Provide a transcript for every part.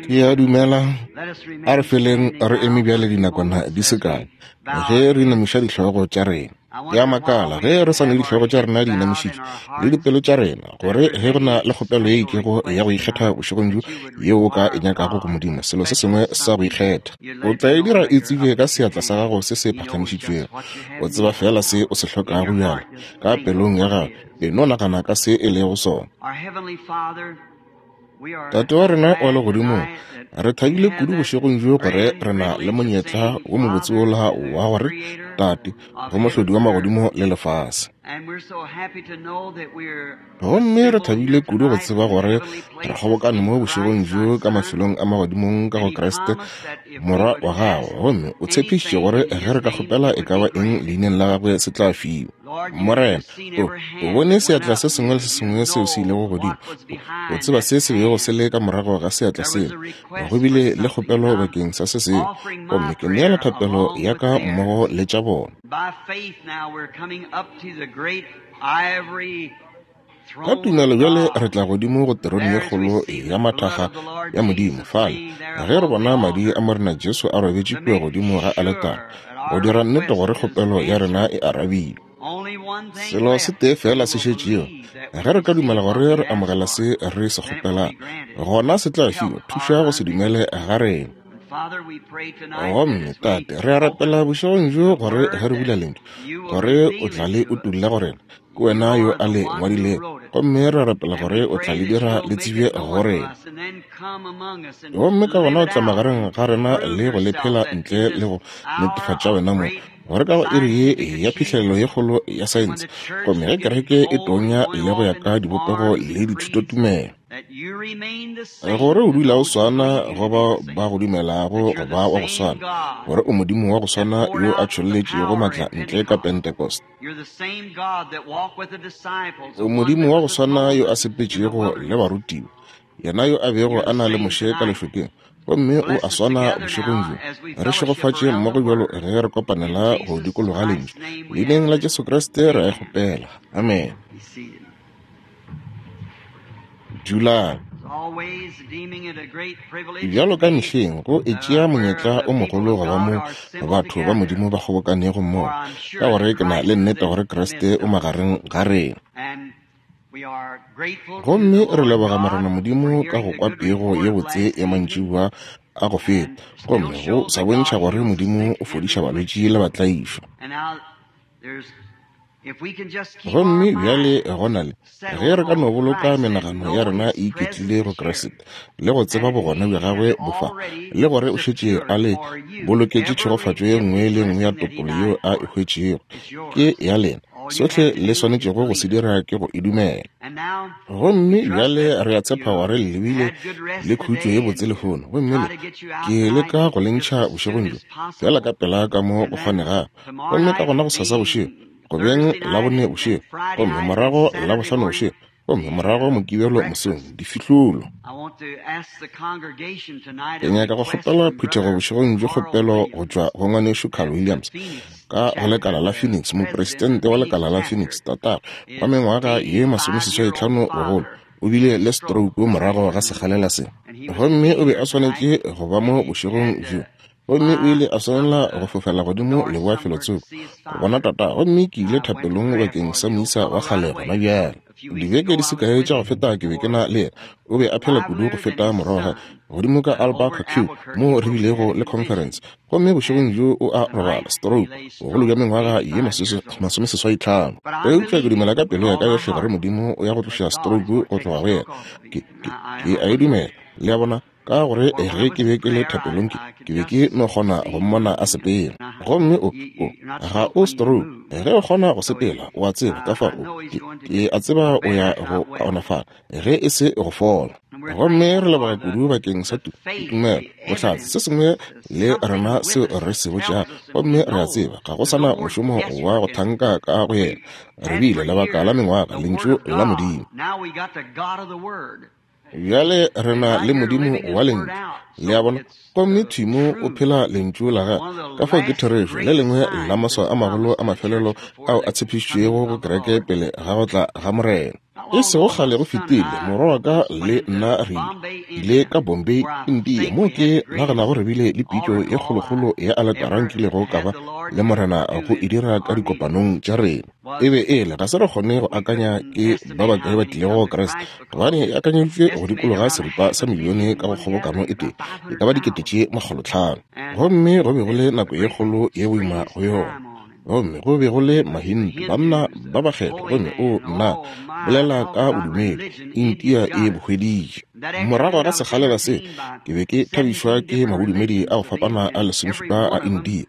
Ke a dumela, a re feleng re eme bjale dinakwana di se kae, ge re inamiša dihlogo tša rena. Ke a makala ge re sa ne dihlogo tša rena di inamišitšwe le dipelo tša rena, gore ge go na le kgopelo ye itšego ya go ikgetha bošegong bjo yeo o ka e nyakago go Modimo, selo se sengwe sa go ikgetha, o tla e dira e tsebje ka seatla sa gago se se phagamišitšwego. O tseba feela se o se hlokago bjale ka pelong ya gago. E no nagana ka se e lego sona. Tate wa rena wa legodimong, re thabile kudu bošegong bjo gore re na le monyetla wo mobotse wola wa gore Tate go mohlodi wa magodimo le lefase. Gomme re thabile kudu go tseba gore re kgobokane mo bošegong bjo ka mafelong a magodimong ka go Kriste Morwa wa gago, gomme o tshepišitše gore ge re ka kgopela e ka ba eng leineng la gagwe se tla fiwa. Morena, o, o bone seatla se sengwe le se sengwe seo se ilego godimo. O tseba se se bego se le ka morago ga seatla seo. Go bile le kgopelo bakeng sa se sengwe, gomme ke neela thapelo ya ka mmogo le tša bona. Ka tumelo bjale re tla godimo go terone ye kgolo ya mathaga ya Modimo, fale ge re bona madi a Morena Jesu a robetše kua godimo ga aletara, go dira nnete gore kgopelo ya rena e arabilwe. Selo se tee feela se šetšego, ge re ka dumela gore re amogela se re se kgopelang, gona se tla fiwa. Thuša go se dumele ga rena. Gomme, Tate, re a rapela bošegong bjo gore ge re bula Lentšu, gore o tla le utolla go rena. Ke wena yo a le ngwadilego, gomme re rapela gore o tla le dira le tsebje go rena. Gomme ka gona o tla magareng ga rena le go le phela ntle le go netefatša wena mong, gore ka go iri ye ya phihlelelo ye kgolo ya saense, gomme ge kereke e tonya le go ya ka dibopego le dithutotumelo, gore o dula o swana go bao ba go dumelago go ba wa go swana, gore o Modimo wa go swana yo a tšholletšego maatla ntle ka Pentecost. O Modimo wa go swana yo a sepetšego le barutiwa, yena yo a bego a na le Moshe ka lešokeng, gomme o a swana bošegong bjo. Re šegofatše mmogo bjalo ge re kopanela go dikologa Lentšu. Leineng la Jesu Kriste re a e kgopela. Amen. Dulang. Bjalo ka mehleng, go e tšea monyetla o mogolo go ba mo batho ba Modimo ba kgobokanego mmogo, ka gore ke na le nnete gore Kriste o magareng ga rena. Gomme re leboga Morena Modimo ka go kwa pego ye botse ya mantšiboa a go feta, gomme go sa bontšha gore Modimo o fodiša balwetši le batlaišwa. Gomme bjale go na le, ge re ka no boloka menagano ya rena e iketlile go Kriste, le go tseba bogona bja gagwe bo fa, le gore o šetše a le boloketše tšhegofatšo ye nngwe le nngwe ya topolo yeo a e hwetšego, ke ya lena. Sohle le swanetšego go se dira ke go e dumela. Gomme bjale re a tshepa gore le bile le khutšo ye botse lehono. Gomme le, ke leka go le ntšha bošegong bjo, feela ka pela ka mo go kgonegago. Gomme ka gona gosasa bošego, go beng Labone bošego, gomme morago Labohlano bošego, gomme morago Mokibelo mosong, difihlolo. Ke nyaka go kgopela phuthego bošegong bjo kgopelo go tšwa go Ngwanešu Carl Williams ka go lekala la Phoenix, mopresidente wa lekala la Phoenix, tatagwe wa mengwaga ye masomeseswaitlhano bogolo, o bile le stroke morago ga sekgalela se, gomme o be a swanetše go ba mo bošegong bjo. Gomme o ile a swanela go fofela godimo leboa felotsoko go bona tata, gomme ke ile thapelong bakeng sa moisa wa kgale gona bjale. Dibeke di se kae tša go feta ke be ke na le yena, o be a phela kudu go feta morago godimo ka Albuquerque moo re bilego le conference. Gomme bošegong bjo o a robala, stroke, bogolo bja mengwaga ye masomeseswaitlhano. Eupša ke dumela ka pelo ya ka yohle gore Modimo o ya go tloša stroke go tloga go yena. Ke, ke, ke a e dumela. Le a bona? Ka gore ge ke be ke le thapelong ke, ke be ke no kgona go mmona a sepela. Gomme o, o, ga o stroke, ge o kgona go sepela, o a tseba, ka fao o, ke, ke a tseba o ya go kaonafala, ge e se go fola. Gomme re leboga kudu bakeng sa tu, tumelo, bohlatse, se sengwe le rena seo re se botšago. Gomme re a tseba ga go sa na mošomo wa go thanka ka go yena. Re bile lebaka la mengwaga, Lentšu la Modimo. Bjale re na le Modimo wa Lentšu. Le a bona? Gomme thwi mo o phela Lentšu la Gagwe. Ka fao ke therešo, le lengwe la maswao a magolo a mafelelo ao a tshepišitšwego go kereke pele ga go tla ga Morena. E sego kgale go fetile, morwa wa ka le nna re ile ka Bombay, India, moo ke naganago re bile le pitšo ye kgolokgolo ya aletara nkilego ka ba le Morena go e dira ka dikopanong tša rena. E be e le, ga se re kgone go akanya ke ba bakae ba tlilego go Kriste, gobane e akanyeditšwe go dikologa seripa sa milione ka go kgobokano e tee, e ka ba 500,000. Gomme go be go le nako ye kgolo ye boima go yona. Gomme go be go le Mahindu, banna ba bakgethwa, gomme o, nna, bolela ka bodumedi, India e bo hweditše. Morago ga sekgalela se, ke be ke thabišwa ke mabodumedi a go fapana a lesomešupa a India.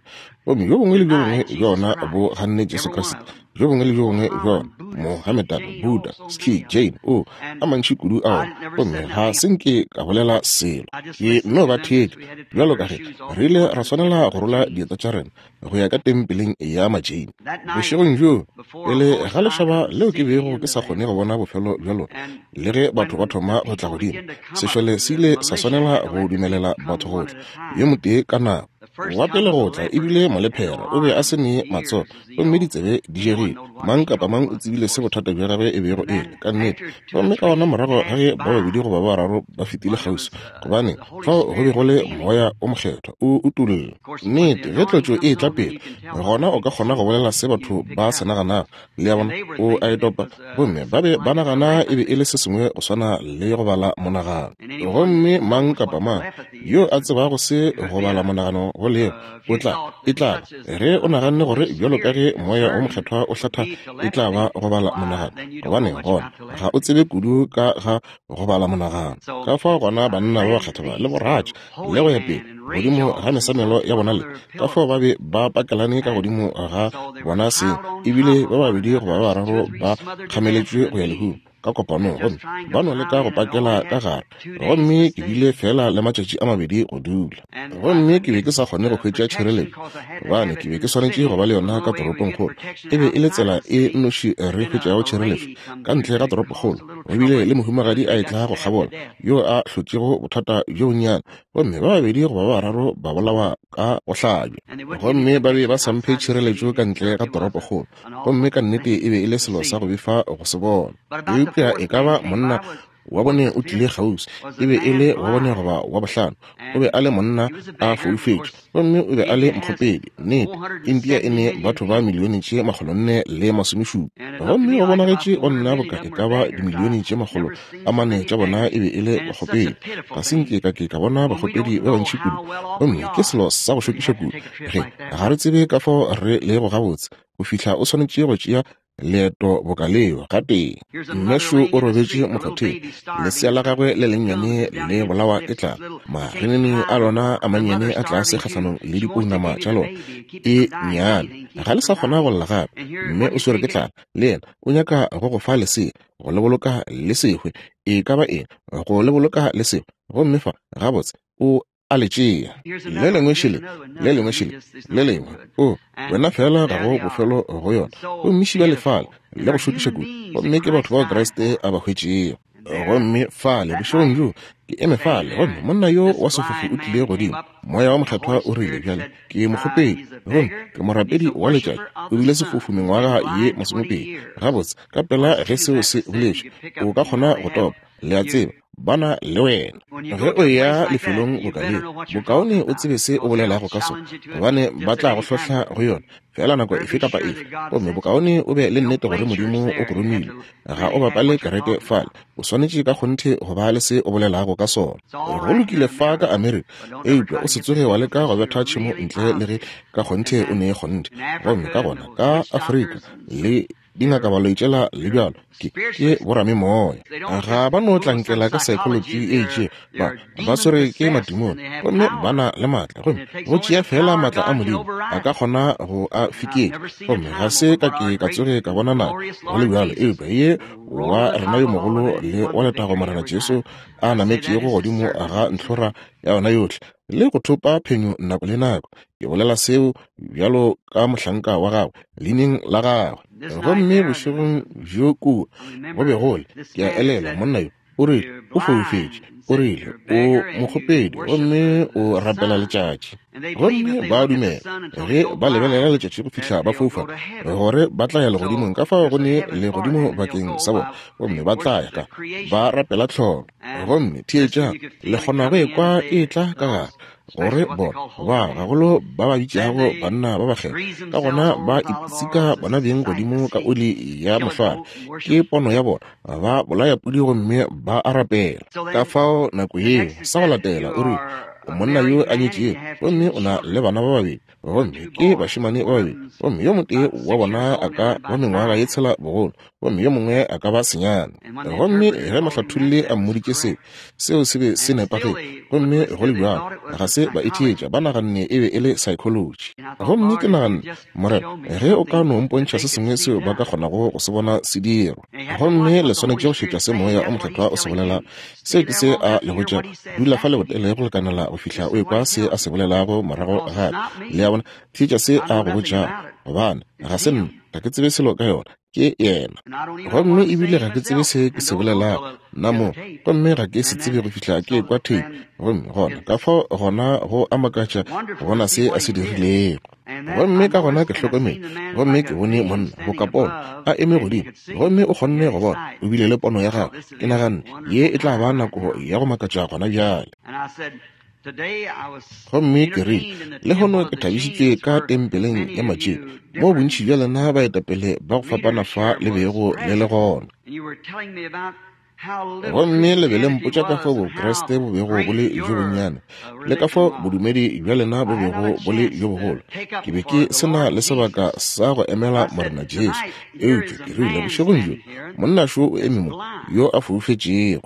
Gomme bjo bongwe le bjo bongwe bja ona bo ganne Jesu Kriste, bjo bongwe le bjo bongwe bja ona, Mohammedan, Buddha, Sikh, Jain, o, a mantši kudu a ona. Gomme ga se nke ka bolela selo. Ke no ba theetša, bjalo ka ge re ile ra swanela go rola dieta tša rena go ya ka tempeleng ya Majain. Bošegong bjoo, pele ga lešaba leo ke bego ke sa kgone go bona bofelo bja lona, le ge batho ba thoma go tla godimo, sešole se ile sa swanela go dumelela batho go tla, yo motee ka nako. Wa pele go tla e bile molephera, o be a se ne matsogo gomme ditsebe di jegile. Mang kapa mang o tsebile se bothata bja gagwe e bego e le, ka nnete. Gomme ka gona morago ga ge ba babedi goba ba bararo ba fetile kgauswi, gobane fao go be go le Moya o Mokgethwa o utolla nnete, ge tlotšo e etla pele, gona o ka kgona go bolela se batho ba se naganago. Le a bona, o a e topa. Gomme ba be ba nagana e be e le se sengwe go swana le go bala monagano. Gomme mang kapa mang yo a tsebago se go bala monagano go lego, o tla, e tla ba, ge o naganne gore bjalo ka ge Moya wo Mokgethwa o hlatha e tla ba go bala monagano, gobaneng, gona ga o tsebe kudu ka ga go bala monagano. Ka fao gona banna ba bakgethwa ba le boratša le go ya pele godimo ga mesamelo ya bona le ka fao ba be ba pakelane ka godimo ga bona seng, ebile ba babedi goba ba bararo ba kgameletšwe go ya lehung ka kopanong, gomme ba no leka go pakela ka gare. Gomme ke bile feela le matšatši a mabedi go dula, gomme ke be ke sa kgone go hwetša tšhireletšo gobane ke be ke swanetše go ba le yona ka toropongkgolo. E be e le tsela e nnoši re hwetšago tšhireletšo ka ntle ga toropokgolo. Go bile le mohumagadi a etla go kgabola yo a hlotšego bothata bjo bonnyane, gomme ba babedi goba ba bararo ba bolawa ka go hlabja, gomme ba be ba sa mphe tšhireletšo ka ntle ga toropokgolo, gomme ka nnete e be e le selo sa go befa go se bona. Eupša e ka ba monna wa bone o tlile kgauswi, e be e le wa bone goba wa bohlano, o be a le monna a foufetše, gomme o be a le mokgopedi. Nnete, India e ne batho ba milione tše 470, gomme go bonagetše go nna boka e ka ba dimilione tše 400 tša bona e be e le bakgopedi. Ga se nke ka ke ka bona bakgopedi ba bantši kudu, gomme ke selo sa go šokiša kudu ge ga re tsebe ka fao re lego gabotse go fihla o swanetše go tšea leeto boka leo gatee. Mmešo o robetše mokgotheng, lesea la gagwe le lennyane le bolawa ke tlala, marenene a lona a mannyane a tlase kgahlanong le dipounama tša lona e nnyane, ga le sa kgona go lla gape. Mme o swere ke tlala, le yena o nyaka go go fa lesea, go le boloka le sehwe, e ka ba eng, go le boloka le sehwe. Gomme fa, gabotse, o a le tšea. Le lengwe šele, le lengwe šele, le lengwe. O, wena feela ga go bofelo go yona. Gomme šiba le fale, le go šokiša kudu. Gomme ke batho bao Kriste a ba hwetšego. Gomme fale, bošegong bjoo, ke eme fale, gomme monna yo wa sefofu o tlile godimo. Moya wa Mokgethwa o rile, Bjale, ke mokgopedi, gomme ke morapedi wa letšatši. O bile sefofu mengwaga ye masomepedi. Gabotse, ka pela ge seo se boletšwe, o ka kgona go topa, le a tseba. Ba na le wena. Ge o eya lefelong boka leo, bokaone o tsebe se o bolelago ka sona, gobane ba tla go hlohla go yona feela nako efe kapa efe. Gomme bokaone o be le nnete gore Modimo o go romile. Ga o bapale kereke fale. O swanetše ka kgonthe go ba le se o bolelago ka sona. Go lokile fa ka Amerika, eupša o se tsoge wa leka go betha tšhemo ntle le ge ka kgonthe o ne kgonthe. Gomme ka gona ka Afrika le dingakabaloi tšela le bjalo ke ke boramemoya, ga ba no tlankela ka psychology e itšego, ba ba swere ke matimone gomme ba na le maatla, gomme go tšea feela maatla a Modimo a ka kgona go a fiketša. Gomme ga se ka ke ka tsoge ka bona nako go le bjalo, eupša ye wa rena yo mogolo le wa letago Morena Jesu a nametšego godimo ga ntlhora ya yona yohle le go thopa phenyo nako le nako. Ke bolela seo bjalo ka mohlanka wa gagwe leineng la gagwe. Gomme bošegong bjo kua go be go le, ke a elelwa, monna yo o rile o foufetše. O rile, O mokgopedi gomme o rapela letšatši. Gomme ba a dumela, ge ba lebelela letšatši go fihla ba foufala, gore ba tla ya legodimong. Ka fao go ne legodimo bakeng sa bona, gomme ba tla ya ka, ba rapela tlholo. Gomme theetšang, le kgona go ekwa e etla ka gare, gore bona ba gagolo ba ba bitšago banna ba bakgethwa, ka gona ba ipsika bona beng godimo ka oli ya mohlware. Ke pono ya bona, ba bolaya pudi gomme ba a rapela. Ka fao nako yeo, sa go latela, o rile, O monna yo a nyetšego, gomme o na le bana ba babedi, gomme ke bašemane ba babedi, gomme yo motee wa bona a ka ba mengwaga ye tshela bogolo, gomme yo mongwe a ka ba senyane. Gomme ge mohlatholli a mmoditše seo, seo se be se nepagetše, gomme go le bjalo ga se ba e theetša, ba naganne e be e le psychology. Gomme ke naganne, Morena, ge o ka no mpontšha se sengwe seo ba ka kgonago go se bona se dirwa. Gomme le swanetše go šetša se Moya o Mokgethwa o se bolelago. Seo ke se A le botšago. Dula fa lebotele go lekanela go fihla o ekwa se A se bolelago morago gape. Le a bona? Theetša se A go botšago. Gobane, ga se nna, ga ke tsebe selo ka yona. Ke Yena. Gomme ebile ga ke tsebe se ke se bolelago, nna mo. Gomme ga ke se tsebe go fihla ke ekwa theipi. Gomme gona, ka fao gona go a makatša go bona se A se dirilego. Gomme ka gona ke hlokometše, gomme ke bone monna, boka pono, a eme godimo, gomme o kgonne go bona, o bile le pono ya gagwe. Ke naganne, Ye e tla ba nako ya go makatša gona bjale. Gomme ke rile, Lehono ke thabišitšwe ka tempeleng ya Matšeo, moo bontši bja lena baetapele ba go fapana fa le bego le le gona. Gomme le be le mpotša ka fao Bokriste bo bego bo le bjo bonnyane, le ka fao bodumedi bja lena bo bego bo le bjo bogolo. Ke be ke se na le sebaka sa go emela Morena Jesu, eupša ke rile, bošegong bjo, monna šo o eme mo, yo a foufetšego.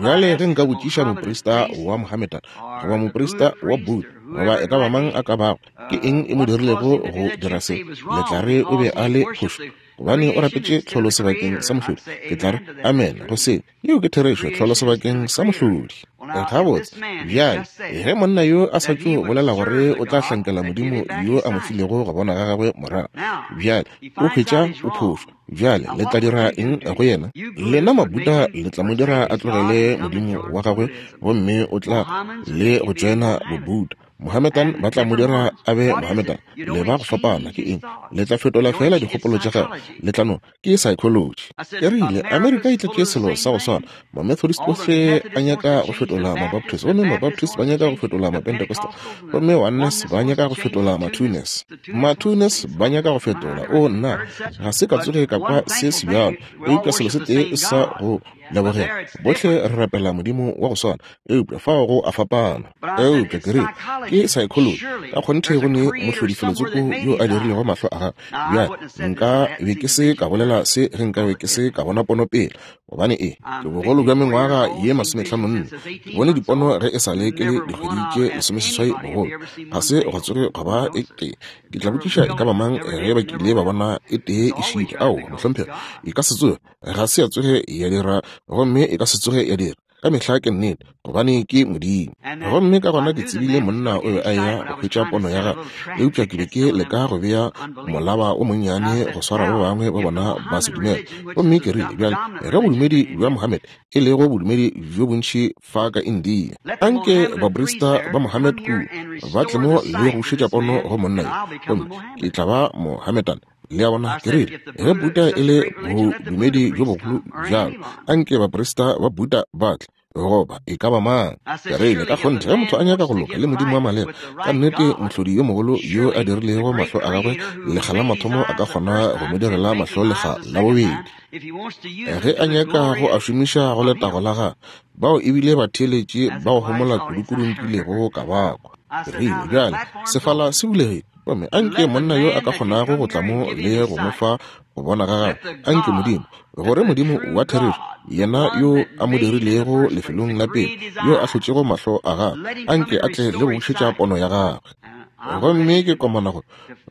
Bjale ge nka botšiša moprista wa Mohammedan, goba moprista wa Buddha, goba e ka ba mang a ka bago, ke eng e mo dirilego go dira se, le tla re o be a le phošo, gobane o rapetše tlholo sebakeng sa mohlodi. Ke tla re amen go se. Yeo ke therešo, tlholo sebakeng sa mohlodi. Gabotse, bjale, ge monna yo a sa tšo bolela gore o tla hlankela Modimo yo a mo filego go bona ga gagwe morago, bjale o hwetša o phošo. Bjale le tla dira eng go yena? Lena Mabuddha le tla mo dira a tlogele Modimo wa gagwe gomme o tla le go tšoena Bobuddha. Mohammedan ba tla mo dira a be Mohammedan. Le ba go fapana ke eng? Le tla fetola fela dikgopolo tša gagwe. Le tla no, ke psychology. Ke rile, Amerika e tletše selo sa go swana. Mamethodist ohle a nyaka go fetola Mabaptist, gomme Mabaptist ba nyaka go fetola Mapentecostal, gomme Oneness ba nyaka go fetola Matwoness. Matwoness ba nyaka go fetola. Oo, nna, ga se ka tsoge ka kwa se sebjalo, eupša selo se tee sa go lebogela, bohle re rapela Modimo wa go swana, eupša fao go a fapana. Eupša ke rile, ke psychology. Ka kgonthe go ne mohlodi felotsoko yo a dirilego mahlo a gagwe. Bjale, nka be ke se ka bolela se ge nka be ke se ka bona pono pele, gobane e ke bogolo bja mengwaga ye masomehlanonne. Ke bone dipono ge e sa le ke le dikgwedi tše lesomeseswai bogolo. Ga se gwa tsoge gwa ba e tee. Ke tla botšiša e ka ba mang ge ba kile ba bona e tee e šitwa. Aowa, mohlomphegi, e ka se tsoge, ga se ya tsoge ya dira, gomme e ka se tsoge ya dira. Ka mehla ke nnete, gobane ke Modimo. Gomme ka gona ke tsebile monna o be a eya go hwetša pono ya gagwe, eupša ke be ke leka go bea molaba o monnyane go swara ba bangwe ba bona ba se dumele. Gomme ke rile, Bjale, ge bodumedi bja Mohammed, e lego bodumedi bjo bontši fa ka India, anke baprista ba Mohammed kua ba tle mo le go bušetša pono go monna yo, gomme ke tla ba Mohammedan. Le a bona? Ke rile, ge Buddha e le bodumedi bjo bogolo bjalo, anke baprista ba Buddha ba tle, goba e ka ba mang. Ke rile, ka kgonthe, ge motho a nyaka go loka le Modimo wa maleba, ka nnete Mohlodi yo mogolo yo a dirilego mahlo a gagwe lekga la mathomo a ka kgona go mo direla mahlo lekga la bobedi. Ge a nyaka go a šomiša go letago la gagwe, bao e bile batheeletši ba go homola kudukudu nkilego ka ba kwa. Ke rile, bjale, sefala se bulegile. Gomme a nke monna yo a ka kgonago go tla mo le go mo fa go bona ga gagwe, a nke Modimo, gore Modimo wa therešo, yena yo a mo dirilego lefelong la pele, yo a hlotšego mahlo a gagwe, a nke a tle le go bušetša pono ya gagwe. Gomme ke komana go,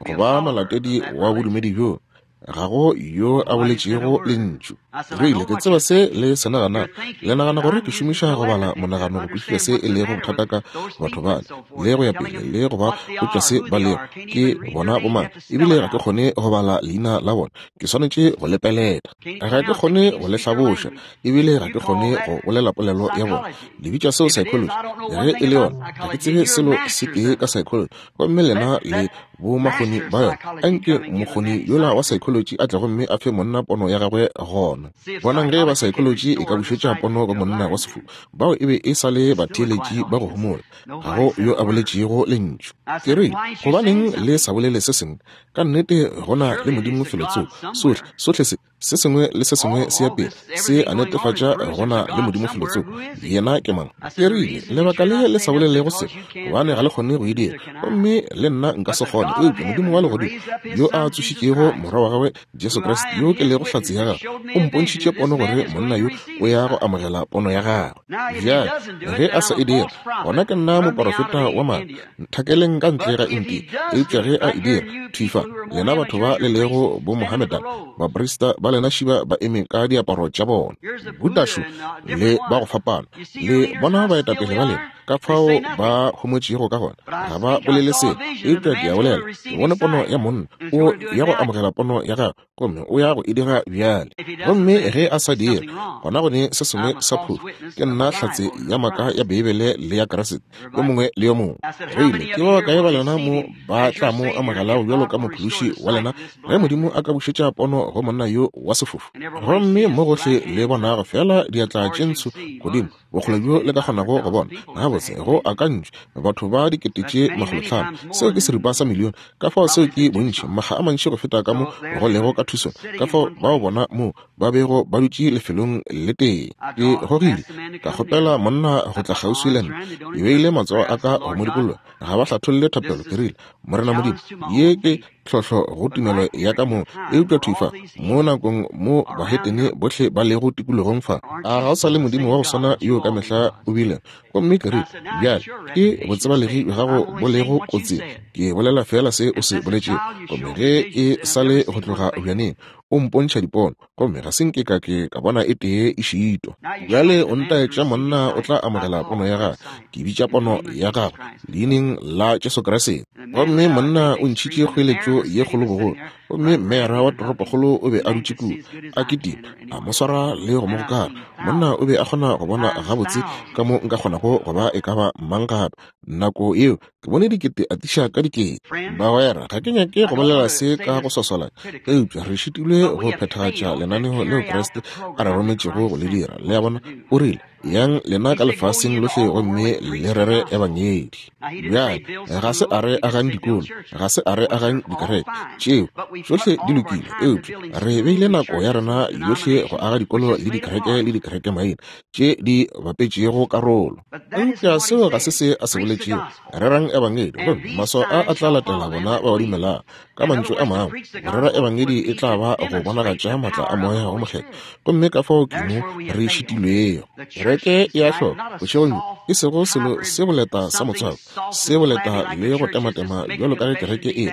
go ba molatedi wa bodumedi bjo, ga go yo a boletšego lentšu. Rile, ke tseba se le se naganago. Le nagana gore ke šomiša go bala monagano go kwešiša se e lego bothata ka batho bale, le go ya pele, le go ba botša se ba lego, ke bona bomang. Ebile ga ke kgone go bala leina la bona. Ke swanetše go le peleta. Ga ke kgone go le hlaboša, ebile ga ke kgone go bolela polelo ya bona. Le bitša seo psychology? Ge e le yona, ga ke tsebe selo se tee ka psychology. Gomme lena le bomakgoni ba yona. Anke mokgoni yola wa psychology a tle gomme a fe monna pono ya gagwe gona. Bonang ge ba psychology e ka bušetša pono go monna wa sefofu. Bao e be e sa le batheeletši ba go homola. Ga go yo a boletšego lentšu. Ke rile, Gobaneng le sa bolele se sengwe? Ka nnete go na le Modimo felotsoko. Sohle, sohle se. Se sengwe le se sengwe se ya pele, se a netefatša go na le Modimo felotsoko. Yena ke mang? Ke rile, Lebaka le le sa bolelego se, gobane ga le kgone go e dira, gomme le nna nka se kgone. Eupša Modimo wa Legodimo, yo a tsošitšego Morwa wa gagwe, Jesu Kriste, yo ke lego hlatse ya gagwe, o mpontšhitše pono gore monna yo o ya go amogela pono ya gagwe. Bjale, ge a sa e dira, gona ke nna moporofeta wa maaka. Nthakeleng ka ntle ga India. Eupša ge a e dira, thwi fa, lena batho ba le lego Bomohammedan, baprista ba lena šiba ba eme ka diaparo tša bona, Buddha-šo le ba go fapana, le bona baetapele ba lena, ka fao ba homotšego ka gona, ga ba bolele selo. Eupša ke a bolela, ke bone pono ya monna, o ya go amogela pono ya gagwe. Gomme o ya go e dira bjale. Gomme ge a sa dire, gona go ne se sengwe sa phošo. Ke nna hlatse ya maaka ya Beibele le ya Kriste, yo mongwe le yo mongwe. Rile, ke ba bakae ba lena mo ba tla mo amogelago bjalo ka Mophološi wa lena, ge Modimo a ka bušetša pono go monna yo wa sefofu? Gomme mo gohle le bonago feela diatla tše ntsho godimo, bokgole bjo le ka kgonago go bona gabotse go akantšwe batho ba 500,000, seo ke seripa sa milione. Ka fao seo ke bontši, makga a mantši go feta ka mo go lego ka Tucson. Ka fao bao bona moo ba bego ba dutše lefelong le tee. Ke gogile, ka kgopela monna go tla kgauswi le nna. Ke beile matsogo a ka go mo dikologa. Ga ba hlatholle thapelo. Ke rile, Morena Modimo, ye ke tlhohlo go tumelo ya ka moo, eupša thwi fa mo nakong mo bahetene bohle ba lego tikologong fa, a ga o sa le Modimo wa go swana yo ka mehla o bile? Gomme ke rile, Bjale, ke botsebalegi bja gago bo lego kotsing. Ke bolela feela se o se boletšego. Gomme ge e sa le go tloga bjaneng, o mpontšha dipono, gomme ga se nke ka ke ka bona e tee e šitwa. Bjale o ntaetša monna o tla amogela pono ya gagwe. Ke bitša pono ya gagwe leineng la Jesu Kriste. Gomme monna o ntšhitše kgoeletšo ye kgolo bogolo, gomme meyara wa toropokgolo o be a dutše kua, a kitima, a mo swara le go mo gokara. Monna o be a kgona go bona gabotse ka mo nka kgonago go ba e ka ba mang gape. Nako yeo ke bone dikete atiša ka dikete. Bagwera, ga ke nyake go bolela se ka go swaswalanya, eupša re šitilwe go phethagatša lenaneo leo Kriste a re rometšego go le dira. Le a bona? O rile, Yang lena ka lefaseng lohle gomme le rere ebangedi. Bjale, ga se a re agang dikolo, ga se a re agang dikereke, tšeo tšohle di lokile, eupša re beile nako ya rena yohle go aga dikolo le dikereke le dikereke maina tše di bapetšego karolo. Eupša seo ga se se a se boletšego. Rerang ebangedi, gomme maswao a a tla latela bona ba ba dumelago. Ka mantšu a mangwe, go rera ebangedi e tla ba go bonagatša maatla a Moya wo Mokgethwa, gomme ka fao ke mo re šitilwego. Kereke e a hloka, bošegong bjo, e sego selo se boleta sa motswako, se boleta le go tematema bjalo ka ge kereke e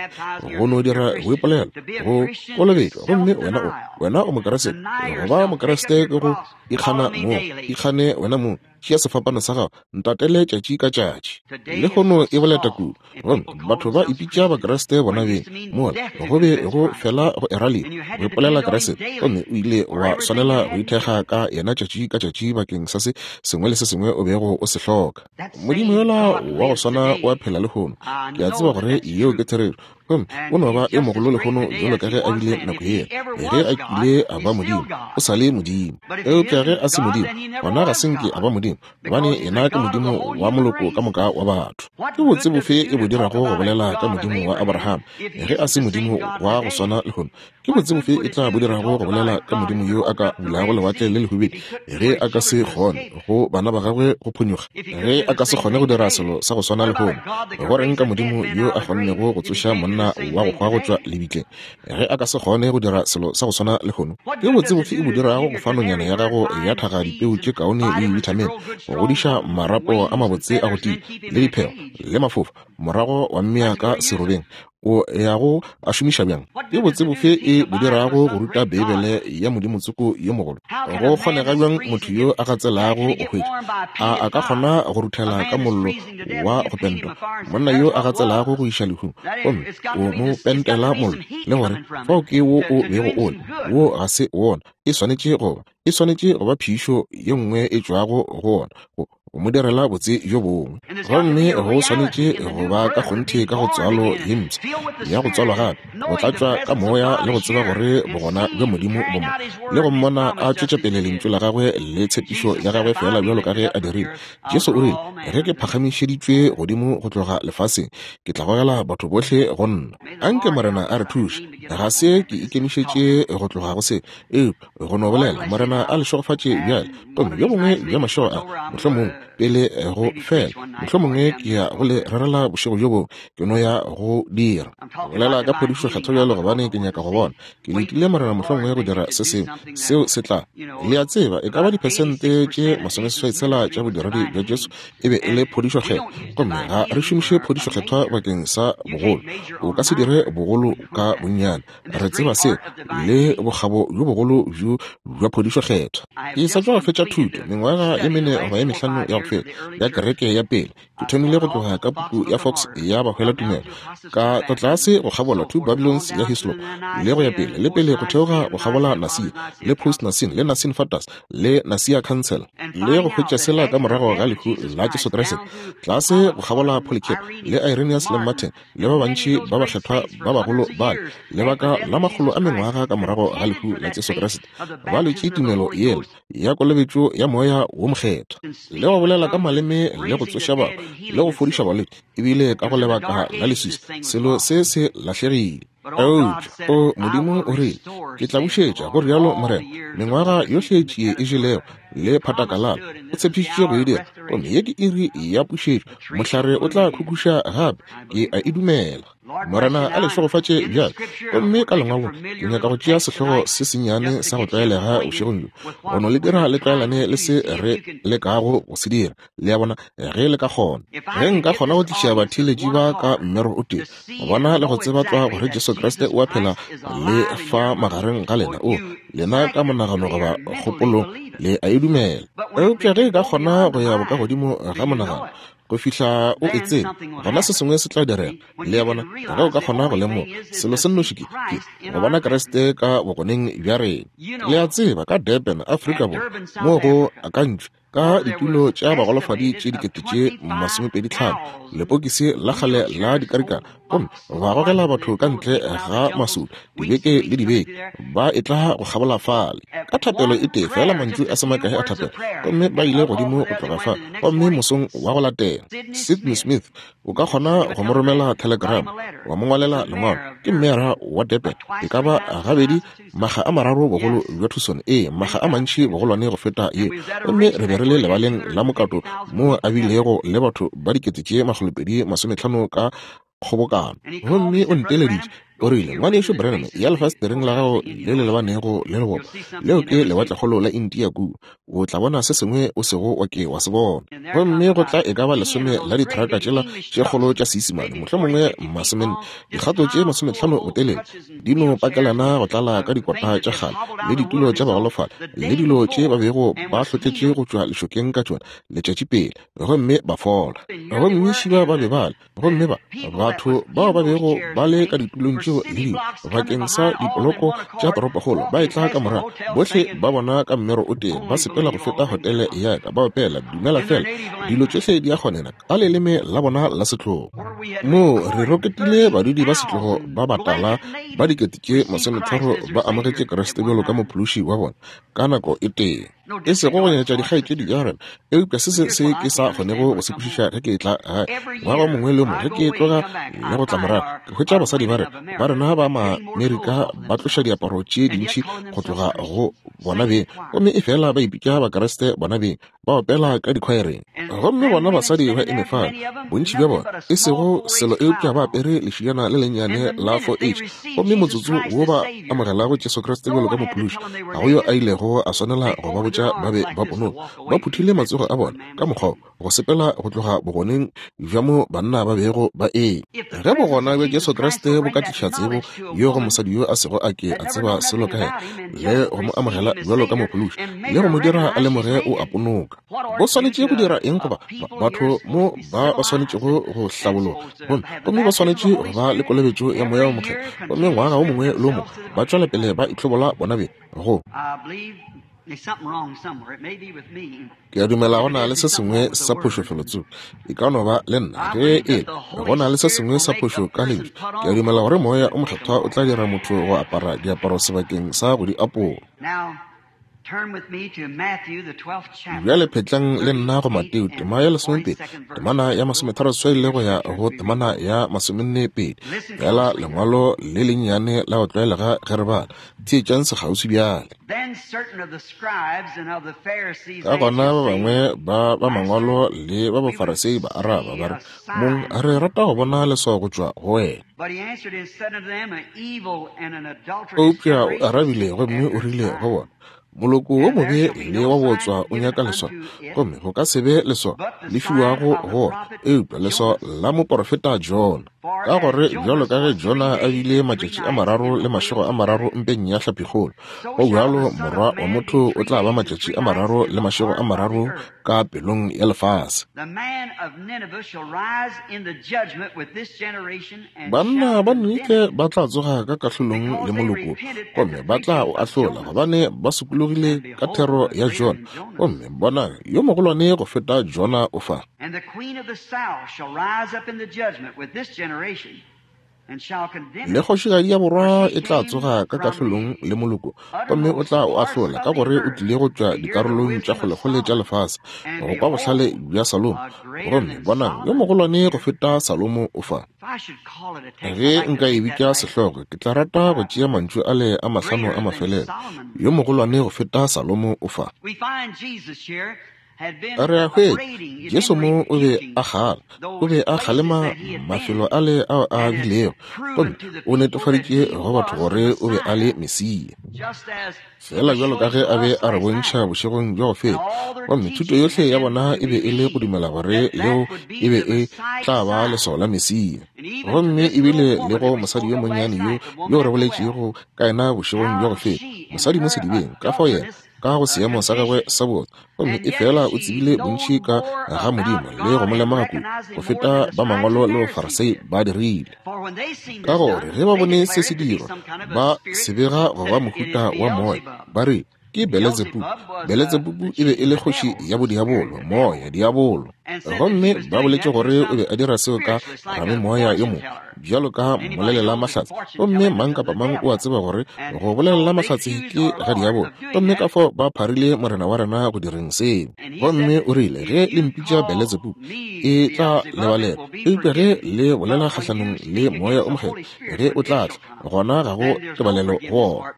go no dira boipolelo, go kolobetšwa, gomme wena o, wena o Mokriste. Go ba Mokriste ke go ikgana mong, ikgane wena mong, tšea sefapano sa gago, ntatele tšatši ka tšatši. Lehono e boleta kudu, gomme batho ba ipitša Bakriste bona beng, mola go be go fela go era lehu go ipolela Kriste, gomme o ile wa swanela go ithekga ka yena tšatši ka tšatši bakeng sa se sengwe le se sengwe o bego o se hloka. Modimo yola wa go swana o a phela lehono. Ke a tseba gore yeo ke therešo. Gomme o no ba yo mogolo lehono bjalo ka ge a bile nako yela. Ge a kile a ba Modimo, o sa le Modimo. Eupša ge a se Modimo, gona ga se nke a ba Modimo, gobane yena ke Modimo wa moloko ka moka wa batho. Ke botse bofe e bo dirago go bolela ka Modimo wa Abraham ge a se Modimo wa go swana lehono? Ke botse bofe e tla bo dirago go bolela ka Modimo yo a ka bulago Lewatle le Lehubedu ge a ka se kgone go bana ba gagwe go phonyokga? Ge a ka se kgone go dira selo sa go swana lehono, go reng ka Modimo yo a kgonnego go tsoša monna wa go hwa go tšwa lebitleng? Ge a ka se kgone go dira selo sa go swana lehono, ke botse bofe e bo dirago go fa nonyana ya gago ya thaga dipeu tše kaone le dibithamine, go godiša marapo a mabotse a go tia, le diphego, le mafofa? morago wa mmea ka serobeng, o ya go a šomiša bjang? Ke botse bofe e bo dirago go ruta Beibele ya Modimo tsoko yo mogolo? Go kgonega bjang motho yo a gatselago go hwetša? A a ka kgona go ruthela ka mollo wa go pentwa? Monna yo a gatselago go iša lehung, gomme o mo pentela mollo, le gore fao ke wo o bego o le, wo ga se wona. E swanetše go ba, e swanetše go ba phišo ye nngwe e tšwago go wona, go go mo direla botse bjo bongwe. Gomme go swanetše go ba ka kgonthe ka go tswalo ye mpsha ya go tswalwa gape, go tlatšwa ka Moya le go tseba gore Bogona bja Modimo bo mo, le go Mmona a tšwetša pele Lentšu la Gagwe le tshepišo ya Gagwe feela bjalo ka ge A dirile. Jesu o rile, Ge ke phagamišeditšwe godimo go tloga lefaseng, ke tla gogela batho bohle go nna. Anke Morena a re thuše. Ga se ke ikemišetše go tloga go se, eupša go no bolela, Morena a le šegofatše bjale. Gomme bjo bongwe bja mašego a, mohlomongwe pele go fela, mohlomongwe ke ya go le rerela bošego bjo bongwe, ke no ya go dira. Ke bolela ka phodišo kgethwa bjalo gobane ke nyaka go bona. Ke letile Morena mohlomongwe go dira se sengwe, seo se tla. Le a tseba, e ka ba diphesente tše masomeseswai-tshela tša bodiredi bja Jesu e be e le phodišo kgethwa. Gomme ga re šomiše phodišo kgethwa bakeng sa bogolo. O ka se dire bogolo ka bonnyane. Re tseba seo, le bokgabo bjo bogolo bjo bja phodišo kgethwa. Ke sa tšwa go fetša thuto, mengwaga ye mene goba ye mehlano ya go feta, ya kereke ya pele. Ke thomile go tloga ka puku ya Fox ya Bahwelatumelo, ka tla tlase go kgabola Two Babylons ya Hislop, le go ya pele, le pele go theoga go kgabola Nicaea, le Post-Nicene, le Nicene Fathers, le Nicaea Council, le go hwetša sela ka morago ga lehu la Jesu Kriste, tlase go kgabola Polycarp, le Irenaeus le Martin, le ba bantši ba bakgethwa ba bagolo bale, lebaka la makgolo a mengwaga ka morago ga lehu la Jesu Kriste, ba lwetše tumelo yela ya kolobetšo ya Moya wo Mokgethwa, le go bolela ka maleme, le go tsoša batho, le go fodiša balwetši, ebile ka go lebaka la leswiswi selo se se lahlegile. Eupša, o Modimo o rile, Ke tla bušetša, go rialo Morena, mengwaga yohle tšie e jelego le phatakalala. O tshepišitše go e dira, gomme ye ke iri ya pušetšo. Mohlare o tla khukhuša gape. Ke a e dumela. Morena a le šegofatše bjale. Gomme ka Lengwalong, ke nyaka go tšea sehlogo se sennyane sa go tlwaelega bošegong bjo, go no le dira le tlwaelane le se re lekago go se dira, le a bona, ge le ka kgona. Ge nka kgona go tliša batheeletši ba ka mmero o tee, go bona le go tseba tlwa gore Jesu Kriste o a phela le fa magareng ga lena, o, lena ka monagano goba kgopolong le a e dumela. Eupša ge e ka kgona go ya bokagodimo ga monagano, go fihla o e tseba, gona se sengwe se tla direga. Le a bona? Ge o ka kgona go lemoga selo se nnoši, ke, ke go bona Kriste ka bogoneng bja rena. Le a tseba, ka Durban, Afrika Borwa, moo go akantšwe ka ditulo tša bagolofadi tše 25,000, lepokisi la kgale la dikarikana, gomme ba gogela batho ka ntle ga masolo dibeke le dibeke, ba etla go kgabola fale ka thapelo e tee feela, mantšu a se makae a thapelo, gomme ba ile godimo go tloga fa. Gomme mosong wa go latela, Sidney Smith, o ka kgona go mo romela telegram, wa mo ngwalela lengwalo, ke mmeara wa Durban, e ka ba gabedi makga a mararo bogolo bja Tucson, ee, makga a mantši bogolwane go feta ye. Gomme re be re le lebaleng la mokato moo a bilego le batho ba 250,000 ka kgobokano. Gomme o nteleditše, o rile, Ngwanešu Branham, ya lefasetereng la gago le le lebanego le lebopo, leo ke Lewatlekgolo la India kua, o tla bona se sengwe o sego wa ke wa se bona. Gomme go tla e ka ba lesome la dithraka tšela tše kgolo tša Seisimane, mohlomongwe masomenne, dikgato tše masometlhano botelele, di no pakelana go tlala ka dikota tša kgale le ditulo tša bagolofadi le dilo tše ba bego ba hlotletše go tšwa lešokeng ka tšona letšatši pele, gomme ba fola. Gomme šiba ba be ba le Gomme ba, batho bao ba bego ba le ka ditulong tšeo le dilo bakeng sa dipoloko tša toropokgolo ba etla ka morago, bohle ba bona ka mmero o tee ba sepela go feta hotele ya ka, ba opela Dumela Fela, dilo tšohle di a kgonena ka leleme la bona la setlogo. Moo re roketile badudi ba setlogo ba batala ba 30,000 ba amogetše Kriste bjalo ka Mophološi wa bona ka nako e tee. E sego go nyatša dikgaetšedi tša rena, eupša se se se ke sa kgonego go se kwešiša ge ke etla gae ngwaga o mongwe le o mongwe, ge ke tloga le go tla morago, ke hwetša basadi ba rena, ba rena ba Maamerika ba tloša diaparo tše dintši go tloga go bona beng, gomme efela ba ipitša Bakriste bona beng, ba opela ka dikhwaereng. Gomme bona basadi ba eme fale, bontši bja bona, e sego selo eupša ba apere lešijana le lennyane la 4H, gomme motsotso wo ba amogelago Jesu Kriste bjalo ka Mophološi, ga go yo a ilego a swanela go ba botša ba be ba ponoka, ba phuthile matsogo a bona ka mokgwa wo. go sepela go tloga bogoneng bja mo banna ba bego ba eme. Ge bogona bja Jesu Kriste bo ka tliša tsebo yo go mosadi yo a sego a ke a tseba selo ka yena, le go mo amogela bjalo ka Mophološi, le go mo dira a lemoge o a ponoka. Bo swanetše go dira eng goba batho mo ba ba swanetšego go hlabologa, gomme, gomme ba swanetše go ba le kolobetšo ya Moya wo Mokgethwa, gomme ngwaga wo mongwe le wo mongwe ba tšwela pele ba itlhobola bona beng go. Ke a dumela go na le se sengwe sa phošo felotsoko. E ka no ba le nna ge e le go na le se sengwe sa phošo ka Lentšu. Ke a dumela gore Moya o Mokgethwa o tla dira motho go apara diaparo sebakeng sa go di apola. Bjale phetlang le nna go Mateo tema ya lesomepedi, temana ya masometharoseswai le go ya go temana ya masomennepedi. Feela lengwalo le lennyane la go tlwaelega ge re bala. Theetšang sekgauswi bjale. Ka gona ba bangwe ba ba mangwalo le ba Bafarasei ba araba ba re, Mong, re rata go bona leswao go tšwa go wena. Eupša o arabile gomme o rile go bona, Moloko wo mobe le wa bootswa o nyaka leswao, gomme go ka se be leswao le fiwago go wona, eupša leswao la moporofeta Jona. Ka gore bjalo ka ge Jona a bile matšatši a mararo le mašego a mararo mpeng ya hlapikgolo, go bjalo Morwa wa motho o tla ba matšatši a mararo le mašego a mararo ka pelong ya lefase. Banna ba Ninife ba tla tsoga ka kahlolong le moloko gomme ba tla o ahlola, gobane ba sokologile ka thero ya Jona, gomme bonang, yo mogolwane go feta Jona o fa. Le kgošigadi ya borwa e tla tsoga ka kahlolong le moloko, gomme o tla o ahlola, ka gore o tlile go tšwa dikarolong tša kgolekgole tša lefase go kwa bohlale bja Salomo, gomme bonang, yo mogolwane go feta Salomo o fa. Ge nka e bitša sehlogo, ke tla rata go tšea mantšu ale a mahlano a mafelelo, Yo mogolwane go feta Salomo o fa. Re a hwetša, Jesu mo o be a kgala, o be a kgalema mafelo ale ao a bilego, gomme o netefaditše go batho gore o be a le Mesia. Feela bjalo ka ge a be a re bontšha bošegong bja go feta, gomme thuto yohle ya bona e be e le go dumela gore leo e be e tla ba leswao la Mesia. Gomme ebile le go mosadi yo monnyane yo, yo re boletšego ka yena bošegong bja go feta, mosadi mo sedibeng, ka fao yena ka go seemo sa gagwe sa botse, gomme efela o tsebile bontši ka ga Modimo le go mo lemoga kudu go feta ba mangwalo le Bafarasei ba dirile. Ka gore ge ba bone se se dirwa, ba se bega go ba mohuta wa moya, ba re, Ke Beletsebubu. Beletsebubu e be e le kgoši ya bodiabolo, moya, diabolo. Gomme ba boletše gore o be a dira seo ka ramemoya yo mongwe, bjalo ka mmolelela mahlatse. Gomme mang kapa mang o a tseba gore go bolelela mahlatse ke ga diabolo. Gomme ka fao ba pharile Morena wa rena go direng seo. Gomme o rile, Ge le mpitša Beletsebubu, e tla lebalelwa. Eupša ge le bolela kgahlanong le Moya o Mokgethwa, ge o tla tla, gona ga go tebalelo go wona.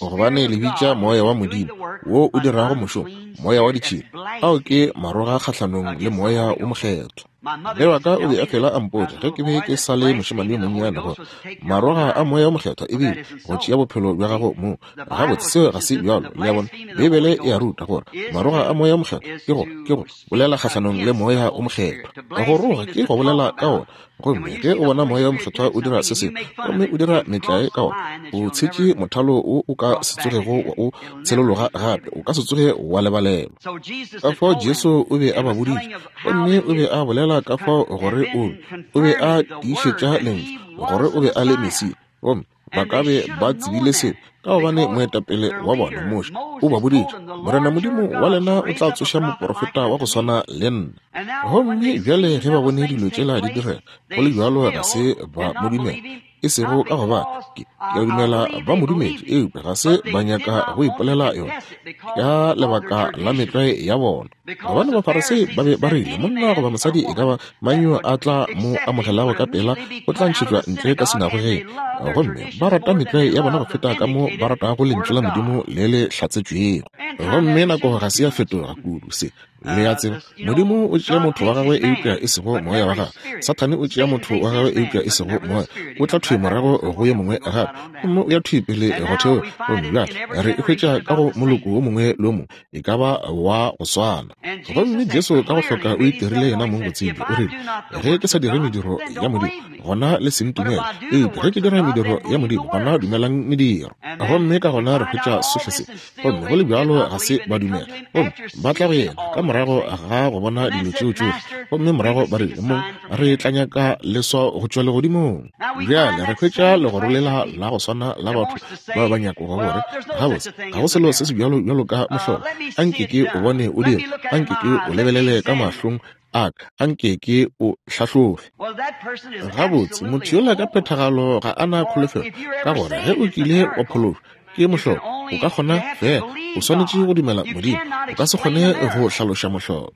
Gobane le bitša Moya wa Modimo, wo o dirago mošomo, moya wa ditšhila. Ao ke maroga kgahlanong le Moya wo Mokgethwa. Mme wa ka o be a fela a mpotša ge ke be ke sa le mošemane yo monnyane gore maroga a Moya wo Mokgethwa e bile go tšea bophelo bja gago mo. Gabotse, seo ga se bjalo. Le a bona? Beibele e a ruta gore maroga a Moya wo Mokgethwa ke go, ke go bolela kgahlanong le Moya wo Mokgethwa. Go roga ke go bolela ka wona. Gomme ge o bona Moya wo Mokgethwa o dira se sengwe, gomme o dira metlae ka wona, o tshetše mothalo wo o ka se tsogego wa o tshelologa gape, o ka se tsoge wa lebalelwa. Ka fao Jesu o be a ba boditše, gomme o be a bolela ka fao gore o be, o be a tiišetša Lentšu, gore o be a le Mesia. Gomme ba ka be ba tsebile seo, ka gobane moetapele wa bona, Moshe, o ba boditše, Morena Modimo wa lena o tla tsoša moporofeta wa go swana le nna. Gomme bjale ge ba bone dilo tšela di direga, go le bjalo ga se ba mo dumela. E sego ka gobane ke, ke a dumela ba mo dumetše, eupša ga se ba nyaka go ipolela yona ka lebaka la metlwae ya bona. Gobane Bafarasei ba be ba rile, Monna goba mosadi e ka ba mang yo a tla mo amogelago ka pela o tla ntšhetšwa ntle ka sinagogeng. Gomme ba rata metlwae ya bona go feta ka mo ba ratago Lentšu la Modimo le le hlatsetšwego. Gomme nako ga se ya fetoga kudu. Se. Le a tseba, Modimo o tšea motho wa gagwe eupša e sego moya wa gagwe. Sathane o tšea motho wa gagwe eupša e sego moya. O tla thwi morago go yo mongwe gape, gomme o ya thwi pele go theoga. Gomme bjale re e hwetša ka go moloko wo mongwe le wo mongwe, e ka ba wa go swana. Gomme Jesu ka go hloka o itirile yena mong go tsebja. O rile, Ge ke sa dire mediro ya Modimo, gona le se ntumele. Eupša ge ke dira mediro ya Modimo, gona dumelang mediro. Gomme ka gona re hwetša sohle se. Gomme go le bjalo ga se ba dumela. Gomme ba tla go yena ka morago ga go bona dilo tšeo tšohle, gomme morago ba rile, Mong, re tla nyaka leswao go tšwa legodimong. Bjale re hwetša legoro lela la go swana la batho ba ba nyakogo gore, Gabotse, ga go selo se se bjalo bjalo ka mohlolo. A nke ke o bone o dira. A nke ke o lebelele ka mahlong a ka. A nke ke o hlahlobe. Gabotse, motho yola ka phethagalo ga a na kholofelo, ka gore ge o kile wa phološwa ke mohlolo, o ka kgona fela, o swanetše go dumela Modimo. O ka se kgone go hlaloša mohlolo.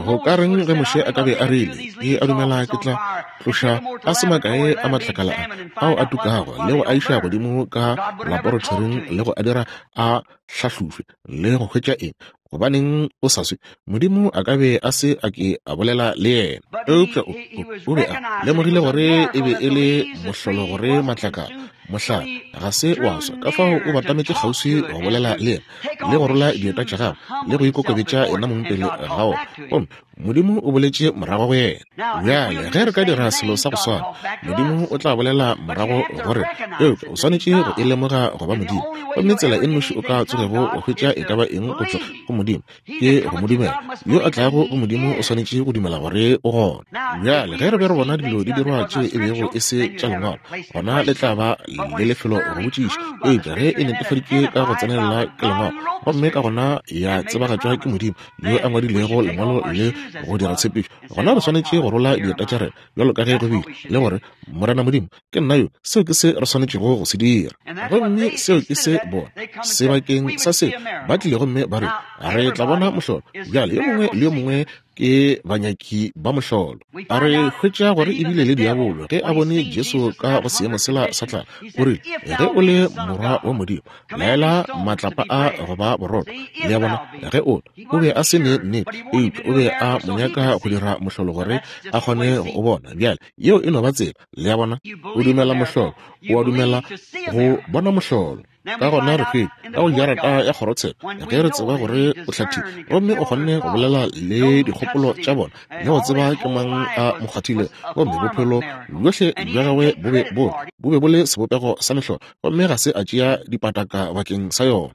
Go ka reng ge Moshe a ka be a rile, Ke a dumela ke tla tloša a se makae a matlakala a ao a tukago le go a iša godimo ka laboratoring le go a dira a hlahlofe le go hwetša eng? Gobaneng o sa swe? Modimo a ka be a se a ke a bolela le yena. Eupša o, o, o be a lemogile gore e be e le mohlolo gore matlakala, mohlare, ga se wa swa. Ka fao o batametše kgauswi go bolela le yena. le go rola dieta tša gagwe le go ikokobetša yena mong pele ga ona, gomme Modimo o boletše morago go yena. Bjale ge re ka dira selo sa go swana, Modimo o tla bolela morago go rena. Eupša o swanetše go e lemoga go ba Modimo. Gomme tsela e nnoši o ka tsogego wa hwetša e ka ba eng go tšwa go Modimo ke go mo dumela. Yo a tlago go Modimo o swanetše go dumela gore o gona. Bjale ge re be re bona dilo di dirwa tše e bego e se tša Lengwalo, gona le tla ba le lefelo go botšiša. Eupša ge e netefaditšwe ka go tsenelela ke Lengwalo, gomme ka gona ya tsebagatšwa ke Modimo yo a ngwadilego Lengwalo le go dira tshepišo, gona re swanetše go rola dieta tša rena bjalo ka ge go bile, le gore, Morena Modimo, ke nna yo. Seo ke se re swanetšego go se dira. Gomme seo ke se bona sebakeng sa seo ba tlile gomme ba re, Re tla bona mohlolo. Bjale yo mongwe le yo mongwe ke banyaki ba mohlolo. A re hwetša gore ebile le diabolo ge a bone Jesu ka go seemo sela sa tlala, o rile, Ge o le Morwa wa Modimo, laela matlapa a go ba borotho. Le a bona? Ge o, o be a se ne nnete, eupša o be a mo nyaka go dira mohlolo gore a kgone go o bona. Bjale, yeo e no ba tsela. Le a bona? O dumela mohlolo. O a dumela go bona mohlolo. Ka gona re hwetša ka go jarata ya kgorotsheko ge re tseba gore o hlathile gomme o kgonne go bolela le dikgopolo tša bona le go tseba ke mang a mo kgwathile, gomme bophelo bjohle bja gagwe bo be bo bo be bo le sebopego sa mehlolo, gomme ga se a tšea dipataka bakeng sa yona.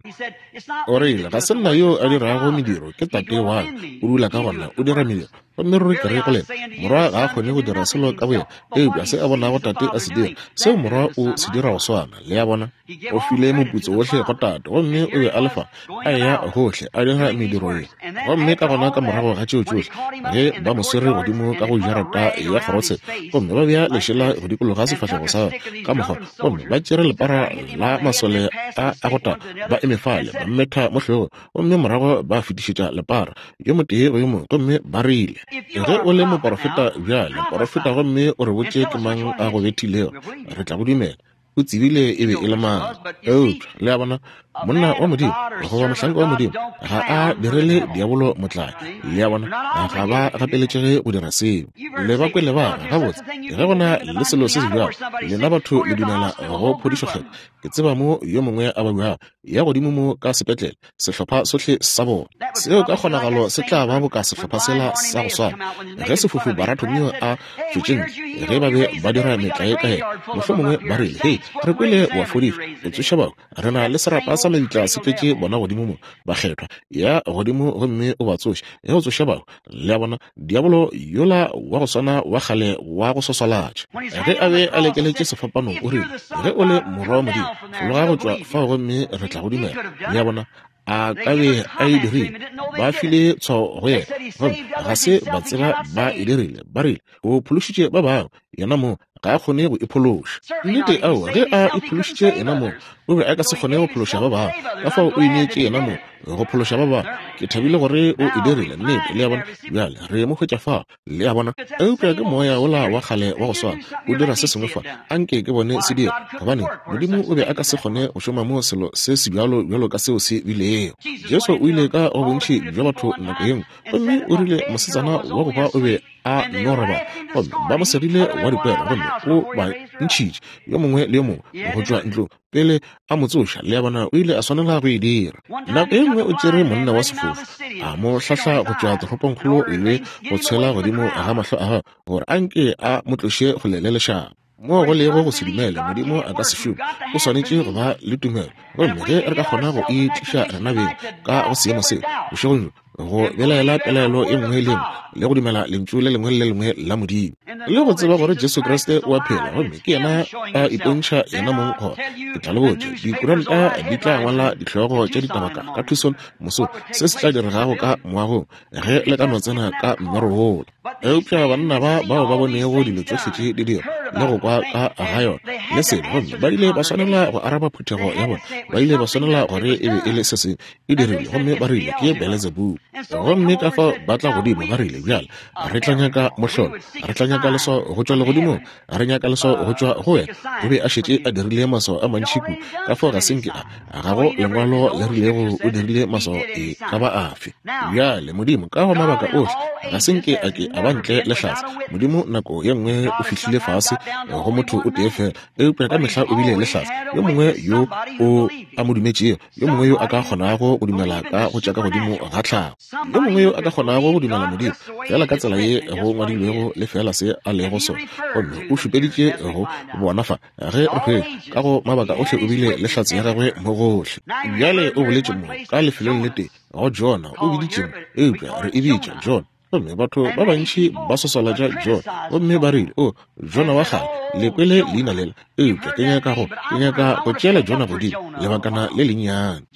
O rile, Ga se nna yo a dirago mediro, ke Tate wa ka o dula ka gona, o dira mediro. Gomme ruri ke re go lena, Morwa ga a kgone go dira selo ka boyena, eupša se a bonago Tate a se dira, seo Morwa o se dira go swana. Le a bona? O file moputso wohle go Tate, gomme o be a le fa, a eya gohle, a dira mediro ye. Gomme ka gona ka morago ga tšeo tšohle, ge ba mo swere godimo ka go jarata ya kgorotsheko, gomme ba bea lešela go dikologa sefahlego sa gagwe ka mokgwa, gomme ba tšere lepara la masole a a go tagwa, ba eme fale, ba mmetha mo hlogong, gomme morago ba fetišetša lepara yo motee go yo mongwe, gomme ba rile, Ge o le moporofeta bjale, porofeta gomme o re botše ke mang a go bethilego, re tla go dumela. O tsebile e be e le mang. Eupša, le a bona, monna wa Modimo goba mohlanka wa Modimo ga a direle diabolo motlae. Le a bona, ga ba gapeletšege go dira seo. Le ba kwele ba re, Gabotse, ge go na le selo se sebjalo, lena batho le dumela go phodišo Kgethwa. Ke tseba mo yo mongwe a babjago, ya godimo mo ka sepetlele, sehlopha sohle sa bona. Seo ka kgonagalo se tla ba boka sehlopha sela sa go swana ge sefofu Baratomio a tšwetše ntle, ge ba be ba dira metlae ka yena. Mohlomongwe ba rile, Hei, re kwele wa fodiša, o tsoša bahu. Re na le serapa sa mabitla se tletše bona godimo mo, bakgethwa. Ya godimo gomme o ba tsoše, ge o tsoša bahu. Le a bona, diabolo yola wa go swana wa kgale wa go swaswalatša, ge a be a lekeletše sefapanong, o rile, Ge o le Morwa wa Modimo, fologa go tšwa fao gomme re tla go dumela. Le a bona, a ka be a e dirile. Ba file tshwao go yena, gomme ga se ba tseba ba e dirile. Ba rile, O phološitše ba bangwe, yena mo. Ga a kgone go iphološa. Nnete, aowa, ge a iphološitše yenamong, o be a ka se kgone go phološa ba bangwe. Ka fao o ineetše yenamong go phološa ba bangwe. Ke thabile gore o e dirile. Nnete, le a bona? Bjale re mo hwetša fao. Le a bona? Eupša ke moya wola wa kgale wa go swana o dira se sengwe fa. Anke ke bone se dira. Gobane, Modimo o be a ka se kgone go šoma mo selo se sebjalo bjalo ka seo se bilego. Jesu o ile ka go bontši bja batho nako ye nngwe, gomme o rile mosetsana wa go hwa o be a no robala, gomme ba mo segile wa dikwero, gomme o ba ntšhitše yo mongwe le yo mongwe go tšwa ntlong pele a mo tsoša. Le a bona, o ile a swanela go e dira. Nako ye nngwe o tšere monna wa sefofu, a mo hlahla go tšwa toropongkgolo le go tshwela godimo ga mahlo a gagwe gore a nke a mo tloše kgole le lešaba. Moo go lego go se dumele, Modimo a ka se šome. O swanetše go ba le tumelo. Gomme ge re ka kgona go e tliša rena beng ka go seemo se, bošegong bjo, go belaela pelaelo e nngwe le nngwe le go dumela lentšu le lengwe le le lengwe la Modimo, le go tseba gore Jesu Kriste o a phela gomme ke yena a ipontšha yena mong, gona ke tla le botša, dikuranta di tla ngwala dihlogo tša ditaba ka, ka Tucson mosong, se se tla diregago ka moagong ge le ka no tsena ka mmero wola. Eupša banna ba bao ba bonego dilo tšohle tše di dirwa le go kwa ka ga yona le selo, gomme ba ile ba swanela go araba phuthego ya bona, ba ile ba swanela gore e be e le se sengwe e dirile, gomme ba rile ke Beletsebubu. Gomme ka fao ba tla godimo, ba rile, Bjale re tla nyaka mohlolo, re tla nyaka leswao go tšwa legodimong, re nyaka leswao go tšwa go wena. O be a šetše a dirile maswao a mantši kudu, ka fao ga se nke a, ga go lengwalo le rilego o dirile maswao e ka ba afe. Bjale Modimo ka go mabaka ohle ga se nke a ke a ba ntle le hlatse. Modimo nako ye nngwe o fihlile fase go motho o tee fela, eupša ka mehla o bile le hlatse yo mongwe yo o a mo dumetšego, yo mongwe yo a ka kgonago go dumela ka go tša ka godimo ga tlhago, yo mongwe yo a ka kgonago go dumela Modimo feela ka tsela ye go ngwadilwego le feela se a lego sona. Gomme o šupeditše go bona fa ge re hwetša ka go mabaka ohle o bile le hlatse ya gagwe mo gohle. Bjale o boletše mo ka lefelong le tee go Jona, o biditše mo, eupša re e bitša Jona. Gomme batho ba bantši ba swaswalatša Jona, gomme ba rile, O, Jona wa kgale, le kwele leina lela. Eupša ke nyaka go, ke nyaka go tšeela Jona godimo lebakana le lennyane.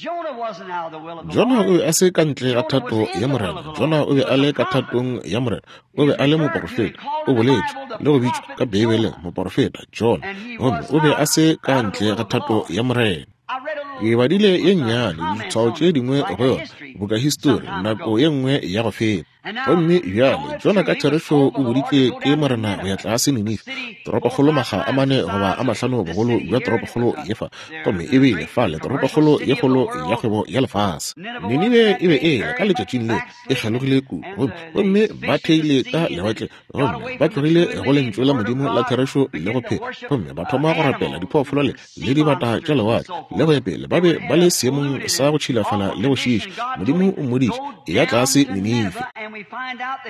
Jona o be a se ka ntle ga thato ya Morena. Jona o be a le ka thatong ya Morena. O be a le moporofeta. O boletšwe le go bitšwa ka Beibeleng moporofeta Jona. Gomme o be a se ka ntle ga thato ya Morena. Ke badile ye nnyane, ditshwao tše dingwe go yona, boka histori, nako ye nngwe ya go feta. Gomme bjale, Jona ka therešo o boditšwe ke Morena go ya tlase Ninife, toropokgolo makga a mane goba a mahlano bogolo bja toropokgolo ye fa, gomme e bile fale toropokgolo ye kgolo ya kgwebo ya lefase. Ninibe e be e le ka letšatšing leo e kgelogile kudu, gomme, gomme ba theile ka lewatle gomme ba tlogile go lentšu la Modimo la therešo le go phela, gomme ba thoma go rapela diphoofolo le, le dibata tša lewatle le go ya pele. Ba be ba le seemong sa go tšhilafala le go šiiša. Modimo o mmoditše, Eya tlase Ninife.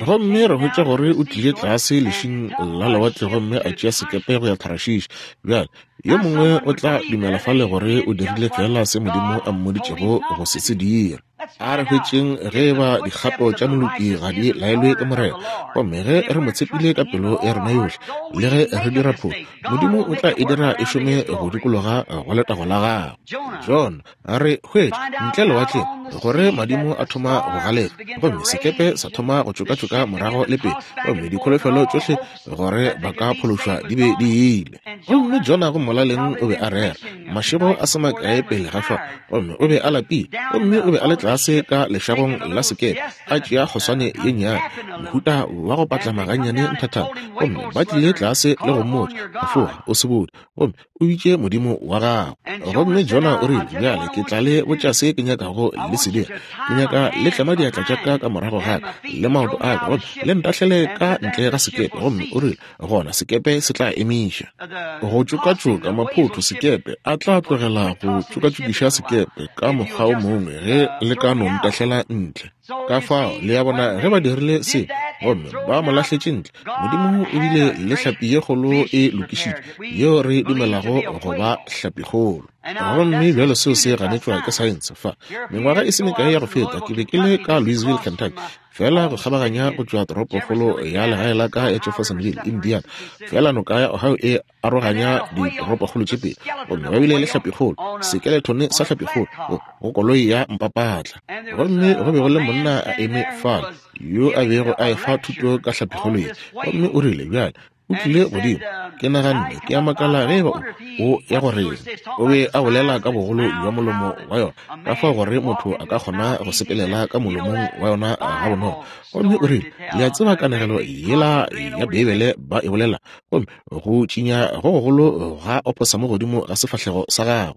Gomme re hwetša gore o tlile tlase lešing la lewatle gomme a tšea sekepe go ya Tharashish. Bjale, yo mongwe o tla dumela fale gore o dirile feela se Modimo a mmoditšego go se se dira. A re hwetšeng ge e ba dikgato tša moloki ga di laelwe ke Morena, gomme ge re mo tshepile ka pelo ya rena yohle, le ge re dira phošo, Modimo o tla e dira e šome go dikologa go letago la gagwe. Jona, a re hwetša ntle lewatleng gore madimo a thoma go galefa, gomme sekepe sa thoma go tšokatšoka morago le pele, gomme dikholofelo tšohle gore ba ka phološwa di be di ile. Gomme Jona go molaleng o be a rera mašego a se makae pele ga fao, gomme o be a lapile, gomme o be a le tlase ka lešagong la sekepe a tšea kgoswane ye nnyane, mohuta wa go patlama gannyane nthathana, gomme ba tlile tlase le go mmotša, Foga, o se bone, gomme o bitše Modimo wa gago. Gomme Jona o rile, Bjale ke tla le botša se ke nyakago le se dira. Ke nyaka le tlema diatla tša ka ka morago ga ka le maoto a ka, gomme le ntahlele ka ntle ga sekepe. Gomme o rile, Gona sekepe se tla emiša go tšokatšoka maphotho. Sekepe a tla tlogela go tšokatšokiša sekepe ka mokgwa o mongwe ge le ka no ntahlela ntle. Ka fao, le a bona, ge ba dirile se gomme ba mo lahletše ntle, Modimo o bile le hlapi ye kgolo e lokišitšwe, yeo re dumelago go ba hlapikgolo. Gomme bjalo seo se ganetšwa ke saense. Fa, mengwaga e se mekae ya go feta, ke be ke le ka Louisville, Kentucky, feela go kgabaganya go tšwa toropokgolo ya legae la ka ya Jeffersonville, Indiana. Feela noka ya Ohio e aroganya ditoropokgolo tše pedi, gomme ba bile le hlapikgolo, sekeletone sa hlapikgolo go koloi ya mpapatla. Gomme go be go le monna a eme fale yo a bego a efa thuto ka hlapikgolo ye, gomme o rile, Bjale, O tlile godimo. Ke naganne, ke a makala ge eba o ya go reng. O be a bolela ka bogolo bja molomo wa yona, ka fao gore motho a ka kgona go sepelela ka molomong wa yona gabonolo. Gomme o rile, Le a tseba kanegelo yela ya Beibele ba e bolela, gomme go tšinya go gogolo ga oposamo godimo ga sefahlego sa gagwe.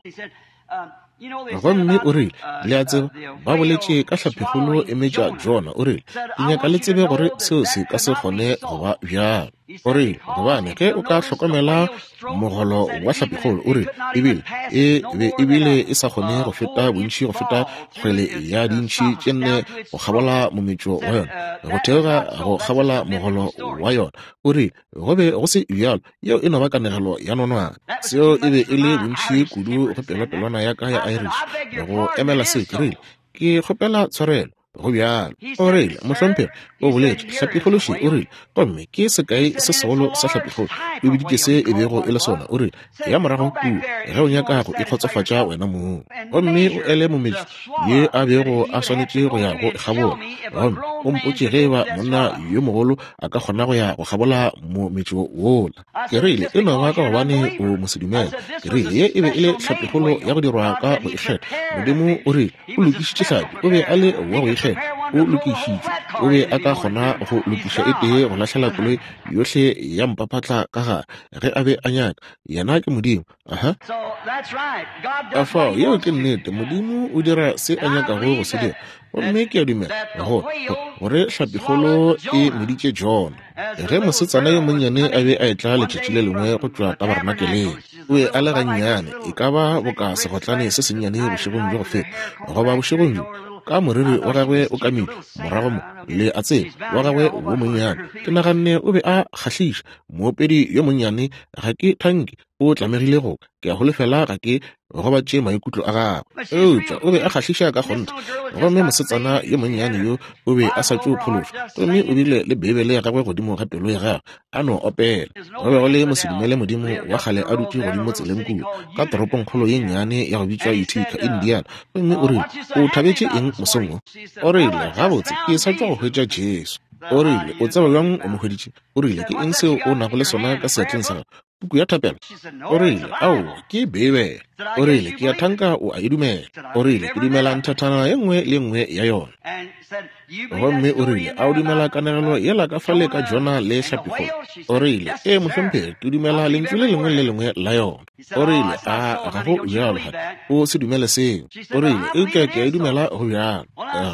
Gomme o rile, Le a tseba, ba boletše ka hlaphikgolo e metša Jona. O rile, Ke nyaka le tsebe gore seo se ka se kgone go ba bjalo. O rile, Gobane ge o ka hlokomela mogolo wa hlapikgolo, o rile, ebile e be ebile e sa kgone go feta bontši go feta kgwele ya dintšhi tše nne go kgabola mometšo wa yona, go theoga go kgabola mogolo wa yona. O rile, Go be go se bjalo. Yeo e no ba kanegelo ya nonwane. Seo e be e le bontši kudu go pelopelwana ya ka ya Irish go emela seo. Ke rile, Ke kgopela tshwarelo. Go bjalo. O rile, Mohlomphegi, o boletše, hlapikgolo še, o rile, gomme ke sekai se segolo sa hlapikgolo. O biditše se e bego e le sona. O rile, Ya morago kua, ge o nyaka go ikgotsofatša wena mong, gomme o ele mometšo ye a bego a swanetše go ya go e kgabola, gomme o mpotše ge eba monna yo mogolo a ka kgona go ya go kgabola mometšo wola. Ke rile, E no ba ka gobane o mosedumele. Ke rile, Ye e be e le hlapikgolo ya go dirwa ka go ikgetha. Modimo o rile O lokišitše hlapi. O be a le wa go ikgetha. O lokišitšwe. O be a ka kgona go lokiša e tee go lahlela koloi yohle ya mpaphatla ka gare, ge a be a nyaka. Yena ke Modimo. Aha. Ka fao, yeo ke nnete. Modimo o dira se a nyakago go se dira. Gomme ke a dumela go, go, gore hlapikgolo e meditše Jona. Ge mosetsana yo monnyane a be a etla letšatši le lengwe go tšwa tabarnakeleng, o be a le gannyane, e ka ba boka segotlane se sennyane bošegong bjo go feta, goba bošegong bjo, ka moriri wa gagwe o kamilwe morago mo, le a tseba, wa gagwe wo monnyane. Ke naganne o be a kgahliša, moopedi yo monnyane, ga ke thanke o tlamegile go ka. Ke a holofela ga ke gobatše maikutlo a gagwe. Eupša o be a kgahliša ka kgonthe. Gomme mosetsana yo monnyane yo o be a sa tšo phološwa, gomme o bile le Beibele ya gagwe godimo ga pelo ya gagwe, a no opela. Go be go le mosedumele Modimo wa kgale a dutše godimo tseleng kua, ka toropongkgolo ye nnyane ya go bitšwa Utica, Indiana. Gomme o rile, O thabetše eng mosong wo? O rile, Gabotse, ke sa tšwa go hwetša Jesu. O rile, O tseba bjang o mo hweditše? O rile, Ke eng seo o nago le sona ka seatleng sa gago? Puku ya thapelo? O rile, Aowa, ke Beibele. O rile, Ke a thanka o a e dumela. O rile, Ke dumela nthathana ye nngwe le ye nngwe ya yona. Gomme o rile, A o dumela kanegelo yela ka fale ka Jona le hlapikgolo? O rile, Ee, mohlomphegi, ke dumela lentšu le lengwe le le lengwe la yona. O rile, A ga go bjalo gape? O se dumele seo. O rile, Eupša ke a e dumela go bjalo.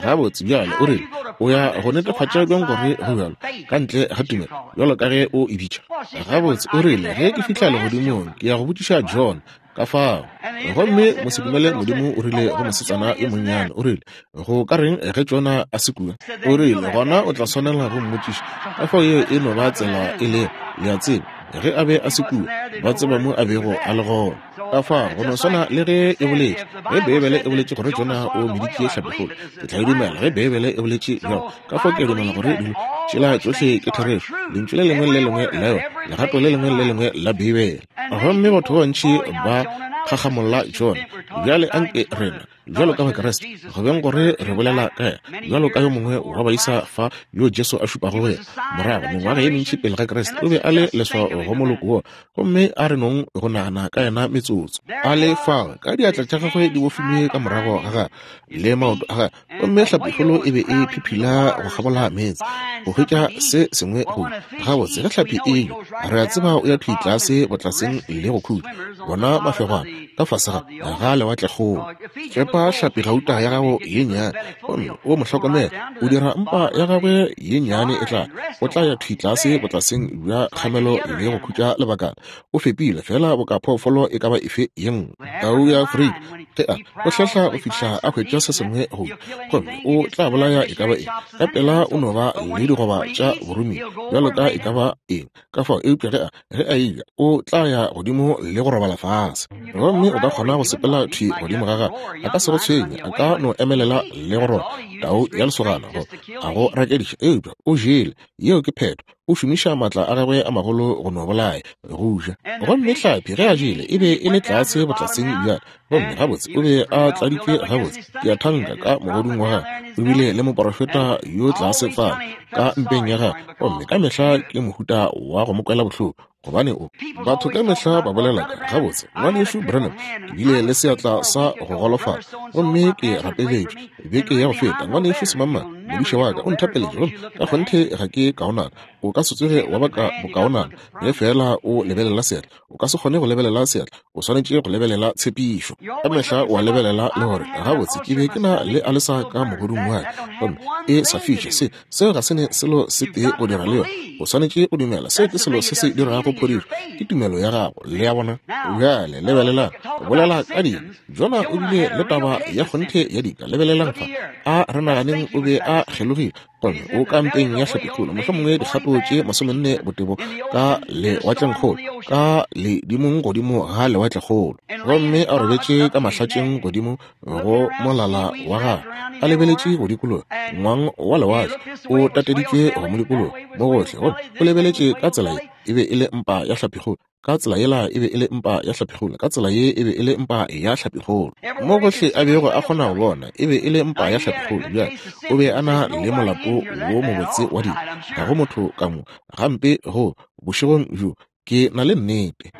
Gabotse, bjale, o rile, o ya go netefatša bjang gore go bjalo, ka ntle ga tumelo, bjalo ka ge o e bitša? Gabotse, o rile, ge ke fihla legodimong, ke ya go botšiša John ka fao. Gomme mosedumele Modimo o rile go mosetsana yo monnyane, o rile, go ka reng ge Jona a se kua? O rile, gona o tla swanela go mmotšiša. Ka fao yeo e no ba tsela e lego, le a tseba. Ge a be a se kua, ba tseba mo a bego a le gona. Ka fao go no swana le ge e boletše, ge Beibele e boletše gore Jona o meditše hlapikgolo, ke tla e dumela ge Beibele e boletše bjalo. Ka fao ke a dumela gore dilo tšela tšohle ke therešo, Lentšu le lengwe le le lengwe la yona, legato le lengwe le le lengwe la Beibele. Gomme batho ba bantši ba kgakgamolla Jona. Bjale anke rena, bjalo ka Bakriste, go beng gore re bolela ka yena bjalo ka yo mongwe wa baisa fa yo Jesu a šupago go yena morago mengwaga ye mentši pele ga Kriste, o be a le leswao go moloko wo. Gomme a re nong go nagana ka yena metsotso. A le fao ka diatla tša gagwe di bofilwe ka morago ga gagwe le maoto a gagwe, gomme hlapikgolo e be e phiphila go kgabola meetse go hwetša se sengwe go gabotse. Ge hlapi e enywa, re a tseba o ya thwi tlase botlaseng le go khutša bona mafegwana ka fase ga ga lewatlekgolo. Fepa hlapi gauta ya gago ye nnyane gomme o mo hlokomele. O dira mpa ya gagwe ye nnyane e tla, o tla ya thwi tlase botlaseng bja kgamelo le go khutša lebakana. O fepile feela boka phoofolo e ka ba efe ye nngwe. Tau ya Afrika, ge a o hlehla go fihla a hwetša se sengwe go ja, gomme o tla bolaya e ka ba eng. Ka pela o no ba le digoba tša boromiwa bjalo ka e ka ba eng. Ka fao, eupša ge a, ge a eja, o tla ya godimo le go robala fase. Gomme Gomme o ka kgona go sepela thwi godimo ga gagwe, a ka se go tshwenye, a ka no emelela le go rora tau ya lesogana go a go rakediša, eupša o jele. Yeo ke phetho. O šomiša maatla a gagwe a magolo go no bolaya, go ja. Gomme hlapi, ge a jele, e be e le tlase botlaseng bjale. Gomme gabotse o be a tladitšwe gabotse, ke a thanka, ka mogodung wa gagwe. O bile le moporofeta yo tlase fale ka mpeng ya gagwe, gomme ka mehla ke mohuta wa go mo kwela bohloko, gobane o. Batho ka mehla ba bolela ka, Gabotse, Ngwanešu Branham, ke bile le seatla sa go golofala, gomme ke rapeletšwe beke ya go feta. Ngwanešu Semangmang, modiša wa ka, o nthapeletše, gomme ka kgonthe ga ke kaonana. O ka se tsoge wa baka bokaonana ge feela o lebelela seatla. O ka se kgone go lebelela seatla, o swanetše go lebelela tshepišo. Ka mehla o a lebelela le gore, Gabotse, ke be ke na le alesa ka mogodung wa ka, gomme e sa fiše. Se, seo ga se ne selo se tee go dira le yona. O swanetše go dumela. Seo ke selo se se dirago phodišo, ke tumelo ya gago. Le a bona? Bjale lebelelang, go bolela ka dika. Jona o bile le taba ya kgonthe ya dika. Lebelelang fa. A re naganeng o be a kgelogile, gomme o ka mpeng ya hlapikgolo, mohlomongwe dikgato tše 40 botebo ka lewatlengkgolo, ka ledimong godimo ga lewatlekgolo. Gomme a robetše ka mahlatšeng godimo go molala wa gagwe, a lebeletše go dikologa ngwang wa lewatle, o tateditšwe go mo dikologa mo gohle, gomme o lebeletše ka tsela ye, e be e le mpa ya hlapikgolo, ka tsela yela e be e le mpa ya hlapikgolo, ka tsela ye e be e le mpa ya hlapikgolo. Mo gohle a bego a kgona go bona, e be e le mpa ya hlapikgolo. Bjale o be a na le molato wo mobotse wa dilo, ga go motho ka mo gampe go bošegong bjo, ke na le nnete.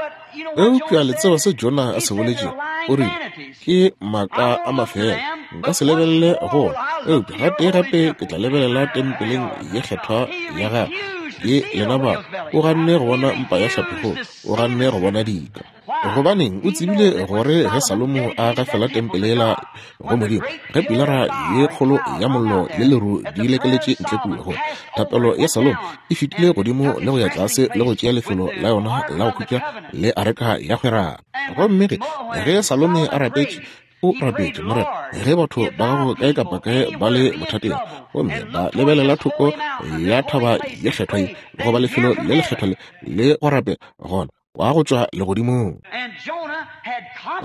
Eupša le tseba se Jona a se boletšego? O rile, Ke maaka a mafela, nka se lebelele go ona, eupša gatee gape ke tla lebelela tempeleng ye kgethwa ya gagwe. Ke lena ba. O ganne go bona mpa ya hlapikgolo, o ganne go bona dika. Gobaneng, o tsebile gore ge Salomo a gafela tempele yela go Modimo, ge pilara ye kgolo ya mollo le leru di lekeletše ntle kua, gore thapelo ya Salomo e fetile godimo le go ya tlase le go tšea lefelo la yona la go khutša le areka ya kgwerano. Gomme ge, ge Salome a rapetše, o rapetše, Morena, ge batho ba gago kae kapa kae ba le bothateng, gomme ba lebelela thoko ya thaba ye kgethwa ye, goba lefelo le lekgethwa le, le go rapela, gona wa go tšwa legodimong.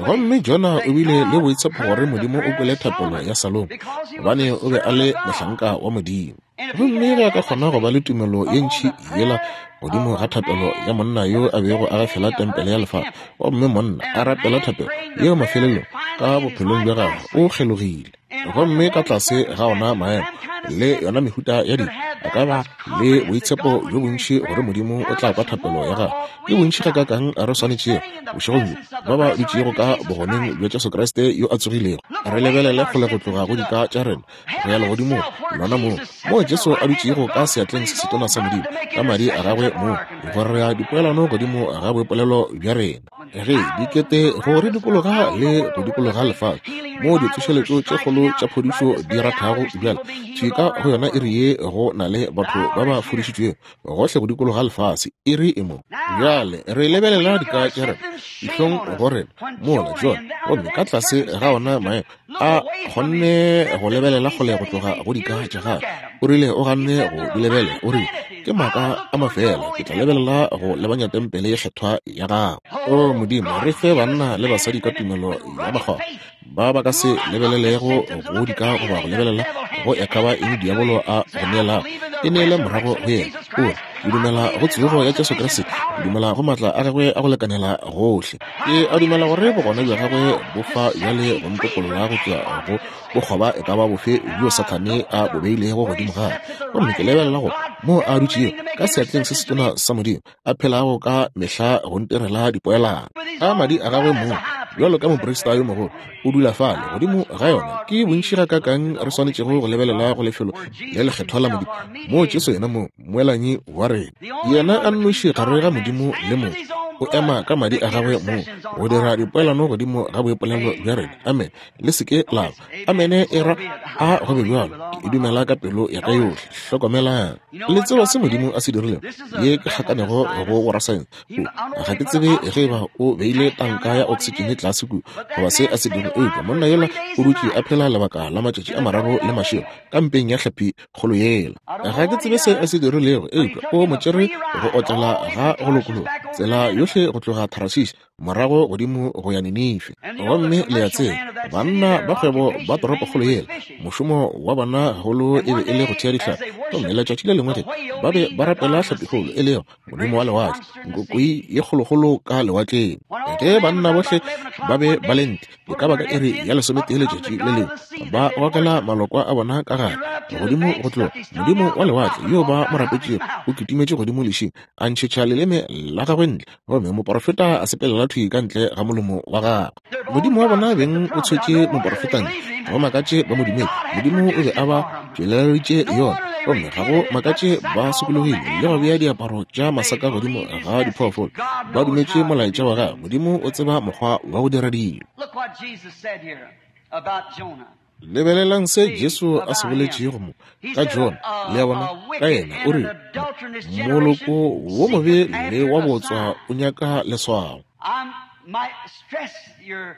Gomme Jona o bile le boitshepo gore Modimo o kwele thapelo ya Salomo, gobane o be a le mohlanka wa Modimo. Gomme ge a ka kgona go ba le tumelo ye ntši yela godimo ga thapelo ya monna yo a bego a gafela tempele ya lefase, gomme monna a rapela thapelo yeo mafelelong ka bophelong bja gagwe o kgelogile. Gomme ka tlase ga ona maemo le yona mehuta ya dilo, a ka ba le boitshepo bjo bontši gore Modimo o tla kwa thapelo ya gagwe. Ke bontši gakaakang re swanetšego, bošegong bjo, ba ba dutšego ka bogoneng bja Jesu Kriste yo a tsogilego, re lebelele kgole go tloga go dika tša rena go ya legodimong, lona moo, moo Jesu a dutšego ka seatleng se setona sa Modimo, ka madi a gagwe moo, go rea dipoelano godimo ga boipolelo bja rena. Ge dikete go re dikologa le go dikologa lefase, moo ditsošeletšo tše kgolo tša phodišo di rathago bjale, thwi ka go yona iri ye go na le batho ba ba fodišitšwego gohle go dikologa lefase, iri e mo. Bjale re lebelela dika tša rena, dihlong go rena, mola John, gomme ka tlase ga ona maemo, a kgonne go lebelela kgole go tloga go dika tša gagwe. O rile o ganne go di lebelela, o rile, Ke maaka a mafela, ke tla lebelela go lebanya tempele ye kgethwa ya gago. O Modimo, re fe banna le basadi ka tumelo ya makgwakgwa, ba ba ka se lebelelego go dika goba go lebelela go e ka ba eng diabolo a go neelago, e neele morago go yena. O re, Ke dumela go tsogo ya Jesu Kriste, ke dumela go maatla a gagwe a go lekanela gohle. Ke a dumela gore bogona bja gagwe bo fa bjale go ntokolola go tšwa go bokgoba e ka ba bofe bjo Sathane a bo beilego godimo ga ka. Gomme ke lebelela go moo a dutšego ka seatleng se setona sa Modimo, a phelago ka mehla go ntirela dipoelano. Ka madi a gagwe mong, bjalo ka moprista yo mogolo, o dula fale godimo ga yona. Ke bontši gakaakang re swanetšego go lebelela go lefelo le lekgethwa la Modimo, moo Jesu yena mong, Mmoelanyi wa rena, yena a nnoši gare ga Modimo le motho, o ema ka madi a gagwe mong go dira dipoelano godimo ga boipolelo bja rena. Amen. Le se ke la ba. Amene e ra a go be bjalo. Ke e dumela ka pelo ya ka yohle. Hlokomelang. Le tseba se Modimo a se dirilego? Ye ke kgakanego go borasaense. O, ga ke tsebe ge eba o beile tanka ya oksitšene tlase kua goba se a se dirile, eupša monna yola o dutše a phela lebaka la matšatši a mararo le mašego ka mpeng ya hlapi kgolo yela. Ga ke tsebe se a se dirilego, eupša o mo tšere go otlela ga go lokologa, tsela yohle. yohle go tloga Tarasisi morago godimo go ya Ninife. Gomme le a tseba, banna ba kgwebo ba toropokgolo yela, mošomo wa bona gagolo e be e le go thea dihlapi. Gomme letšatši le lengwe ge ba be ba rapela hlapikgolo, e lego modimo wa lewatle, nkokoi ye kgolokgolo ka lewatleng, ge banna bohle ba be ba le ntle, e ka ba ka iri ya lesometee letšatši le lengwe, ba gokela malokwa a bona ka gare godimo go tloga. Modimo wa lewatle yo ba mo rapetšego o kitimetše godimo lešing, a ntšhetša leleme la gagwe ntle, gomme moporofeta a sepelela thwi ka ntle ga molomo wa gagwe. Modimo wa bona beng o tshwetše moporofeta ntle. Ga go makatše ba mo dumele. Modimo o be a ba tšweleleditše yona, gomme ga go makatše ba sokologile le go bea diaparo tša masaka godimo ga diphoofolo. Ba dumetše molaetša wa gagwe. Modimo o tseba mokgwa wa go dira dilo. Lebelelang se Jesu a se boletšego mo ka Jona, le a bona, ka yena. O rile, Moloko wo mobe le wa bootswa o nyaka leswao.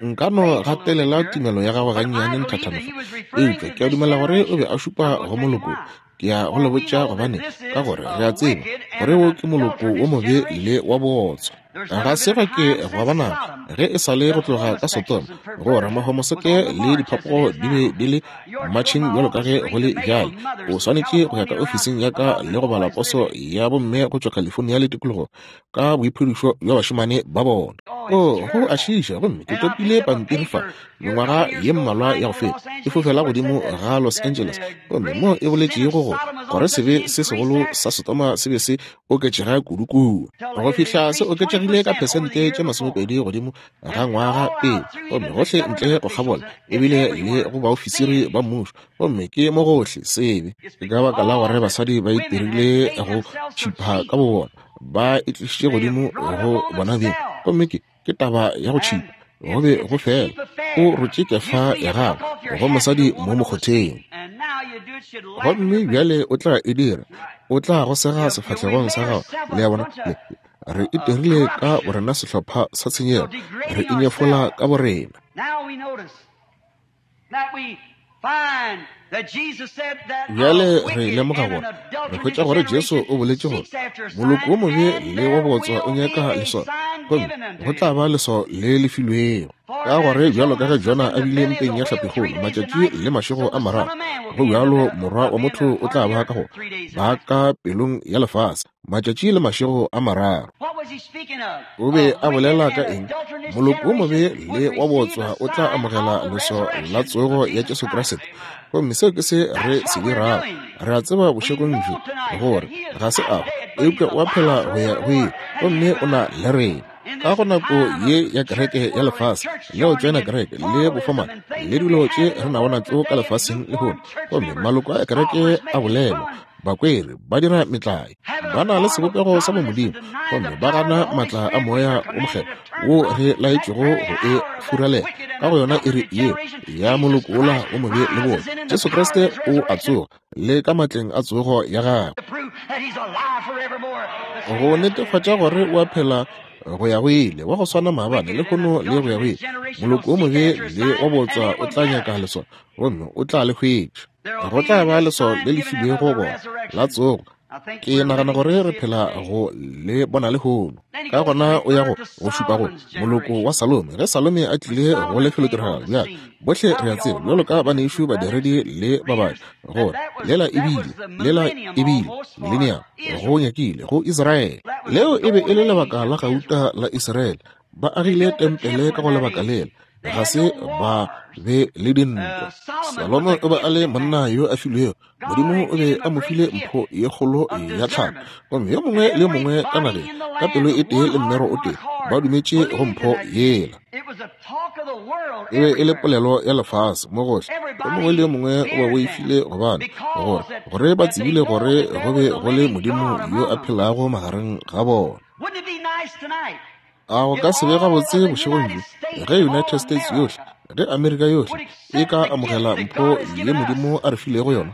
Nka no gatelela tumelo ya gagwe gannyane nthathana fa, eupša ke a dumela gore o be a šupa go moloko. Ke ya go le botša gobane, ka gore re a tseba gore wo ke moloko wo mobe le wa bootswa. Ga se ga ke gwa ba nako ge e sa le go tloga ka Sodoma gore mahomoseke le diphapogo di be di le matšheng bjalo ka ge go le bjale. O swanetše go ya ka ofising ya ka le go bala poso ya bomme go tšwa California le tikologo ka boiphedišo bja bašemane ba bona. O, go a šiiša. Gomme ke topile pampiri fa mengwaga ye mmalwa ya go feta, e fofela godimo ga Los Angeles, gomme mo e boletšego gore, gore sebe se segolo sa Sodoma se be se oketšega kudu kua, go fihla se oketšegile ka phesente tše 20 godimo ga ngwaga pele, gomme gohle ntle go kgabola, ebile le go baofisiri ba mmušo, gomme ke mo gohle sebe. Ke ka baka la gore basadi ba itirile go tšhipha ka bobona, ba itlišitše godimo go bona beng, gomme ke, ke taba ya go tšhipa. Go be go fela o rotše kefa ya gago go mosadi mo mokgotheng, gomme bjale o tla e dira, o tla go sega sefahlegong sa gago. Le a bona, le, re itirile ka borena sehlopha sa tshenyego, re inyefola ka borena. Bjale re lemoga gore re hwetša gore Jesu o boletše gore moloko wo mobe le wa bootswa o nyaka leswao, gomme go tla ba leswao le le filwego. Ka gore bjalo ka ge Jona a bile mpeng ya hlapikgolo matšatši le mašego a mararo, go bjalo Morwa wa motho o tla ba ka go ba ka pelong ya lefase matšatši le mašego a mararo. O be a bolela ka eng? Moloko wo mobe le wa bootswa o tla amogela leswao la tsogo ya Jesu Kriste. Gomme seo ke se re se dirago. Re a tseba bošegong bjo gore ga se a hwa, eupša o a phela go ya go ile, gomme o na le rena. Ka go nako ye ya kereke ya lefase, le go tšoena kereke, le bofomane, le dilo tše re nago natšo ka lefaseng lehono, gomme maloko a kereke a bolelwa, Bakweri ba dira metlae, ba na le sebopego sa bomodimo, gomme ba gana maatla a Moya wo Mokgethwa wo re laetšwego go e furalela ka go yona iri yeo ya moloko wola wo mobe le bobe. Jesu Kriste o a tsoga le ka matleng a tsogo ya gagwe go netefatša gore o a phela go ya go ile, wa go swana maabane, lehono le go ya go ile. Moloko wo mobe le wa bootswa o tla nyaka leswao, gomme o tla le hwetša. Go tla ba leswao le le filwego bona la tsogo. Ke nagana gore re phela go le bona lehono. Ka gona o ya go go šupa go moloko wa Salome. Ge Salome a tlile go lefelotiragalo, bjale bohle re a tseba, bjalo ka banešu badiredi le babadi, gore lela e bile, lela e bile mileniamo go nyakile go Israele. Leo e be e le lebaka la gauta la Israele. Ba agile tempele ka go lebaka lela. Ga se ba be le dintwa. Salomo o be a le monna yo a filwego. Modimo o be a mo file mpho ye kgolo ya tlhalo. Gomme yo mongwe le yo mongwe ka nageng, ka pelo e tee le mmero o tee, ba dumetše go mpho yela. E be e le polelo ya lefase mo gohle. Yo mongwe le yo mongwe o ba boifile gobane gore, gore ba tsebile gore go be go le Modimo yo a phelago magareng ga bona. A go ka se be gabotse bošegong bjo ge United States yohle, ge Amerika yohle e ka amogela mpho ye Modimo a re filego yona,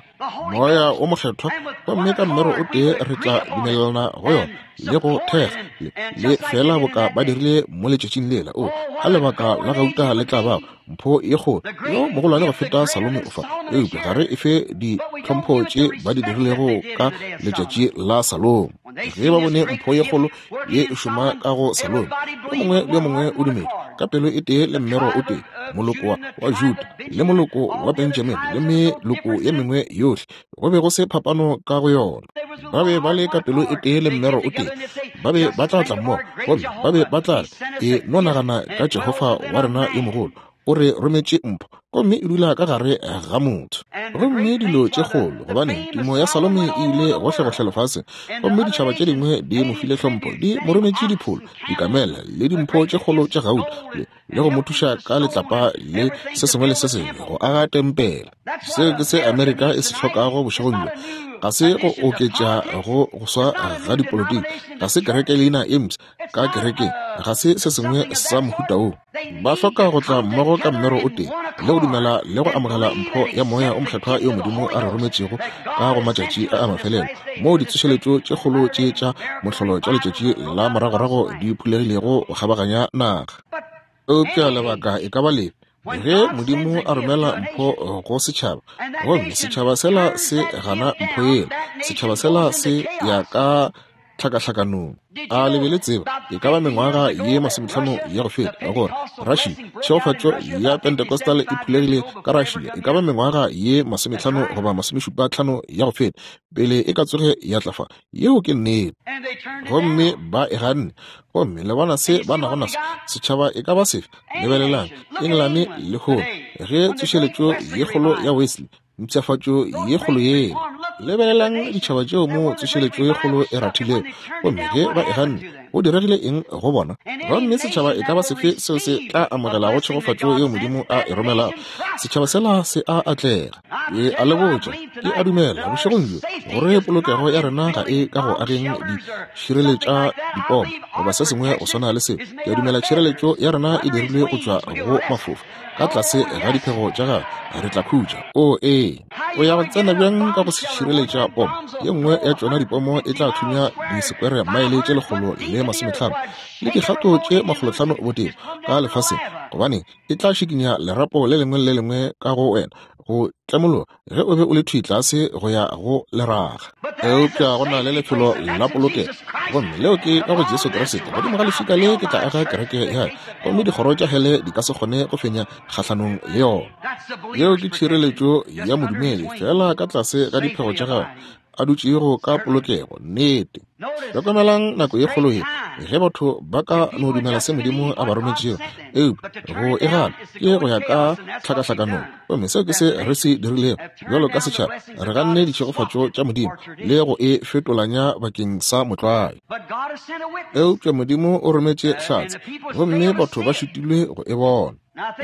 Moya wo Mokgethwa, gomme ka mmero o tee re tla dumelelana go yona le go thekga le, le feela boka ba dirile mo letšatšing lela. O, a lebaka la gauta le tla bago, mpho ye kgolo, yo mogolwane go feta Salome o fa, eupša ga re efe ditlhompho tše ba di dirilego ka letšatši la Salome. Ge ba bone mpho ye kgolo ye e šoma ka go Salome, yo mongwe le yo mongwe o dumetše ka pelo e tee le mmero o tee, moloko wa Juda le moloko wa Benjamini le meloko ye mengwe yohle, go be go se phapano ka go yona. Ba be ba le ka pelo e tee le mmero o tee. Ba be ba tla tla mmogo gomme ba be ba tla re, E no nagana ka Jehofa wa rena yo mogolo, o re rometše mpho, gomme e dula ka gare ga motho. Gomme dilo tše kgolo, gobane tumo ya Salome e ile gohlegohle lefaseng, gomme ditšhaba tše dingwe di mo file hlompho, di mo rometše dipholo, dikamela, le dimpho tše kgolo tša gauta, le, le go mo thuša ka letlapa le se sengwe le se sengwe go aga tempele. Seo ke se Amerika e se hlokago bošegong bjo. Ga se go oketša go go swa ga dipolotiki, ga se kereke leina e mpsha ka kerekeng, ga se se sengwe sa mohuta wo. Ba hloka go tla mmogo ka mmero o tee le go dumela le go amogela mpho ya Moya o Mokgethwa yeo Modimo a re rometšego ka go matšatši a a mafelelo, moo ditsošeletšo tše kgolo tše tša mohlolo tša letšatši la moragorago di phulegilego go kgabaganya naga. Eupša lebaka e ka ba lefe ge Modimo a romela mpho go setšhaba, gomme setšhaba sela se gana mpho yela, setšhaba sela se ya ka tlhakahlakanong. A le be le tseba e ka ba mengwaga ye masometlhano ya go feta gore Russia, tšhegofatšo ya Pentecostal e phulegile ka Russia e ka ba mengwaga ye masometlhano goba masomešupatlhano ya go feta pele e ka tsoge ya tla fa? Yeo ke nnete. Gomme ba e ganne. Gomme le bona se ba nago naso, setšhaba e ka ba sefe? Lebelelang Engelane lehono, ge tsošeletšo ye kgolo ya Wesley, mpshafatšo ye kgolo yela. Lebelelang ditšhaba tšeo moo tsošeletšo ye kgolo e rathilego, gomme ge ba e ganne, go diregile eng go bona? Gomme setšhaba e ka ba sefe seo se tla amogelago tšhegofatšo yeo Modimo a e romelago, setšhaba sela se a atlega. Ke a le botša, ke a dumela bošegong bjo gore polokego ya rena ga e ka go ageng dišireletša dipomo goba se sengwe go swana le seo. Ke a dumela tšhireletšo ya rena e dirilwe go tšwa go mafofa. Ka tlase ga diphego tša gagwe re tla khutša. O ee, o ya go tsena bjang ka go se šireletša pomo? Ye nngwe ya tšona dipomo e tla thunya disekwere maele tše 150 le dikgato tše 500 botebo ka lefaseng, gobane e tla šikinya lerapo le lengwe le le lengwe ka go wena go tlemologa ge o be o le thwi tlase go ya go leraga. Eupša go na le lefelo la polokego, gomme leo ke ka go Jesu Kriste. Godimo ga leswika le ke tla aga kereke ya ka, gomme dikgoro tša hele di ka se kgone go fenya kgahlanong le yona. Yeo ke tšhireletšo ya modumedi, feela ka tlase ga diphego tša gagwe a dutšego ka polokego. Nnete. Hlokomelang nako ye kgolo ye ge batho ba ka no dumela se Modimo a ba rometšego, eupša go e gana ke go ya ka tlhakahlakanong. Gomme seo ke se re se dirilego bjalo ka setšhaba, re ganne ditšhegofatšo tša Modimo le go e fetolanya bakeng sa motlwae. Eupša Modimo o rometše hlatse, gomme batho ba šitilwe go e bona.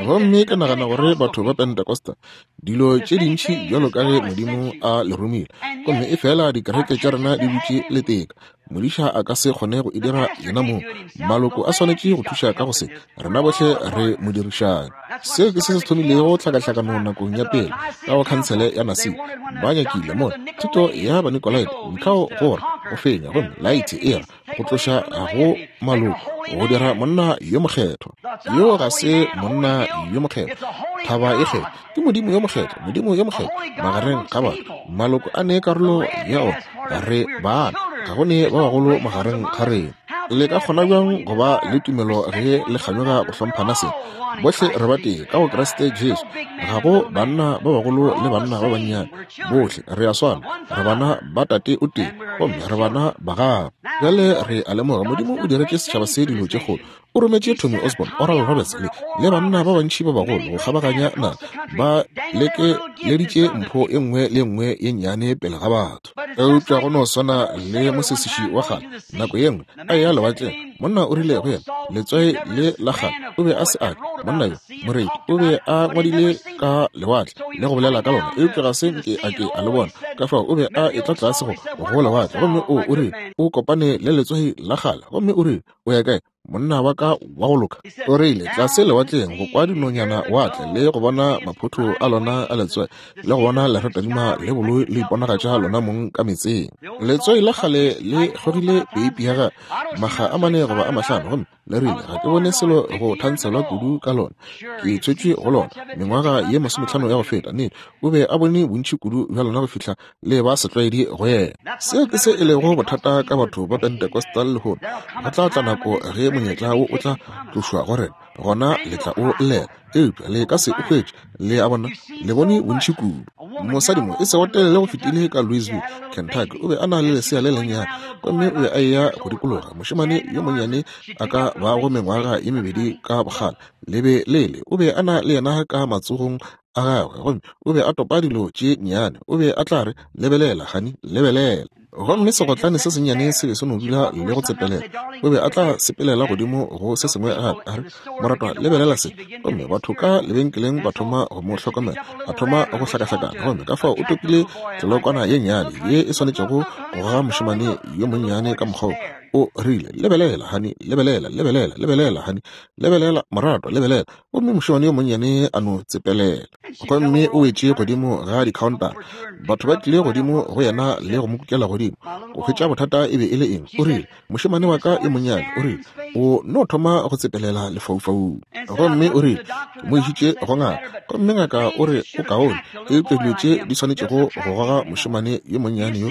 Gomme ke nagana gore batho ba Pentecosta, dilo tše dintši bjalo ka ge Modimo a le romile, gomme e fela dikereke tša rena di dutše leteka. Modiša a ka se kgone go e dira yena mong. Maloko a swanetše go thuša ka go se. Rena bohle re modirišani. Seo ke se se thomilego tlhakahlakano nakong ya pele ka go khansele ya Nasi. Ba nyakile mo thuto ya Banikolaite, mokgao gore go fenya, gomme laete e ra go tloša go maloko go dira monna yo mokgethwa. Yo ga se monna yo mokgethwa. Thaba e kgethwa ke Modimo yo mokgethwa, Modimo yo mokgethwa magareng ga batho. Maloko a ne karolo ya ona, re bana, ga go ne ba bagolo magareng ga rena. Le ka kgona bjang go ba le tumelo ge le kganyoga go hlomphana seng? Bohle re ba tee ka go Kriste Jesu. Ga go banna ba bagolo le banna ba bannyane, bohle re a swana, re bana ba Tate o tee, gomme re bana ba gagwe. Bjale re a lemoga Modimo o diretše setšhaba se dilo tše kgolo. O rometše Tommy Osborn, Oral Roberts le, le banna ba bantši ba bagolo go kgabaganya naga, ba lekeleditše mpho e nngwe le e nngwe ye nnyane pele ga batho. Eupša go no swana le mosesiši wa kgale, nako ye nngwe a eya lewatleng, monna o rile go yena, Letswai le la kgale, o be a se a ka, monna yo, moreti, o be a ngwadile ka lewatle le go bolela ka lona, eupša ga se nke a ke a le bona. Ka fao o be a etla tlase go, go lewatle, gomme o, o rile o kopane le letswai la kgale, gomme o rile, O ya kae? Monna wa ka wa go loka o rile, Tlase lewatleng go kwa dinonyana watle le go bona maphotho a lona a letswai, le go bona leratadima le boloi le iponagatša lona mong ka metseng. Letswai la kgale le kgogile peipi ya gagwe makga a mane goba a mahlano, gomme le rile, Ga ke bone selo go thantshelwa kudu ka lona. Ke tswetšwe go lona mengwaga ye 50 ya go feta. Nnete, o be a bone bontši kudu bja lona go fihla le ba setlwaedi go yena. Seo ke se e lego bothata ka batho ba Pentecostal lehono. Go tla tla nako ge monyetla wo o tla tlošwa go rena, gona le tla o llela, eupša le ka se o hwetše. Le a bona, le bone bontši kudu. Mosadi mo e sego telele go fetile ka Louisville, Kentucky, o be a na le lesea le lennyane, gomme o be a eya go dikologa. Mošemane yo monnyane a ka bago mengwaga ye mebedi ka bokgale, le be le le, o be a na le yena ka matsogong a gagwe, gomme o be a topa dilo tše nnyane. O be a tla re, Lebelela, honey, lebelela. Gomme segotlane se sennyane se be se no dula le go tsepelela. O be a tla sepelela godimo go se sengwe gape, a re, Moratwa, lebelela se. Gomme batho ka lebenkeleng ba thoma go mo hlokomela, a thoma go hlakahlakana. Gomme ka fao o topile tlelokwana ye nnyane ye e swanetšego go goga mošemane yo monnyane ka mokgwa wo. O rile, Lebelela, honey, lebelela, lebelela, lebelela, honey, lebelela, moratwa, lebelela. Gomme mošemane yo monnyane a no tsepelela. Gomme o wetše godimo ga dikhaontara. Batho ba tlile godimo go yena le go mo kukela godimo, go hwetša bothata e be e le eng. O rile, Mošemane wa ka yo monnyane, o rile, o no thoma go tsepelela lefaufaung. Gomme o rile, Ke mo išitše go ngaka, gomme ngaka o re o kaone, eupša dilo tše di swanetšego go goga mošemane yo monnyane yo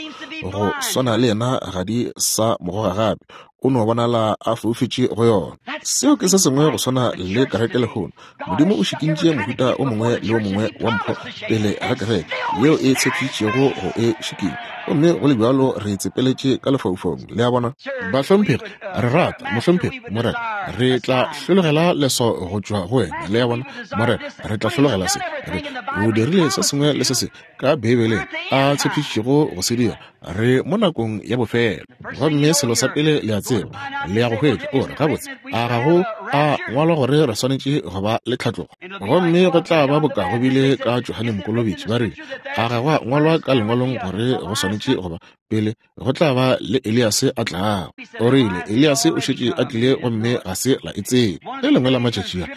go swana le yena ga di sa mo goga gape. O no bonala a foufetše go yona. Seo ke se sengwe go swana le kereke lehono. Modimo o šikintše mohuta o mongwe le o mongwe wa mpho pele ga kereke yeo e tshepišitšego go e šikinya, gomme go le bjalo re tsepeletše ka lefaufaung. Le a bona? Bahlomphegi, re rata, Mohlomphegi, Morena, re tla hlologela leso go tšwa go wena. Le a bona? Morena, re tla hlologela se. Re, o dirile se sengwe le se sengwe ka Beibeleng a tshepišitšego go se dira. Re mo nakong ya bofelo. Gomme selo sa pele le a tseba, le ya go hwetša, o re, Gabotse, a ga go a ngwalwa gore re swanetše go ba le tlhatlogo? Gomme go tla ba boka go bile ka Johane Mokolobetši, ba rile, A ga go a ngwalwa ka lengwalong gore go swanetše go ba pele go tla ba le Eliase a tlago? O rile, Eliase o šetše a tlile gomme ga se la e tseba. Le lengwe la matšatši a,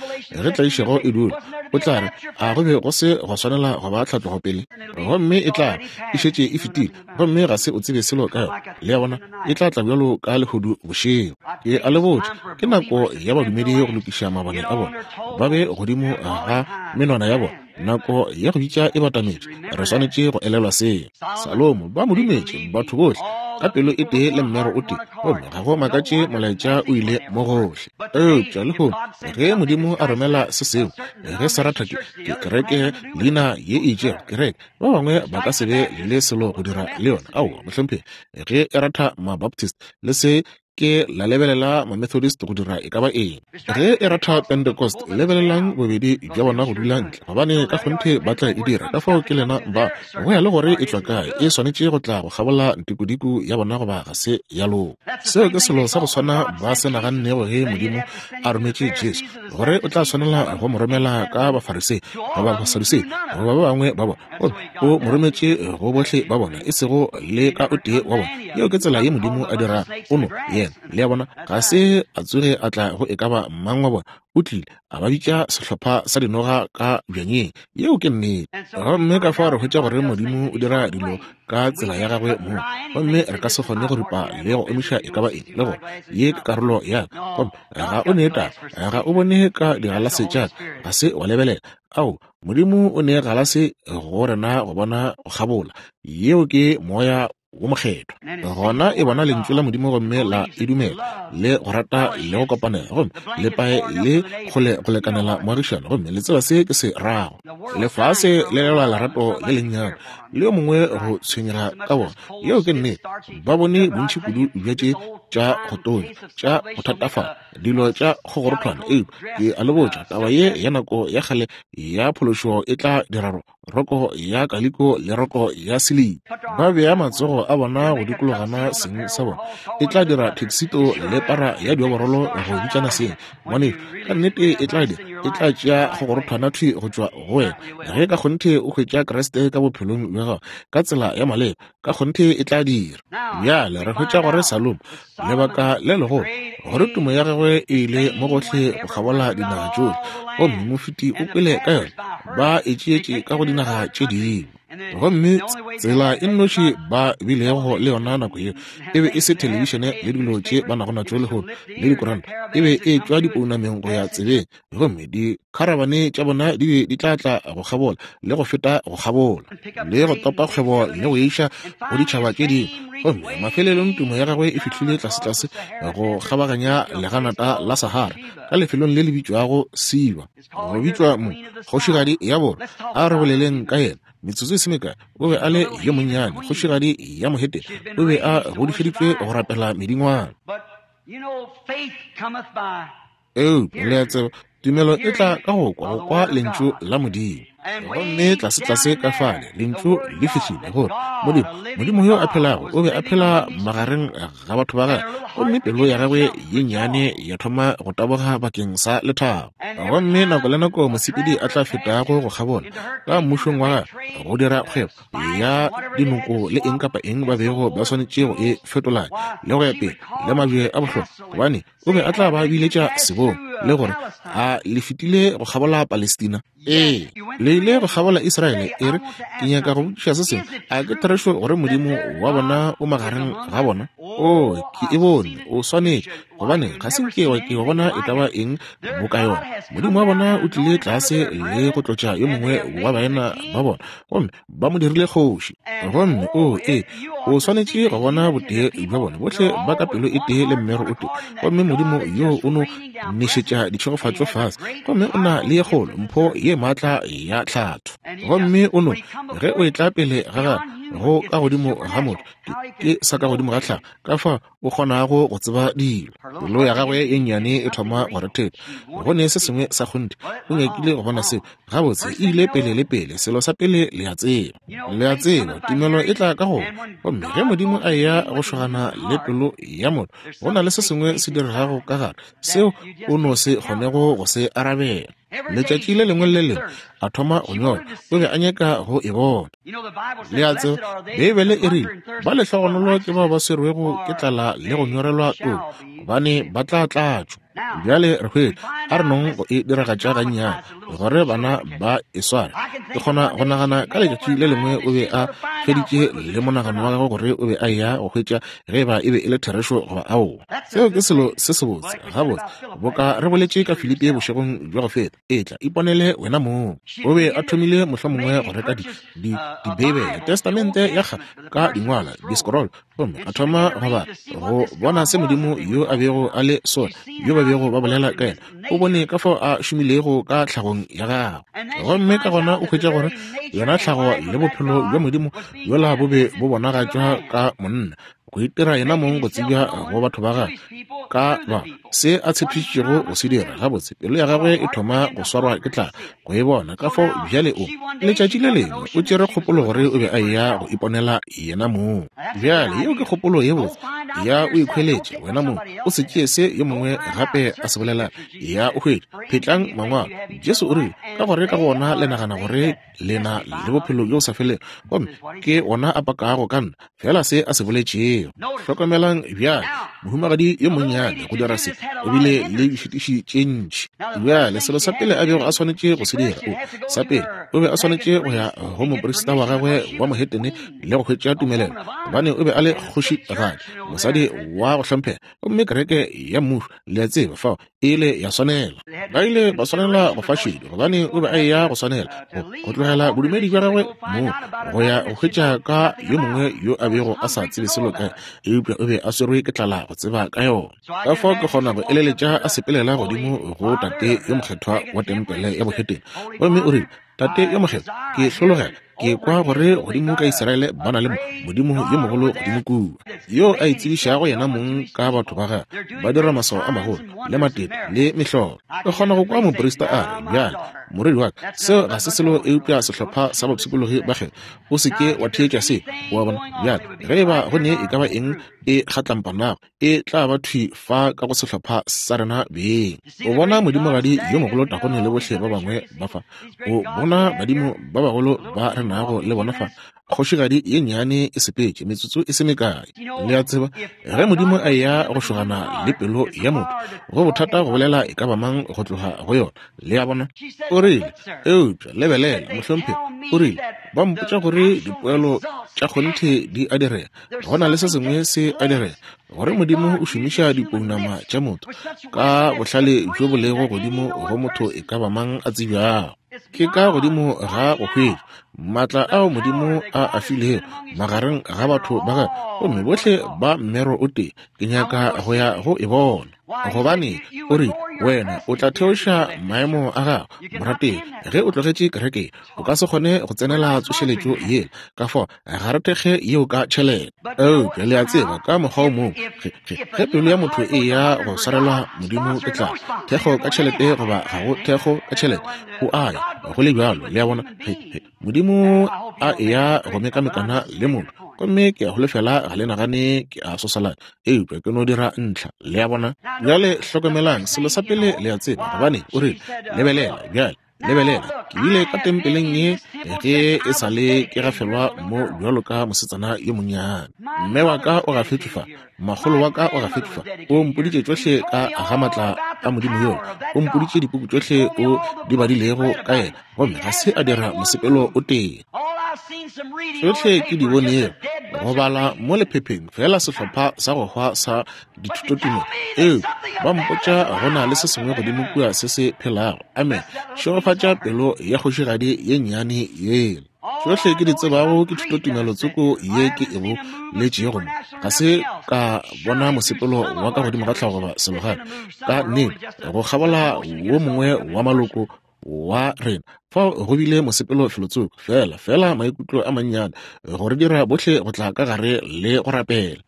ge tlaišego e dula, o tla re, A go be go se gwa swanela go ba tlhatlogo pele? Gomme e tla e šetše e fetile, gomme ga se o tsebe selo ka yona. Le a bona, e tla tla bjalo ka lehodu bošego. Ke a le botša, ke nako ya badumedi go lokiša mabone a bona, ba be godimo ga menwana ya bona. Nako ya go bitša e batametše. Re swanetše go elelwa seo. Salomo, ba mo dumetše, batho bohle, ka pelo e tee le mmero o tee, gomme ga go makatše molaetša o ile mo gohle. Eupša lehono, ge Modimo a romela se sengwe, ge se ratha ke, ke kereke leina ye e itšego, kereke, ba bangwe ba ka se be le selo go dira le yona. Aowa, mohlomphegi, ge e ratha Mabaptist, le se ke la lebelela Mamethodist go dira e ka ba eng. Ge e ratha Pentecost, lebelelang bobedi bja bona go dula ntle, gobane ka kgonthe ba tla e dira. Ka fao ke lena ba, go ya le gore e tšwa kae, e swanetše go tla go kgabola ntikodiko ya bona goba ga se ya loka. Seo ke selo sa go swana ba se nagannego ge Modimo a rometše Jesu, gore o tla swanela go mo romela ka Bafarisei goba Basadusei goba ba bangwe ba bona. Gomme o mo rometše go bohle ba bona, e sego le ka o tee wa bona. Yeo ke tsela ye Modimo a dirago. O no, yena, le a bona, ga se a tsoge a tla go e ka ba mang wa bona. O tlile, a ba bitša sehlopha sa dinoga ka bjanyeng. Yeo ke nnete. Gomme ka fao re hwetša gore Modimo o dira dilo ka tsela ya gagwe mong, gomme re ka se kgone go ripa le go omiša e ka ba eng, le gore ye ke karolo ya ka. Gomme ga o ne taba, ga o bone ka digalase tša ka, ga se wa lebelela. Ao, Modimo o ne galase go rena go bona go kgabola. Yeo ke Moya wo Mokgethwa. Gona e bona Lentšu la Modimo gomme la e dumela, le go rata le go kopanela, gomme le pae le kgole go lekanela moagišano, gomme le tseba se ke se rago. Lefase le lelwa lerato le lennyane le yo mongwe go tshwenyega ka bona. Yeo ke nnete. Ba bone bontši kudu bja tše tša go tonya, tša go thatafala, dilo tša kgogorothwana, eupša ke a le botša, taba ye ya nako ya kgale ya phološo e tla dira roko ya kaliko le roko ya siliki. Ba bea matsogo a bona go dikologana seng sa bona. E tla dira theksito le para ya dioborolo go bitšana seng. Ngwanešu, ka nnete e tla dira. E tla tšea go gorothwana thwi go tšwa go wena. Ge ka kgonthe o hwetša Kriste ka bophelong bja gago ka tsela ya maleba, ka kgonthe e tla dira. Bjale re hwetša gore Salomo, lebaka le legolo gore tumo ya gagwe e ile mo gohle go kgabola dinaga tšohle, gomme mofeti o kwele ka yona, ba e tšeetše ka go dinaga tše dingwe. Gomme tsela e nnoši ba bilego le yona nako yeo e be e se thelebišene le dilo tše ba nago natšo lehono le dikoranta, e be e tšwa dipounameng go ya tsebeng, gomme dikharabane tša bona di be di tla tla go kgabola le go feta go kgabola le go topa kgwebo le go iša go ditšhaba tše dingwe. Gomme mafelelong tumo ya gagwe e fihlile tlasetlase go kgabaganya leganata la Sahara ka lefelong le le bitšwago Siba. Go bitšwa mo kgošigadi ya borwa. A re boleleng ka yena metsotso e se mekae. O be a le yo monnyane, kgošigadi ya mohetene. O be a godišeditšwe go rapela medingwana. Eupša le a tseba, tumelo e tla ka go kwa, go kwa Lentšu la Modimo. Gomme tlasetlase ka fale, Lentšu le fihlile gore Modimo, Modimo yo a phelago, o be a phela magareng ga batho ba gagwe, gomme pelo ya gagwe ye nnyane ya thoma go taboga bakeng sa lethabo. Gomme nako le nako mosepedi a tla fetago go kgabola ka mmušong wa gagwe go dira kgwebo ya dinoko le eng kapa eng ba bego ba swanetše go e fetolanya le go ya pele le mabje a bohlokwa, gobane o be a tla ba biletša sebong le gore a le fetile go kgabola Palestina. Ee, le ile go kgabola Israele. E re, ke nyaka go botšiša se sengwe. A ke therešo gore Modimo wa bona o magareng ga bona? Oo, ke e bone. O swanetše, gobane ga se nke wa ke wa bona e ka ba eng boka yona. Modimo wa bona o tlile tlase le go tlotša yo mongwe wa baena ba bona, gomme ba mo dirile kgoši. Gomme, oo, ee, o swanetše go bona botee bja bona, bohle ba ka pelo e tee le mmero o tee. Gomme Modimo yo o no nešetša ditšhegofatšo fase, gomme o na le ye kgolo, mpho ye maatla ya tlhatho. Gomme o no, ge o etla pele ga gagwe, go ka godimo ga motho, ke sa ka godimo ga tlhago, ka fa o kgonago go tseba dilo. Pelo ya gagwe ye nnyane e thoma go rethetha. Go ne se sengwe sa kgonthe. O nyakile go bona seo. Gabotse, e ile pele le pele. Selo sa pele le a tseba. Le a tseba, tumelo e tla ka go. Gomme ge Modimo a eya go šogana le pelo ya motho, go na le se sengwe se diregago ka gare, seo o no se kgonego go se arabela. Letšatši le lengwe le le lengwe a thoma go nyola, o be a nyaka go e bona. Le a tseba, Beibele e rile, Ba lehlogonolo ke bao ba swerwego ke tlala le go nyorelwa toko, gobane ba tla tlatšwa. Bjale re hwetša, a re nong go e diragatša gannyane, gore bana ba e sware. Ke kgona go nagana ka letšatši le lengwe o be a feditše le monagano wa gagwe gore o be a eya go hwetša ge eba e be e le therešo goba aowa. Seo ke selo se sebotse. Gabotse, boka re boletše ka Filipi bošegong bja go feta, etla, iponele wena mong. O be a thomile mohlomongwe go reka di, di, Dibeibele, Testamente ya Kgale ka dingwalwa, di-scroll, gomme a thoma go bala, go bona se Modimo yo a bego a le sona, yo ba bego ba bolela ka yena. O bone ka fao a šomilego ka tlhagong ya gagwe. Gomme ka gona o hwetša gore yona tlhago le bophelo bja Modimo bjola bo be bo bonagatšwa ka monna, go itira yena mong go tsebja go batho ba gagwe ka ba se a tshepišitšego go se dira. Gabotse, pelo ya gagwe e thoma go swarwa ke tlala go e bona. Ka fao bjale o, letšatši le lengwe, o tšere kgopolo gore o be a eya go iponela yena mong. Bjale yeo ke kgopolo ye botse ya o ikhweletše wena mong, o se tšee se yo mongwe gape a se bolela. Ya o hwetše, phetlang Mangwalo. Jesu o rile, Ka gore ka go ona le nagana gore le na le bophelo bjo bo sa felego, gomme ke ona a pakago ka nna, fela se a se boletšego. Hlokomelang bjale, mohumagadi yo monnyane go dira se, o bile le dišitiši tše ntši. Bjale, selo sa pele a bego a swanetše go se dira, o, sa pele, o be a swanetše go ya go moprista wa gagwe wa mohetene le go hwetša tumelelo, gobane o be a le kgošigadi, mosadi wa go hlomphega, gomme kereke ya mmušo, le a tseba, fao e ile ya swanela. Ba ile ba swanela go fa šedi, gobane o be a eya go swanela go, go tlogela bodumedi bja gagwe moo, go ya go hwetša ka yo mongwe yo a bego a sa tsebe selo ka, eupša o be a swerwe ke tlala go tseba ka yona. Ka fao ke kgona go eleletša a sepelela godimo go tate yo mokgethwa wa tempele ya bohetene, gomme o rile, Tate yo mokgethwa, ke hlologela. Ke kwa gore godimo ka Israele ba na le Modimo yo mogolo godimo kua, yo a itsebišago yena mong ka batho ba gagwe, ba dira maswao a magolo le matete le mehlolo. O kgona go kwa moprista a re, Bjale, morwedi wa ka, seo ga se selo eupša sehlopha sa bapshikologi ba kgethwa. O se ke wa theetša se. O a bona? Bjale, ge e ba go ne e ka ba eng e kgatlampanago, e tla ba thwi fa ka go sehlopha sa rena beng. O bona modimogadi yo mogolo Dagone le bohle ba bangwe ba fa. O bona badimo ba bagolo ba re nago le bona fa. Kgošigadi ye nnyane e sepetše metsotso e se mekae. Le a tseba, ge Modimo a eya go šogana le pelo ya motho, go bothata go bolela e ka ba mang go tloga go yona. Le a bona? O rile, Eupša, lebelela, mohlomphegi, o rile, ba mpotša gore dipoelo tša kgonthe di a direga. Go na le se sengwe se a direga, gore Modimo o šomiša dipounama tša motho ka bohlale bjo bo lego godimo go motho e ka ba mang a tsebjago. Ke ka godimo ga go hwetšwa maatla ao Modimo a a filego magareng ga batho ba gagwe, gomme bohle ba mmero o tee. Ke nyaka go ya go e bona. Gobane o rile, Wena o tla theoša maemo a gago, morategi, ge o tlogetše kereke. O ka se kgone go tsenela tsošeletšo yela, ka fao ga re thekge yeo ka tšhelete. Eupša le a tseba, ka mokgwa o mongwe, ge, ge, ge pelo ya motho e eya go swarelwa Modimo ke tlala, thekgo ka tšhelete goba ga go thekgo ka tšhelete, o a ya, go le bjalo. Le a bona? Ge, ge Modimo a eya go mekamekana le motho, gomme ke a holofela ga le nagane ke a sosalana, eupša ke no dira ntlha. Le a bona? Bjale hlokomelang, selo sa pele le a tseba, gobane o rile, Lebelela bjale. Lebelela, ke bile ka tempeleng ye ge e sa le ke gafelwa mo bjalo ka mosetsana yo monnyane. Mme wa ka o gafetšwe fa, makgolo wa ka o gafetšwe fa. O mpoditše tšohle ka ga matla a Modimo yola. O mpoditše dipuku tšohle o di badilego ka yena, gomme ga se a dira mosepelo o tee. Tšohle ke di bonego, go bala mo lephepheng, fela sehlopha sa go hwa sa dithutotumelo, eupša ba mpotša go na le se sengwe godimo kua se se phelago. Amen. Šegofatša pelo ya kgošigadi ye nnyane yela. Tšohle ke di tsebago ke thutotumelo tsoko ye ke e boletšego mo. Ga se ka bona mosepelo wa ka godimo ga tlhago goba selo gape. Ka nnete, go kgabola wo mongwe wa maloko wa rena fao go bile mosepelo felotsoko, fela, fela maikutlo a mannyane go re dira bohle go tla ka gare le go rapela.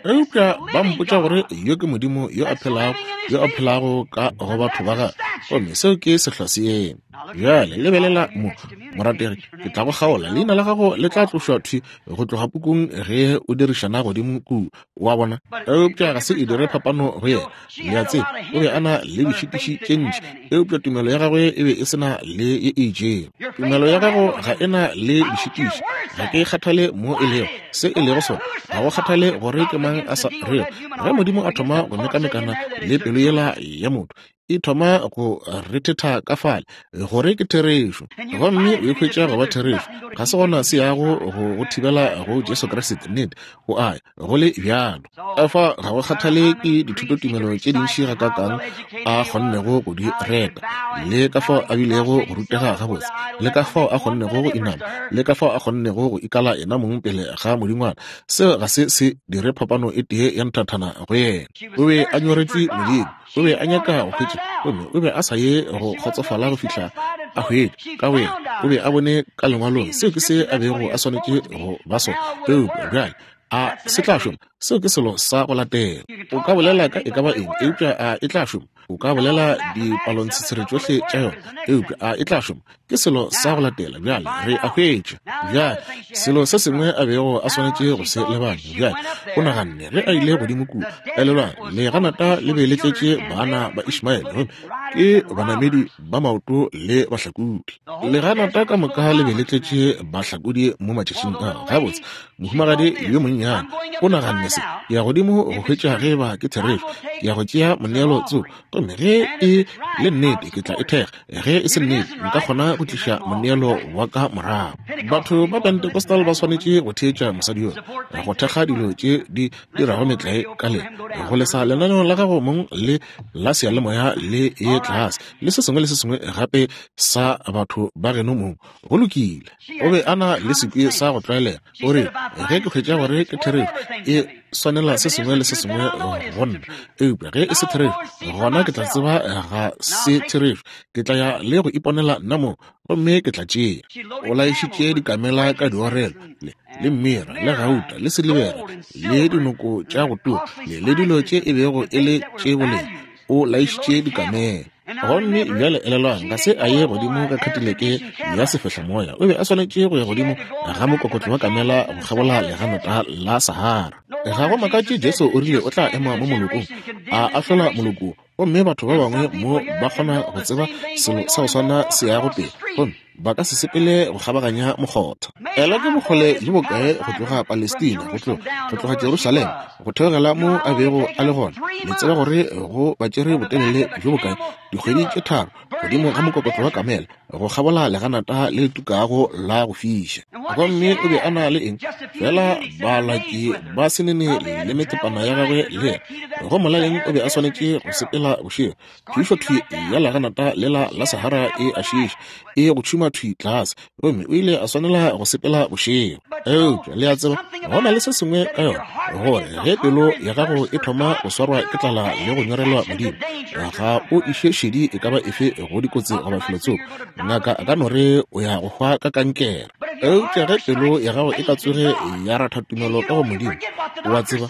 Eupša ba mpotša gore yo ke Modimo yo a phelago, yo a phelago ka go batho ba gagwe, gomme seo ke sehlwa se eme. Bjale lebelela mo, morategi, ke tla go kgaola, leina la gago le tla tlošwa thwi go tloga pukung ge o dirišana godimo kua. O a bona? Eupša ga se e dire phapano go yena. Le a tseba, o be a na le dišitiši tše ntši, eupša tumelo ya gagwe e be e se na le ye e itšego. Tumelo ya gago ga e na le dišitiši. Ga ke kgathale mo e lego, se e lego sona. Ga go kgathale gore ke mang a sa rego. Ge Modimo a thoma go mekamekana le pelo yela ya motho, e thoma go rethetha ka fale gore ke therešo, gomme o e hwetša go ba therešo. Ga se gona se yago go go thibela go Jesu Kriste. Nnete, o a ya, go le bjalo. Efa ga go kgathale ke dithutotumelo tše dintši gakaakang a kgonnego go di reta, le ka fao a bilego go rutega gabotse, le ka fao a kgonnego go inama, le ka fao a kgonnego go ikala yena mong pele ga modingwana, seo ga se se dire phapano e tee ya nthathana go yena. O be a nyoretšwe Modimo. O be a nyaka go hwetša, gomme o be a sa ye go kgotsofala go fihla a hwetša ka boyena. O be a bone ka Lengwalong seo ke se a bego a swanetše go ba sona. Eupša bjale a se tla šoma? Seo ke selo sa go latela. O ka bolela ka e ka ba eng, eupša a e tla šoma? O ka bolela dipalontshitshire tšohle tša yona, eupša a e tla šoma? Ke selo sa go latela. Bjale re a hwetša. Bjale selo se sengwe a bego a swanetše go se lebanya. Bjale o naganne ge a ile godimo kua, elelwang, leganata le be le tletše bana ba Ishmaele, gomme ke banamedi ba maoto le bahlakodi. Leganata ka moka le be le tletše bahlakodi mo matšatšing ao. Gabotse, mohumagadi yo monnyane o naganne se, ke ya godimo go hwetša ge eba ke therešo. Ke ya go tšea moneelo tsoko, gomme ge e le nnete ke tla e thekga, ge e se nnete nka kgona go tliša moneelo wa ka morago. Batho ba Pentecostal ba swanetše go theetša mosadi yola, go thekga dilo tše di dirago metlae ka le go lesa lenaneo la gago mong le la seyalemoya le ye tlase le se sengwe le se sengwe gape sa batho ba geno mong. Go lokile. O be a na le sekwi sa go tlwaelega. O re, ge ke hwetša gore ke therešo, e. swanela se sengwe le se sengwe go nna. Eupša ge e se therešo, gona ke tla tseba ga se therešo. Ke tla ya le go iponela nna mong, gomme ke tla tšea. O laišitše dikamela ka diorelo, le, le mmira, le gauta, le silibera, le dinoko tša go tura, le, le dilo tše e bego e le tše boleng. O laišitše dikamela. Gomme bjale elelwang, ga se a ye godimo ka khatileke ya sefehlamoya. O be a swanetše go ya godimo ga mokokotlo wa kamela go kgabola leganata la Sahara. Ga go makatše Jesu o rile o tla ema mo molokong, a ahlola moloko, gomme batho ba bangwe mo ba kgona go tseba selo sa go swana se yago pele, gomme ba ka se sepele go kgabaganya mokgotha. Ela ke bokgole bjo bokae go tloga Palestina, go tloga, go tloga Jerusalema, go theogela mo a bego a le gona. Le tseba gore go ba tšere botelele bjo bokae, dikgwedi tše tharo, godimo ga mokokotlo wa kamela, go kgabola leganata le le tukago la go fiša. Gomme o be a na le eng? Fela balaki ba senene le methepana ya gagwe le yena. Go molaleng o be a swanetše go sepela bošego. Phišo thwi ya leganata lela la Sahara e a šiiša, e go tšhuma thwi tlase, gomme o ile a swanela go sepela bošego. Eupša le a tseba, go na le se sengwe ka yona, gore ge pelo ya gago e thoma go swarwa ke tlala le go nyorelwa Modimo, ga o iše šedi e ka ba efe go dikotsi goba felotsoko. Ngaka a ka no re o ya go hwa ka kankere. Eupša ge pelo ya gago e ka tsoge ya ratha tumelo ka go Modimo, o a tseba,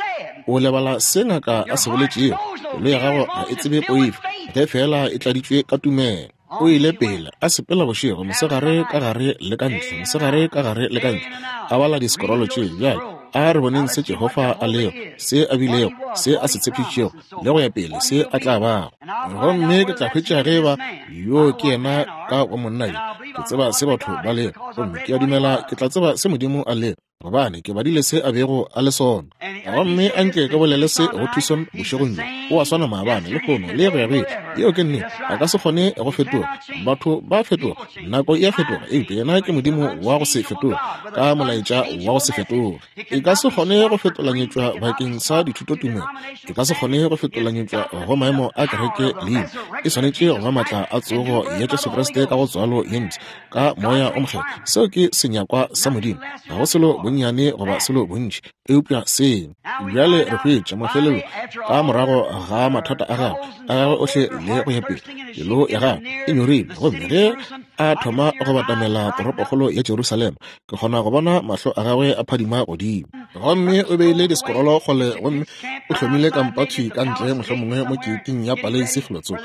o lebala se ngaka a se boletšego. Pelo ya gago ga e tsebe poifo, ge feela e tladitšwe ka tumelo. O ile pele a sepela bošego, mosegare ka gare le ka ntle, mosegare ka gare le ka ntle, a bala disekorolo tše. Bjale a re boneng se Jehofa a lego, se a bilego, se a se tshepišitšego, le go ya pele, se a tla bago. Gomme ke tla hwetša ge eba yo ke yena ka wa monna yo. Ke tseba se batho ba lego, gomme ke a dumela ke tla tseba se Modimo a lego, gobane ke badile se a bego a le sona. Gomme a nke ke bolele se go Tucson bošegong bjo, o a swana maabane, lehono, le go ya go ile. Yeo ke nnete. A ka se kgone go fetoga. Batho ba fetoga, nako e a fetoga, eupša yena ke Modimo wa go se fetoge, ka molaetša wa go se fetoge. E ka se kgone go fetolanyetšwa bakeng sa dithutotumelo. E ka se kgone go fetolanyetšwa go maemo a kereke leina. E swanetše go ba maatla a tsogo ya Jesu Kriste ka go tswalo ye mpsha, ka Moya o Mokgethwa. Seo ke senyakwa sa Modimo. Ga go selo bonnyane goba selo bontši, eupša seo. Bjale re hwetša mafelelo ka morago ga mathata a gagwe, a gagwe ohle le go ya pele, pelo ya gagwe e nyorilwe. Gomme ge a thoma go batamela toropokgolo ya Jerusalema, ke kgona go bona mahlo a gagwe a phadima godimo. Gomme o beile disekorolo kgole gomme o hlomile kampa thwi ka ntle, mohlomongwe mo keiting ya paleisi felotsoko,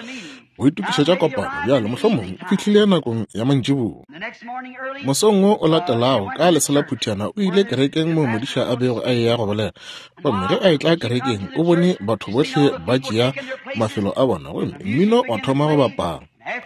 go itokišetša kopano. Bjale mohlomongwe o fihlile nakong ya mantšiboa. Mosong wo o latelago ka leselaphutiana o ile kerekeng moo modiša a bego a eya go bolela. Gomme ge a etla kerekeng o bone batho bohle ba tšea mafelo a bona gomme mmino wa thoma go bapala.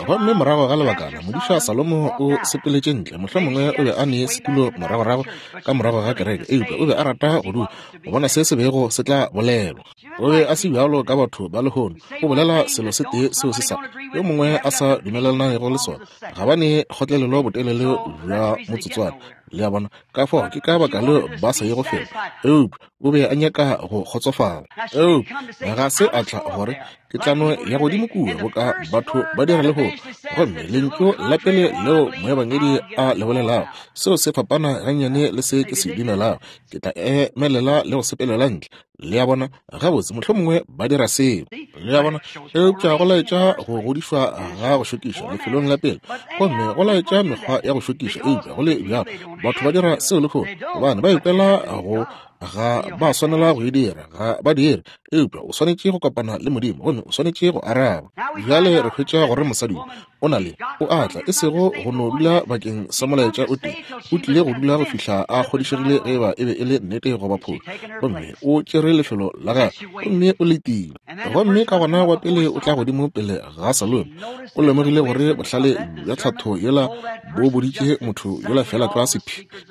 Gomme morago ga lebakana modiša Salomo o sepeletše ntle. Mohlomongwe o be a ne setulo moragorago ka morago ga kereke, eupša o be a rata go dula go bona se se bego se tla bolelwa. O be a se bjalo ka batho ba lehono, o bolela selo se tee seo se sa yo mongwe a sa dumelelanago le sona, ga ba ne kgotlelelo botelele bja motsotswana. Le a bona? Ka fao ke ka baka leo ba sa ye go felo. Eupša o be a nyaka go kgotsofala. Eupša ga se a tla gore ke tla no ya godimo kua boka batho ba dira lehono. Gomme lentšu la pele leo moebangedi a le bolelago, seo se fapana gannyane le se ke se dumelago, ke tla emelela le go sepelela ntle. Le a bona? Gabotse, mohlomongwe ba dira seo. Le a bona? Eupša go laetša go godišwa ga go šokiša lefelong la pele, gomme go laetša mekgwa ya go šokiša, eupša go le bjalo batho ba dira seo lehono gobane ba ikwela go ga ba swanela go e dira, ga ba dire. Eupša o swanetše go kopana le Modimo gomme o swanetše go araba. Bjale re hwetša gore mosadi yo o na le, o a tla, e sego go no dula bakeng sa molaetša o tee, o tlile go dula go fihla a kgodišegile ge eba e be e le nnete goba phošo. Gomme o tšere lefelo la gagwe gomme o letile. Gomme ka gona wa pele o tla godimo pele ga Salome, o lemogile gore bohlale bja tlhatho yela bo boditše motho yola feela tlwa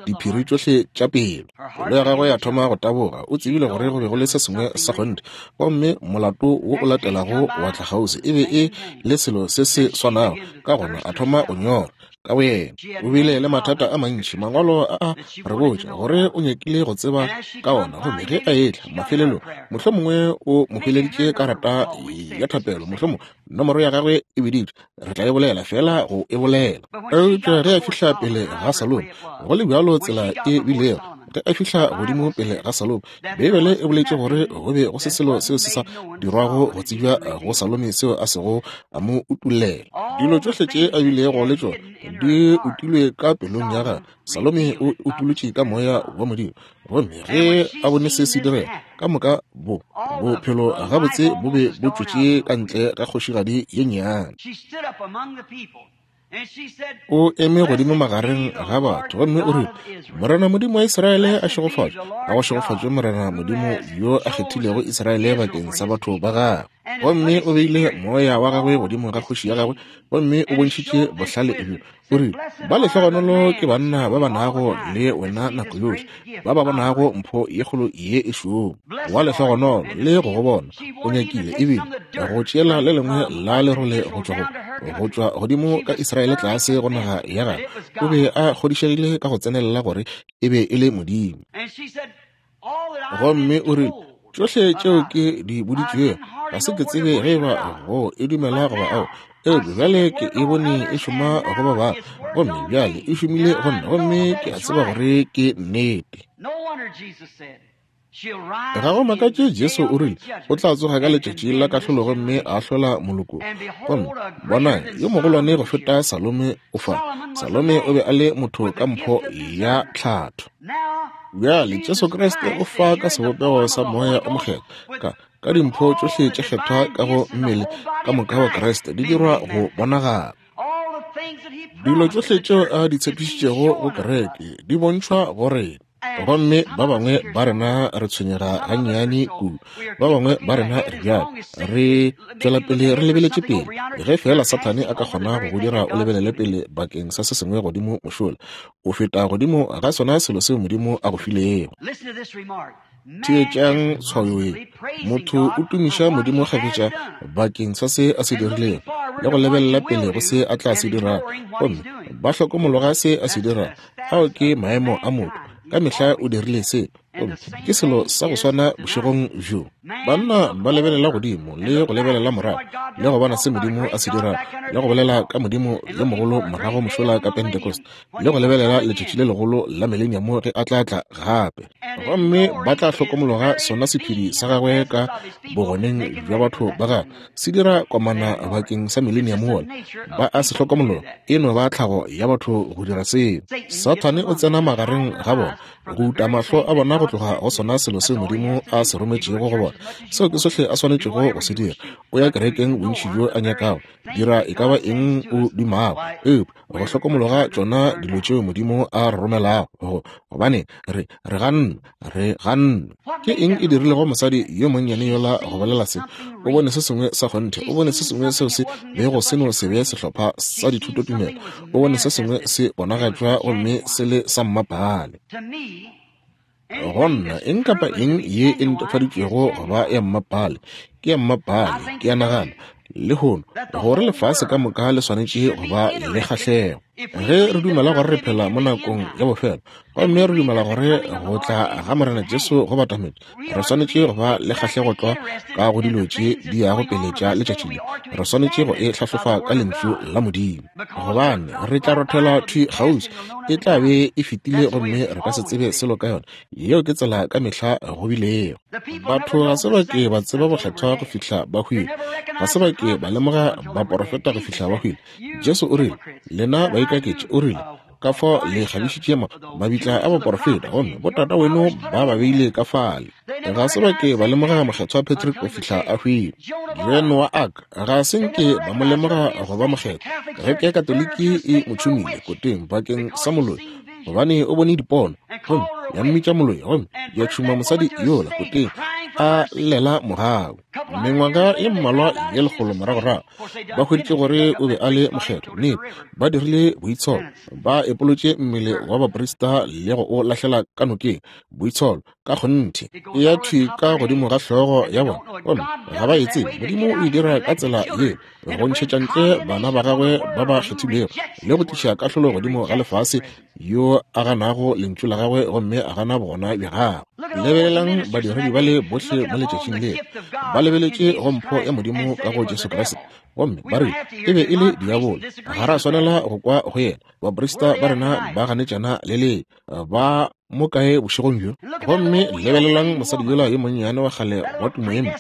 diphiri tšohle tša pelo. Pelo ya gagwe ya thoma go taboga. O tsebile gore go be go le se sengwe sa kgonthe. Gomme molato wo o latelago wa tla kgauswi e be e le selo se se swanago. Ka gona a thoma go nyora ka boyena. O bile le mathata a mantši. Mangwalo a a re botša gore o nyakile go tseba ka ona. Gomme ge a etla mafelelong, mohlomongwe o mo hweleditše karata ya thapelo, mohlomongwe nomoro ya gagwe e biditšwe. Re tla e bolela feela go e bolela. Eupša ge a fihla pele ga Salome, go le bjalo tsela e bilego. Ge a fihla godimo pele ga Salome, Beibele e boletše gore go be go se selo seo se sa dirwago go tsebja go Salome seo a sego a mo utollela. Dilo tšohle tše a bilego le tšona di utilwe ka pelong ya gagwe. Salome o utolotše ka moya wa Modimo. Gomme ge a bone se se direga, ka moka bo bophelo gabotse bo be bo tšwetše ka ntle ga kgošigadi ye nnyane. O eme godimo magareng ga batho gomme o rile, Morena Modimo wa Israele a šegofatšwe, a go šegofatšwe Morena Modimo yo a kgethilego Israele bakeng sa batho ba gagwe. Gomme o beile moya wa gagwe godimo ga kgoši ya gagwe, gomme o bontšhitše bohlale bjo. O rile, Ba lehlogonolo ke banna ba ba nago le wena nako yohle, ba ba bonago mpho ye kgolo ye e šoma. Wa lehlogonolo le go go bona o nyakile ebile go tšeela le lengwe la lerole go tšwa go tšwa godimo ka Israele tlase go naga ya gagwe. O be a kgodišegile ka go tsenelela gore e be e le Modimo. Gomme o rile, Tšohle tšeo ke di boditšwego, ga se ke tsebe ge eba go e dumela goba ao, eupša bjale ke e bone e šoma go ba bangwe, gomme bjale e šomile go nna, gomme ke a tseba gore ke nnete. Ga go makatše Jesu o rile, O tla tsoga ka letšatši la kahlolo gomme a ahlola moloko. Gomme bonang, yo mogolwane go feta Salome o fa. Salome o be a le motho ka mpho ya tlhatho. Bjale Jesu Kriste o fa ka sebopego sa Moya o Mokgethwa, ka, ka dimpho tšohle tše kgethwa ka go mmele ka moka wa Kriste di dirwa go bonagala. Dilo tšohle tšeo a di tshepišitšego go kereke di bontšhwa go rena. Gomme ba bangwe ba rena re tshwenyega gannyane kudu, ba bangwe ba rena re bjalo, re tšwela pele re lebeletše pele. Ge feela Sathane a ka kgona go go dira o lebelele pele bakeng sa se sengwe godimo mošola, o feta godimo ga sona selo seo Modimo a go filego. Theetšang tshwayo ye. Motho o tumiša Modimo kgafetša bakeng sa se a se dirilego le go lebelela pele go se a tla se dirago, gomme ba hlokomologa se a se dirago. Ao ke maemo a motho. Ka mehla o dirile se. Gomme ke selo sa go swana bošegong bjo. Banna ba lebelela godimo le go lebelela morago le go bona se Modimo a se dirago le go bolela ka Modimo yo mogolo morago mošola ka Pentecost le go lebelela letšatši le legolo la Millennium ge a tla tla gape. Gomme ba tla hlokomologa sona sephedi sa gagwe ka bogoneng bja batho ba gagwe se dira komana bakeng sa Millennium wola. Ba a se hlokomologa, e no ba tlhago ya batho go dira seo. Sathane o tsena magareng ga bona go uta mahlo a bona go tloga go sona selo seo Modimo a se rometšego go bona. Seo ke sohle a swanetšego go se dira. O ya kerekeng bontši bjo a nyakago, dira e ka ba eng o dumago, eupša go hlokomologa tšona dilo tšeo Modimo a re romelago go, gobane re, re ganne, re ganne. Ke eng e dirilego mosadi yo monnyane yola go bolela se? O bone se sengwe sa kgonthe, o bone se sengwe seo se bego se no se be sehlopha sa dithutotumelo, o bone se sengwe se bonagatšwa gomme se le sa mmapaale. Go nna, eng kapa eng ye e netefaditšwego go ba ya mmapaale ke ya mmapaale. Ke a nagana lehono gore lefase ka moka le swanetše go ba le kgahlego. Ge re dumela gore re phela mo nakong ya bofelo gomme re dumela gore go tla ga Morena Jesu go batametše, re swanetše go ba le kgahlego tlwa ka go dilo tše di yago pele tša letšatši le. Re swanetše go e hlahlofa ka Lentšu la Modimo, gobane re tla rothela thwi kgauswi, e tla be e fetile gomme re ka se tsebe selo ka yona. Yeo ke tsela ka mehla go bilego. Batho ga se ba ke ba tseba bokgethwa go fihla ba hwile, ga se ba ke ba lemoga baporofeta go fihla ba hwile. Jesu o rile, Lena baikaketši, o rile, ka fao le kgabišitše mabitla a baporofeta, gomme botata weno ba ba beile ka fale. Ga se ba ke ba lemoga Mokgethwa Patrick go fihla a hwile. Joan wa Arc, ga se nke ba mo lemoga go ba mokgethwa. Kereke ya Katoliki e mo tšhumile koteng bakeng sa moloi, gobane o bone dipono, gomme ya mmitša moloi, gomme ya tšhuma mosadi yola koteng a llela mogau. Mengwaga ye mmalwa ye lekgolo moragorago, ba hweditše gore o be a le mokgethwa. Nnete, ba dirile boitsholo, ba epolotše mmele wa baprista le go o lahlela ka nokeng. Boitsholo ka kgonthe e ya thwi ka godimo ga hlogo ya bona, gomme ga ba e tsebe. Modimo o e dira ka tsela ye, go ntšhetša ntle bana ba gagwe ba ba kgethilwego le go tliša kahlolo godimo ga lefase yo a ganago lentšu la gagwe gomme a gana bogona bja gagwe. Lebelelang badiredi ba le bohle mo letšatšing le, ba lebeletše go mpho ya Modimo ka go Jesu Kriste, gomme ba re e be e le diabolo. Ga ra swanela go kwa go yena. Baprista ba rena ba ganetšana le le ba. Mo kae bošegong bjo? Gomme lebelelang mosadi yola yo monnyane wa kgale wa tumo ye mpe,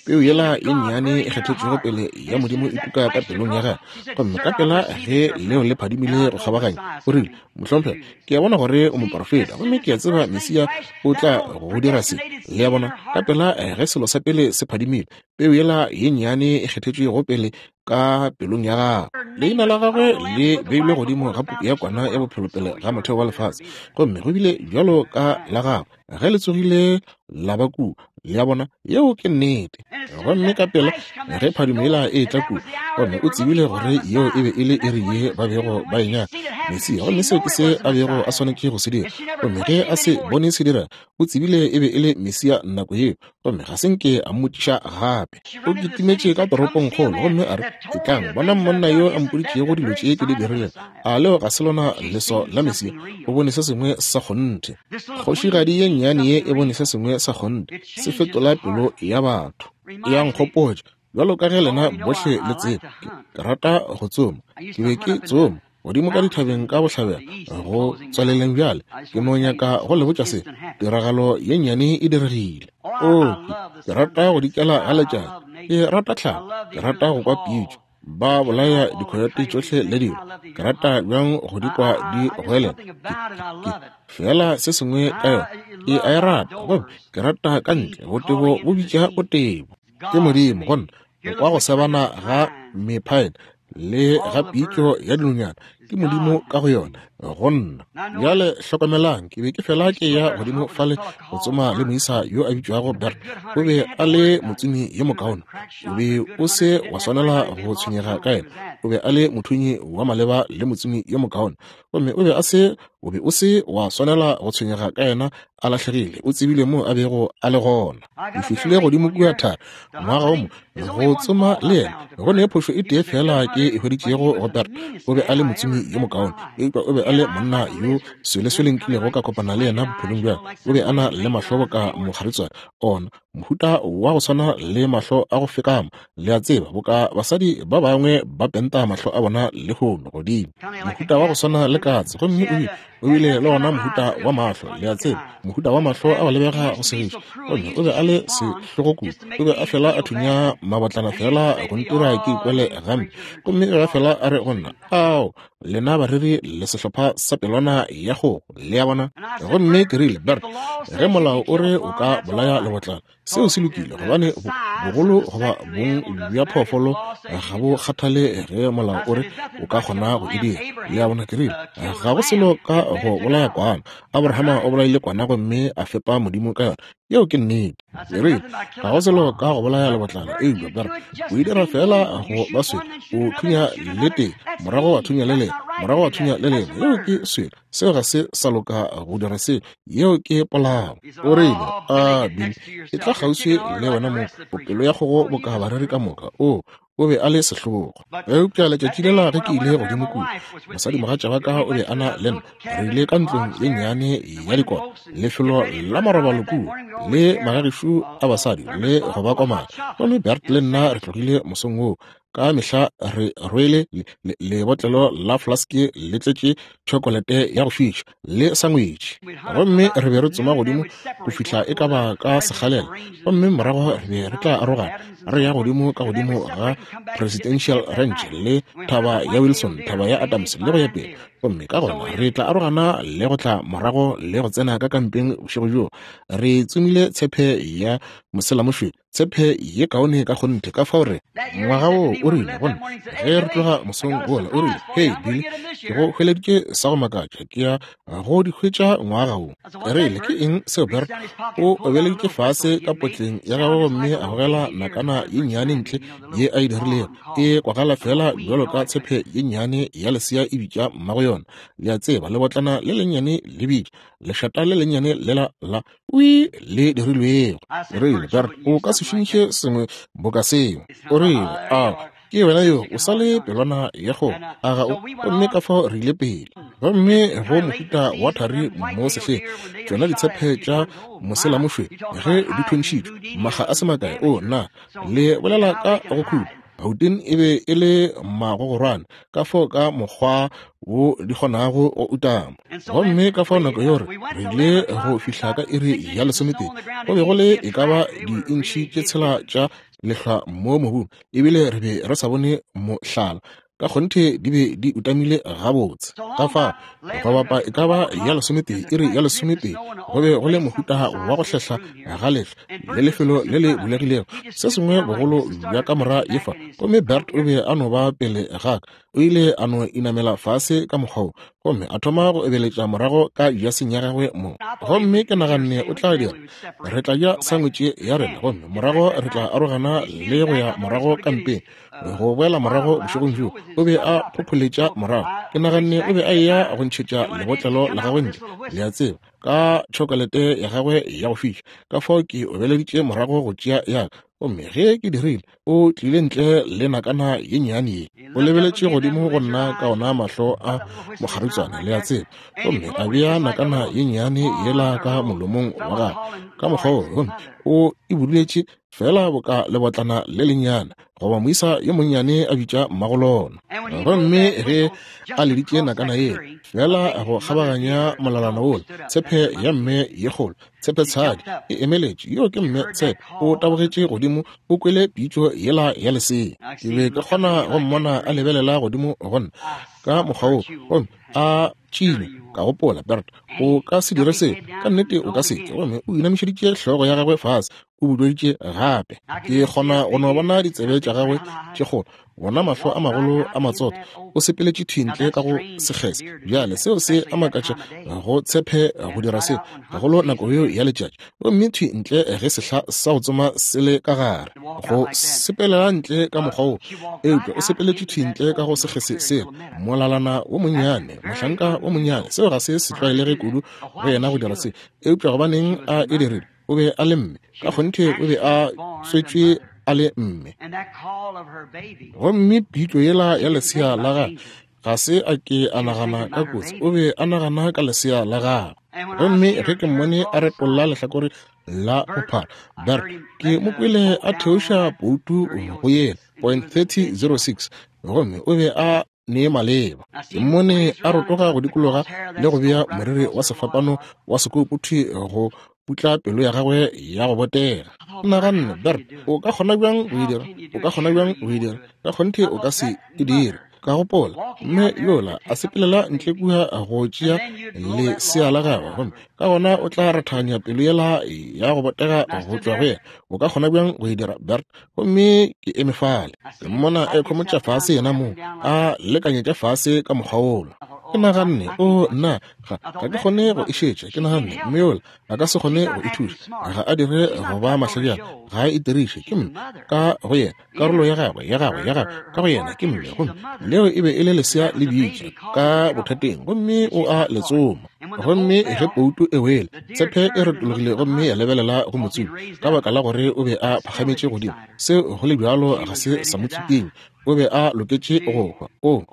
peu yela ye nnyane e kgethetšwego pele ya Modimo e tuka ka pelong ya gagwe. Gomme ka pela ge leo le phadimile go kgabaganya, o rile, Mohlomphegi, ke a bona gore o moprofeta, gomme ke a tseba Mesia o tla go dira se. Le a bona, ka pela ge selo sa pele se phadimile, peu yela ye nnyane e kgethetšwego pele ka pelong ya gagwe. Leina la gagwe le beilwe godimo ga puku ya kwana ya bophelo pele ga motheo wa lefase, gomme go bile bjalo ka la gagwe ge le tsogile la ba kua. Le a bona, yeo ke nnete. Gomme ka pela ge phadimo yela e etla kua, gomme o tsebile gore yeo e be e le iri ye ba bego ba e nyaka, Mesia, gomme seo ke se a bego a swanetše go se dira. Gomme ge a se bone se dira, o tsebile e be e le Mesia nako yeo, gomme ga se nke a mmotšiša gape. O kitimetše ka toropongkgolo gomme a re, Etlang, bonang monna yo a mpoditšego dilo tše ke di dirilego. A leo ga se lona leso la Mesia? O bone se sengwe sa kgonthe. Kgošigadi ye nnyane ye e bone se sengwe sa kgonthe, se fetola pelo ya batho. E a nkgopotša, bjalo ka ge lena bohle le tseba, ke rata go tsoma. Ke be ke tsoma godimo ka dithabeng ka bohlabela go tswaleleng bjale. Ke no nyaka go le botša se, tiragalo ye nnyane e diregile. Oo, ke rata go dikela ga letšatši, ke rata tlhago, ke rata go kwa pitšo, ba bolaya dikhoyote tšohle le dilo. Ke rata bjang go di kwa di goelela. Ke, fela se sengwe ka yona, ke a e rata. Gomme ke rata ka ntle, botebo bo bitša botebo. Ke Modimo go nna, go kwa go sebana ga mephaene le ga pitšo ya dinonyana, ke Modimo ka go yona go nna. Bjale hlokomelang, ke be ke fela ke ya godimo fale go tsoma le moisa yo a bitšwago Bert. O be a le motsomi yo mokaone, o be o se wa swanela go tshwenyega ka yena. O be a le mothunyi wa maleba le motsomi yo mokaone, gomme o be a se, o be o se wa swanela go tshwenyega ka yena a lahlegile. O tsebile mo a bego a le gona. Ke fihlile godimo kua thari ngwaga o mo go tsoma le yena. Go ne phošo e tee fela ke e hweditšego go Bert. O be a le motsomi yo mokaone, eupša o be a le monna yo sweleswele nkilego ka kopana le yena bophelong bja. O be a na le mahlo boka mokgaritswane, ona mohuta wa go swana le mahlo a go fekama, le a tseba, boka basadi ba bangwe ba penta mahlo a bona lehono godimo, mohuta wa go swana le katse. Gomme o bile o bile le ona mohuta wa mahlo, le a tseba, mohuta wa mahlo a go lebega go segiša. Gomme o be a le sehlogo kudu, o be a fela a thunya mabotlana fela go ntira ke ikwele gampe. Gomme o be a fela a re go nna, Ao, lena bareri le sehlopha sa pelwana ya kgogo, le a bona. Gomme ke rile, Bert, ge molao o re o ka bolaya lebotlana, seo se lokile, gobane bogolo goba bong bja phoofolo ga bo kgathale ge molao o re o ka kgona go e dira. Le a bona? Ke rile, Ga go selo ka go bolaya kwana. Abrahama o bolaile kwana gomme a fepa Modimo ka yona. Yeo ke nnete. Ke rile, Ga go selo ka go bolaya lebotlana, eupša Bert, o e dira feela go ba swele. O thunya le tee, morago wa thunya le lengwe, morago wa thunya le lengwe. Yeo ke swele. Seo ga se sa loka go dira seo. Yeo ke polao. O rile, A, Billy, e tla kgauswi le wena mo, pelo ya kgogo boka bareri ka moka. O, o be a le sehlogo. Eupša letšatši lela ge ke ile godimo kua, mosadimogatša wa ka o be a na le nna. Re ile ka ntlong ye nnyane ya dikota, lefelo la marobalo kua, le magagešu a basadi le go ba komana. Gomme Bert le nna re tlogile mosong woo. Ka mehla re rwele lebotlelo la flaske le tletše tšhokolete ya go fiša le sangwetši. Gomme re be re tsoma godimo go fihla e ka ba ka sekgalela, gomme morago re be re tla arogana re ya godimo ka godimo ga Presidential Ranch le Thaba ya Wilson, Thaba ya Adams le go ya pele. Gomme ka gona re tla arogana le go tla morago le go tsena ka kampeng bošego bjoo. Re tsomile tshepe ya moselamošweu, tshepe ye kaone ka kgonthe. Ka fao re ngwaga wo o rile go nna ge re tloga mosong wola, o rile, Hei Billy, ke go hweleditše sa go makatša, ke ya go di hwetša ngwaga wo. Ke rile, Ke eng seo, Bert? O obeleditše fase ka potleng ya gagwe gomme a gogela nakana ye nnyane ntle ye a e dirilego, e kwagala feela bjalo ka tshepe ye nnyane ya lesea e bitša mmago yona. Le a tseba, lebotlana le lennyane le bitša lešata le lennyane lela la wi le dirilwego. Ke rile, Bert, o ka se šomiše sengwe boka seo. O rile, Ao, ke wena yo, o sa le pelwana ya kgogo, a ga o? Gomme ka fao re ile pele. Gomme go mohuta wa thari mo sehleng, tšona ditshepe tša moselamošweu ge di thuntšhitšwe, makga a se makae, o, na le bolela ka go khuta. Gauteng e be e le magogorwane, ka fao ka mokgwa wo di kgonago go utama. Gomme ka fao nako yeo re ile go fihla ka iri ya lesometee, go be go le e ka ba diintšhi tše tshela tša lehlwa mo mobung, ebile re be re sa bone mohlala. Ka kgonthe di be di utamile gabotse. Ka fao go bapa e ka ba ya lesometee, iri ya lesometee, go be go le mohuta wa go hlehla ga lehlwa le lefelo le le bulegilego, se sengwe bogolo bja kamora ye fa. Gomme Bert o be a no ba pele ga ka, o ile a no inamela fase ka mokgwa wo gomme a thoma go ebeletša morago ka jaseng ya gagwe mo. Gomme ke naganne o tla dira, re tla ja sangwetše ya rena gomme morago re tla arogana le go ya morago kampeng, go boela morago bošegong bjoo. O be a phopholetša morago. Ke naganne o be a eya go ntšhetša lebotlelo la gagwe ntle, le a tseba, ka tšhokolete ya gagwe ya go fiša. Ka fao ke obeleditše morago go tšea ya ka, gomme ge ke dirile, o tlile ntle le nakana ye nnyane ye. O lebeletše godimo go nna ka ona mahlo a mokgaritswane, le a tseba, gomme a bea nakana ye nnyane yela ka molomong wa gagwe ka mokgwa wo, gomme o e buduletše feela boka lebotlana le lennyane goba moisa yo monnyane a bitša mmagolona. Gomme ge a leditše nakana yela feela go kgabaganya molalana wola, tshepe ya mme ye kgolo, tshepe tshadi e emeletše, yo ke mme tshepe, o tabogetše godimo, o kwele pitšo yela ya lesea. Ke be ke kgona go mmona a lebelela godimo go nna ka mokgwa wo, gomme a tšile. Ka gopola, Bert, o ka se dire seo, ka nnete o ka se ke. Gomme o inamišeditše hlogo ya gagwe fase, o budweditše gape. Ke kgona go no bona ditsebe tša gagwe tše kgolo, bona mahlo a magolo a matsotho. O sepeletše thwi ntle ka go sekgese. Bjale seo se a makatša go tshepe go dira seo, gagolo nako yeo ya letšatši, gomme thwi ntle ge sehla sa go tsoma se le ka gare, go sepelela ntle ka mokgwa wo. Eupša o sepeletše thwi ntle ka go sekgese sela, molalana wo monnyane, mohlanka wo monnyane. Seo ga se se tlwaelege kudu go yena go dira se, eupša gobaneng a e dirile? O be a le mme, ka kgonthe o be a tswetšwe a le mme. Gomme pitšo yela ya lesea la gagwe, ga se a ke a nagana ka kotsi, o be a nagana ka lesea la gagwe. Gomme ge ke mmone a retolla lehlakore la bophara, Bert, ke mo kwele a theoša poutu go yela point 3006, gomme o be a ne maleba. Ke mmone a rotoga go dikologa le go bea moriri wa sefapano wa sekopo thwi go putla pelo ya gagwe ya go botega. Naganne, Bert, o ka kgona bjang go e dira? O ka kgona bjang go e dira? Ka kgonthe o ka se e dire. Ka gopola, mme yola a sepelela ntle kua go tšea lesea la gagwe, gomme ka gona o tla rathaganya pelo yela ya go botega go tšwa go yena. O ka kgona bjang go e dira, Bert? Gomme ke eme fale, ke mmona e khomotša fase yena mong, a lekanyetša fase ka mokgwa wola. Ke naganne, o nna, ga, ga ke kgone go e šetša. Ke naganne, mme yola a ka se kgone go ithuša, ga a dire go ba mahlajana, ga a itiriše. Ke mme ka go yena, karolo ya gagwe, ya gagwe, ya gagwe ka go yena ke mme. Gomme leo e be e le lesea le bitša ka bothateng, gomme o a le tsoma. Gomme ge pouto e wele, tshepe e retologile gomme ya lebelela go motsomi, ka baka la gore o be a phagametše godimo. Seo go le bjalo ga se sa mo tsikinya, o be a loketše go hwa. O,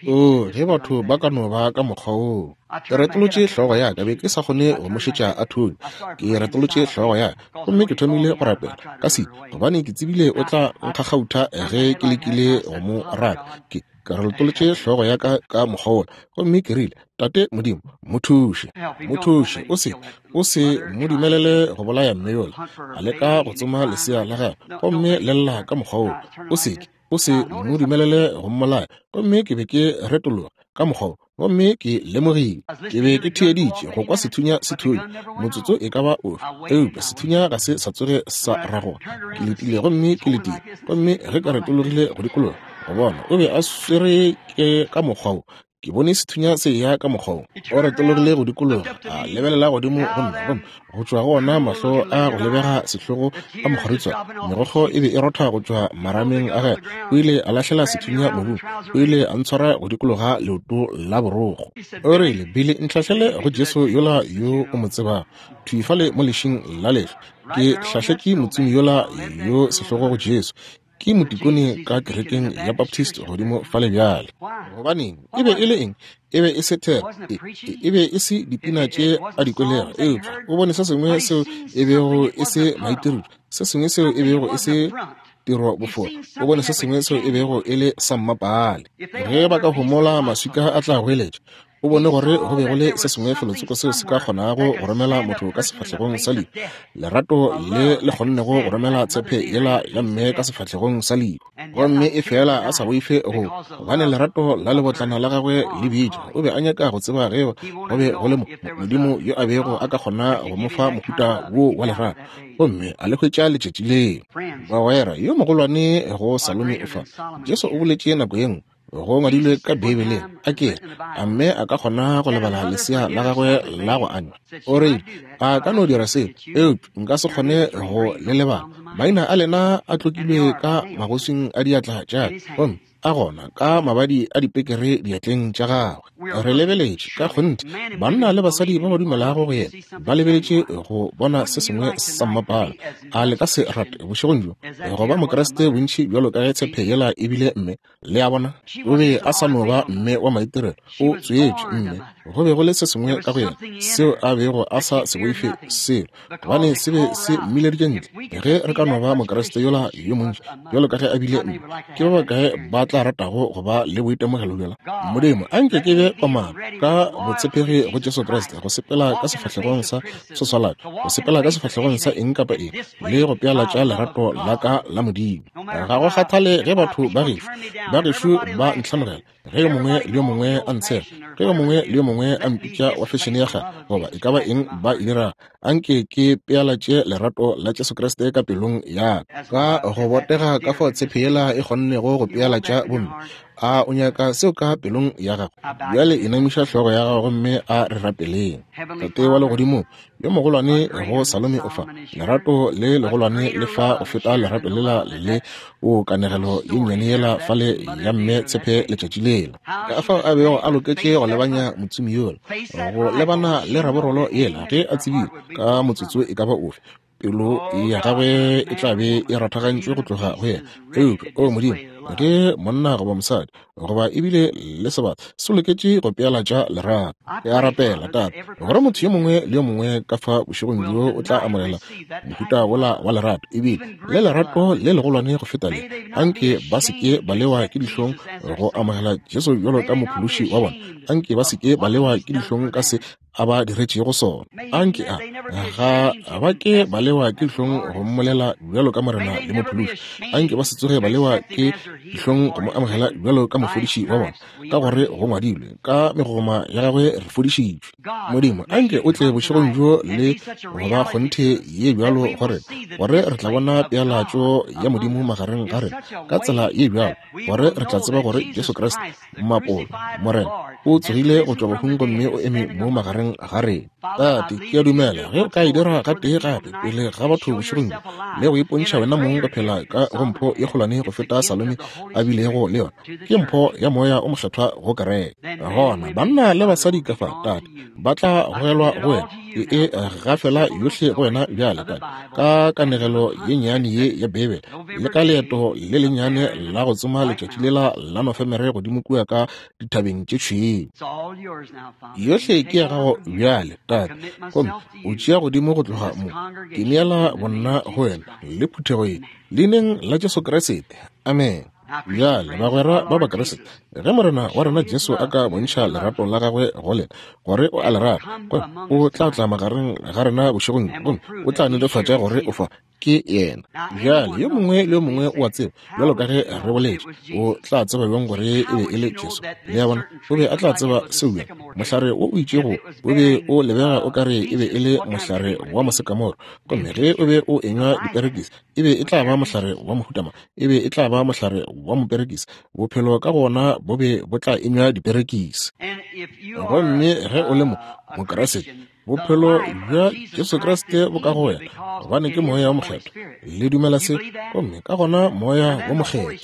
o, ge batho ba ka no ba ka mokgwa woo. Ke retolotše hlogo ya ka, be ke sa kgone go mo šetša a thunya. Ke retolotše hlogo ya ka gomme ke thomile go rapela ka se, gobane ke tsebile o tla nkgakgautha ge ke lekile go mo raka. Ke, ke retolotše hlogo ya ka ka mokgwa wola gomme ke rile, Tate Modimo, mo thuše, mo thuše, o se, o se mo dumelele go bolaya mme yola a leka go tsoma lesea la gagwe gomme le lla ka mokgwa woo. O se ke, o se mo dumelele go mmolaya. Gomme ke be ke retologa ka mokgwa wo, gomme ke lemogile ke be ke theeditše go kwa sethunya se thunya motsotso e ka ba ofe, eupša sethunya ga se sa tsoge sa ragoga. Ke letile gomme ke letile, gomme ge ka retologile go dikologa go bona, o be a swere ke ka mokgwa wo. Ke bone sethunya se eya ka mokgwa wo. O retologile go dikologa, a lebelela godimo go nna, gomme go tšwa go ona mahlo a go lebega sehlogo a mokgoritswana, megokgo e be e rotha go tšwa marameng a gagwe. O ile a lahlela sethunya mobung. O ile a ntshwara go dikologa leoto la borokgo. O rile, Billy, ntlhahlele go Jesu yola yo o mo tsebago, thwi fale mo lešing la lehlwa. Ke hlahletše motsomi yola yo sehlogo go Jesu. Ke motikone ka kerekeng ya Baptist godimo fale bjale. Gobaneng? E be e le eng? E be e se thero, e, e, e be e se dipina tše a di kwelego, eupša o bone se sengwe seo e bego e se maitirišo, se sengwe seo e bego e se Tiro bofora. O bone se sengwe seo e bego e le sa mmapaale. Ge ba ka homola, maswika a tla goeletša. O bone gore go be go le se sengwe felotsoko seo se ka kgonago go romela motho ka sefahlegong sa lehu, lerato le le kgonnego go romela tshepe yela ya mme ka sefahlegong sa lehu. Gomme efela a sa boife go, gobane lerato la lebotlana la gagwe le bitša. O be a nyaka go tseba ge go be go le mo, Modimo yo a bego a ka kgona go mo fa mohuta wo wa lerato, gomme a le hwetša letšatši leo. Bagwera, yo mogolwane go Salome o fa. Jesu o boletše nako ye nngwe, go ngwadilwe ka Beibeleng, a ke re, a mme a ka kgona go lebala lesea la gagwe la go anywa? O rile, A ka no dira seo, eupša nka se kgone go le lebala. Maina a lena a tlokilwe ka magoswing a diatla tša ka, gomme a gona ka mabadi a dipekere diatleng tša gagwe. Re lebeletše, ka kgonthe, banna le basadi ba ba dumelago go yena ba lebeletše go bona se sengwe sa mmapala. A le ka se rate bošegong bjo go ba Mokriste bontši bjalo ka ge tshepe yela e bile mme? Le a bona, o be a sa no ba mme wa maitirelo, o tswetšwe mme. Go be go le se sengwe ka go yena seo a bego a sa se boife selo, gobane se be se mmileditše ntle. Ge re ka no ba Mokriste yola yo montši bjalo ka ge a bile mme, ke ba bakae ba tla ratago go ba le boitemogelo bjola? Modimo, a nke ke be komana ka botshepegi go Jesu Kriste, go sepela ka sefahlegong sa soswalatšo, go sepela ka sefahlegong sa eng kapa eng, le go pealatša lerato la ka la Modimo. Ga go kgathale ge batho ba gešo, ba gešo ba ntlhanogela, ge yo mongwe le yo mongwe a ntshega, ge yo mongwe le yo mongwe a mpitša wa fešene ya kgale, goba e ka ba eng ba e dirago, anke ke pealatše lerato la Jesu Kriste ka pelong ya ka. Ka go botega ka fao tshepe yela e kgonnego go pealatša bomme. A o nyaka seo ka pelong ya gago? Bjale inamiša hlogo ya gago gomme a re rapeleng. Tate wa Legodimong, yo mogolwane go Salome o fa lerato le legolwane le fa go feta lerato lela le o kanegelo ye nnyane yela fale ya mme tshepe letšatši lela. Ka fao a bego a loketše go lebanya motsomi yola, go lebana le raborolo yela ge a tsebile ka motsotso e ka ba ofe pelo ya gagwe e tla be e rathagantšwe go tloga go yena. Eupša, o Modimo, ge monna goba mosadi goba ebile le sebata se loketše go pealatša lerato, ke a rapela, Tate, gore motho yo mongwe le yo mongwe ka fa bošegong bjo o tla amogela mohuta wola wa lerato, ebile le lerato le legolwane go feta le. Anke ba se ke ba lewa ke dihlong go amogela Jesu bjalo ka Mophološi wa bona. Anke ba se ke ba lewa ke dihlong ka se a ba diretšego sona. Anke a ga ba ke ba lewa ke dihlong go mmolela bjalo ka Morena le Mophološi. Anke ba se tsoge ba lewa ke dihlong go mo amogela bjalo ka mofodiši wa bona, ka gore go ngwadilwe, ka megogoma ya gagwe re fodišitšwe. Modimo, anke o tle bošegong bjo le go ba kgonthe ye bjalo gore, gore re tla bona pealatšo ya Modimo magareng ga rena ka tsela ye bjalo, gore re tla tseba gore Jesu Kriste Mmapolo, Morena, o tsogile go tšwa bahung gomme o eme mo magareng ga rena. Tate, ke a dumela ge o ka e dira gatee gape pele ga batho bošegong bjo, le go ipontšha wena mong go phela ka go mpho ye kgolwane go feta Salome a bilego le yona, ke mpho ya Moya o Mokgethwa go kereke. Gona banna le basadi ka fa, Tate, ba tla gogelwa go wena. Ke e gafela yohle go wena bjale, Tate, ka kanegelo ye nnyane ye ya Beibele, le ka leeto le lennyane la go tsoma letšatši lela la Nofemere godimo kua ka dithabeng tše tšhweu. Yohle ke ya gago bjale, Tate, gomme o tšea godimo go tloga mo. Ke neela bonna go wena le phuthego ye, Leineng la Jesu Kriste. Amene. Bjale, bagwera ba Bakriste, ge Morena wa rena Jesu a ka bontšha lerato la gagwe go lena, gore o a le rata, gomme o tla tla magareng ga rena bošegong bjo, gomme o tla netefatša gore o fa, ke yena. Bjale, yo mongwe le yo mongwe o a tseba, bjalo ka ge re boletše, o tla tseba bjang gore e be e le Jesu? Le a bona, o be a tla tseba seo bjang? Mohlare wo o itšego o be o lebega o ka re e be e le mohlare wa mosekamoro, gomme ge o be o enywa diperekisi, e be e tla ba mohlare wa mohuta mang? E be e tla ba mohlare wa moperekisi. Bophelo ka go wona bo be bo tla enywa diperekisi. Gomme ge o le mo Mokriste, bophelo bja Jesu Kriste bo ka go wena, gobane ke Moya wo Mokgethwa. Le dumela se? Gomme ka gona Moya wo Mokgethwa.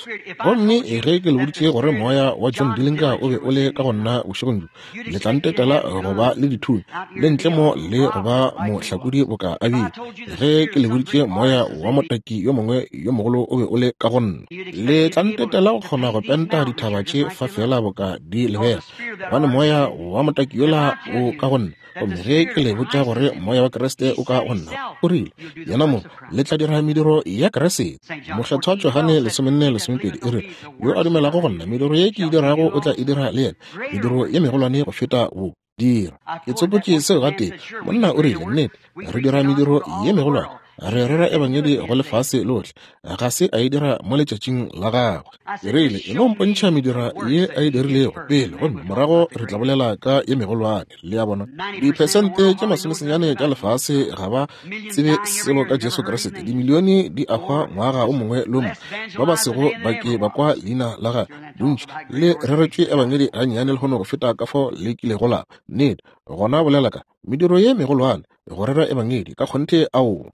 Gomme ge ke le boditše gore moya wa John Dillinger o be o le ka go nna bošegong bjo, le tla ntetela go ba le dithunya le ntle mo le go ba mohlakodi boka a bile. Ge ke le boditše moya wa motaki yo mongwe yo mogolo o be o le ka go nna, le tla ntetela go kgona go penta dithaba tše fa feela boka di lebega, gobane moya wa motaki yola o ka go nna. Gomme ge ke le botša gore Moya wa Kriste o ka go nna, o rile, Yena mong, le tla dira mediro ya Kriste. Mokgethwa Johane 14:12 e rile, Yo a dumelago go nna, mediro ye ke e dirago o tla e dira le yena, mediro ye megolwane go feta wo dira. Ke tsopotše seo gatee. Monna o rile, Nnete, re dira mediro ye megolwane. Re rera ebangedi go lefase lohle. Ga se a e dira mo letšatšing la gagwe. Ke rile, E no mpontšha medira ye a e dirilego pele, gomme morago re tla bolela ka ye megolwane. Le a bona? Diphesente tše masomesenyane tša lefase ga ba tsebe selo ka Jesu Kriste. Dimilione di a hwa ngwaga o mongwe le o mongwe, ba ba sego ba ke ba kwa leina la gagwe. Bontši le reretšwe ebangedi gannyane lehono go feta ka fao le kilego la ba. Nnete. Gona bolela ka mediro ye megolwane, go rera ebangedi ka kgonthe. Aowa.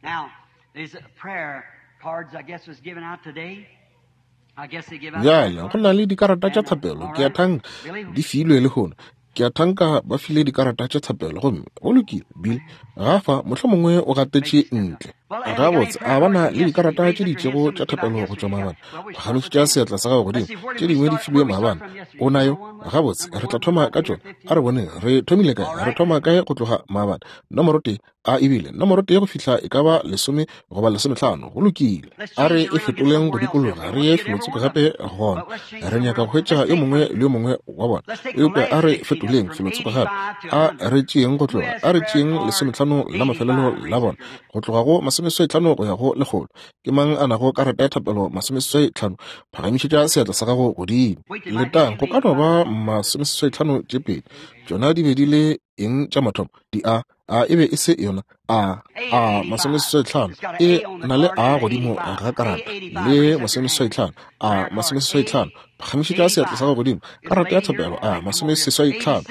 Bjale go na le dikarata tša thapelo, ke a thanka di filwe lehono. Ke a thanka ba file dikarata tša thapelo, gomme go lokile. Bill ga fa, mohlomongwe o gatetše ntle. Gabotse, a ba na le dikarata tše di itšego tša thapelo go tšwa maabane? Phagamišetša seatla sa gago godimo. Tše dingwe di filwe maabane. O nayo? Gabotse, re tla thoma ka tšona. A re boneng, re thomile kae? Re thoma kae go tloga maabane? Nomoro tee, a ebile nomoro tee go fihla e ka ba lesome goba lesometlhano. Go lokile. A re e fetoleng go dikologa, re ye felotsoko gape gona. Re nyaka go hwetša yo mongwe le yo mongwe wa bona. Eupša a re fetoleng felotsoko gape. A re tšeeng go tloga, a re tšeeng lesometlhano la mafelelo la bona, go tloga go masomeseswaitlhano go ya go lekgolo. Ke mang a nago karata ya thapelo masomeseswaitlhano? Phagamišetša seatla sa gago godimo. Letang, go ka no ba masomeseswaitlhano tše pedi. Tšona di be di le eng tša mathomo? Di a a e be e se yona a a masomeseswaitlhano e na le a godimo ga karata le masomeseswaitlhano a masomeseswaitlhano. Phagamišetša seatla sa gago godimo. Karata ya thapelo a masomeseswaitlhano.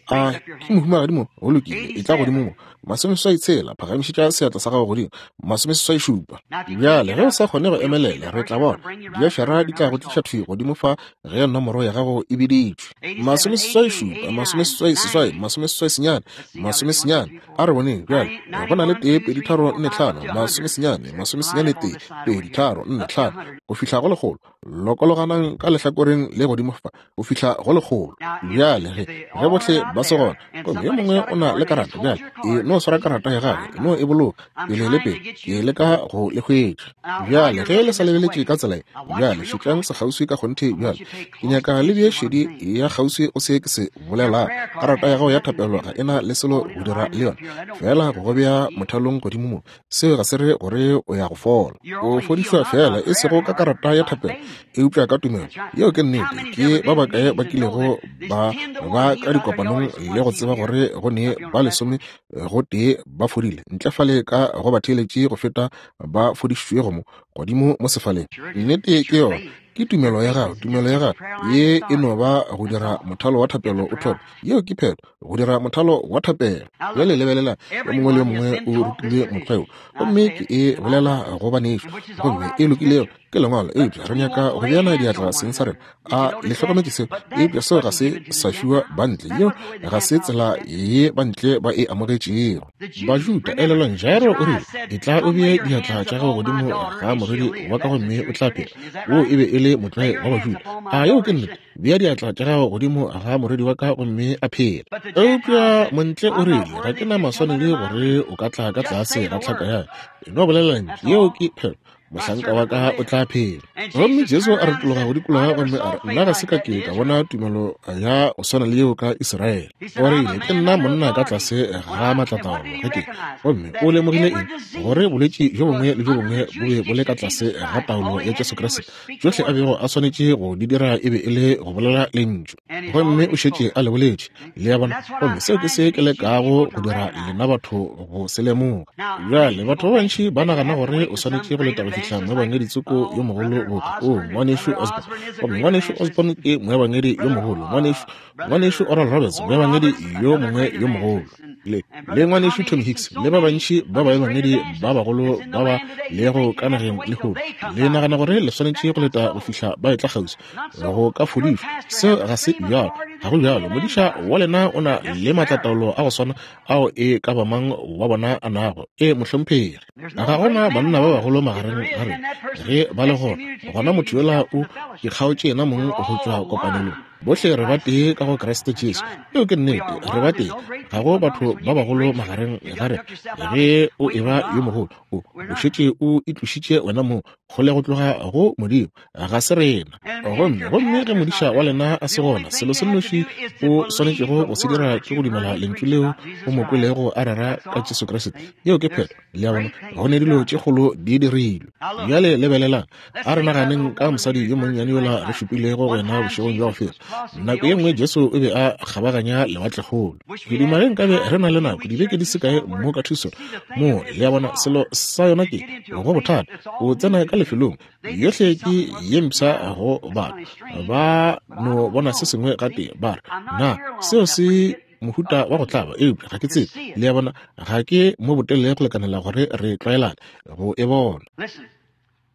A ke mohumagadi mo? Go lokile, e tla godimo mo. Masomeseswai tshela, phagamišetša seatla sa gago godimo. Masomeseswai šupa. Bjale, ge o sa kgone go emelela, re tla bona. Diašara di tla go tliša thwi godimo fa ge nomoro ya gago e biditšwe. Masomeseswai šupa, masomeseswai seswai, masomeseswai senyane, masomesenyane. A re boneng bjale. Go na le tee, pedi, tharo, nne, tlhano, masomesenyane, masomesenyane, tee, pedi, tharo, nne, tlhano, go fihla go lekgolo. Lokologanang ka lehlakoreng le godimo fa go fihla go lekgolo. Bjale ge, ge bohle ba se gona, gomme yo mongwe o na le karata, bjale e no swara karata ya gagwe, e no e boloka pele le pele, ke leka go le hwetša. Bjale ge le sa lebeletše ka tsela ye, bjale šetšang sekgauswi ka kgonthe bjale. Ke nyaka le bee šedi ya kgauswi go se ke se bolelago. Karata ya gago ya thapelo ga e na le selo go dira le yona, feela go go bea mothalong godimo mo. Seo ga se re gore o ya go fola. O fodišwa feela e sego ka karata ya thapelo, eupša ka tumelo. Yeo ke nnete. Ke ba bakae ba kilego ba ba ka dikopanong le go tseba gore go ne ba lesome go tee ba fodile ntle fale ka go batheeletši go feta ba fodišitšwego mo godimo mo sefaleng? Nnete ke yona. Ke tumelo ya gago, tumelo ya gago ye e no ba go dira mothalo wa thapelo o thome. Yeo ke phetho, go dira mothalo wa thapelo. Bjale lebelela, yo mongwe le yo mongwe o rutilwe mokgwa wo, gomme ke e bolela go banešu, gomme e lokilego ke lengwalo, eupša re nyaka go beana diatla seng sa rena. A le hlokometše seo? Eupša seo ga se sa fiwa bantle. Yeo ga se tsela ye bantle ba e amogetšego. Bajuda, elelwang, Jairo o rile, Etla o bee diatla tša gago godimo ga morwedi wa ka gomme o tla phela. Woo e be e le motlwae wa Bajuda. A yeo ke nnete? Bea diatla tša gago godimo ga morwedi wa ka gomme a phela. Eupša montle o rile, Ga ke na maswanedi gore o ka tla ka tlase ga tlhaka ya ka. E no bolela lentšu. Yeo ke phelo. Mohlanka wa ka o tla phela. Gomme Jesu a retologa go dikologa gomme a re, Nna ga se ka ke ka bona tumelo ya go swana le yeo ka Israele. O rile, Ke nna monna ka tlase ga maatlataolo ge ke. Gomme o lemogile eng? Gore bolwetši bjo bongwe le bjo bongwe bo be bo le ka tlase ga taolo ya Jesu Kriste. Tšohle a bego a swanetše go di dira e be e le go bolela lentšu, gomme o šetše a le boletše. Le a bona? Gomme seo ke se ke lekago go dira lena batho go se lemoga. Bjale, batho ba bantši ba nagana gore o swanetše go leta go fihla moebangedi tsoko yo mogolo boka, oo, Ngwanešu Osborn. Gomme Ngwanešu Osborn ke moebangedi yo mogolo. Ngwanešu, Ngwanešu Oral Roberts, moebangedi yo mongwe yo mogolo. Le, le Ngwanešu Tommy Hicks, le ba bantši ba baebangedi ba bagolo ba ba lego ka nageng lehono. Le nagana gore le swanetše go leta go fihla ba etla kgauswi go ka fodišwa. Seo ga se bjalo. Ga go bjalo. Modiša wa lena o na le maatlataolo a go swana ao e ka ba mang wa bona a nago. Ee, mohlomphegi. Ga go na banna ba bagolo magareng ga rena. Ge ba le gona, gona motho yola o ikgaotše yena mong go tšwa kopanelong. Bohle re batee ka go Kriste Jesu. Yeo ke nnete, re batee. Ga go batho ba bagolo magareng ga rena. Ge o eba yo mogolo, o, o šetše o itlošitše wena mong kgole go tloga go Modimo. Ga se rena. Gomme, gomme ge modiša wa lena a se gona, selo se nnoši o swanetšego go se dira ke go dumela Lentšu leo o mo kwelego a rera ka Jesu Kriste. Yeo ke phetho. Le a bona? Go ne dilo tše kgolo di dirilwe. Bjale lebelelang. A re naganeng ka mosadi yo monnyane yola re šupilego go yena bošegong bja go feta. Nako ye nngwe Jesu o be a kgabaganya lewatlekgolo. Ke duma ge nkabe re na le nako dibeke di se kae mo ka Tucson. Mo, le a bona, selo sa yona ke, go bothata, o tsena ka lefelong, yohle ke ye mpsha go batho. Ba no bona se sengwe gatee, ba re, Na seo se mohuta wa go tlaba? Eupša ga ke tsebe. Le a bona, ga ke mo botelele go lekanela gore re tlwaelane go e bona.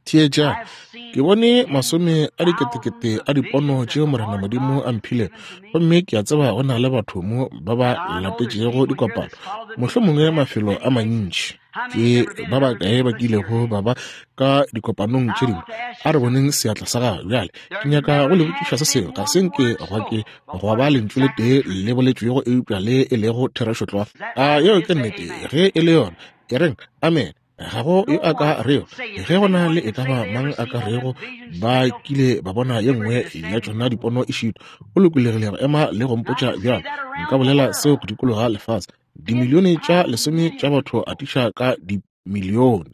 Theetšang, ke bone masome a diketekete a dipono tšeo Morena Modimo a mphilego, gomme ke a tseba go na le batho mo ba ba latetšego dikopano, mohlomongwe mafelo a mantši. Ke ba bakae ba kilego ba ba ka dikopanong tše dingwe? A re boneng seatla sa gago bjale. Ke nyaka go le botšiša se sengwe. Ga se nke gwa ke gwa ba lentšu le tee le boletšwego eupša le e lego therešo tlwa. A yeo ke nnete? Ge e le yona, e reng amen. Ga go yo a ka rego, ge go na le e ka ba mang a ka rego ba kile ba bona ye nngwe ya tšona dipono e šitwa, o lokolegile go ema le go mpotša bjalo. Nka bolela seo go dikologa lefase. Dimilione tša lesome tša batho atiša ka dimilione.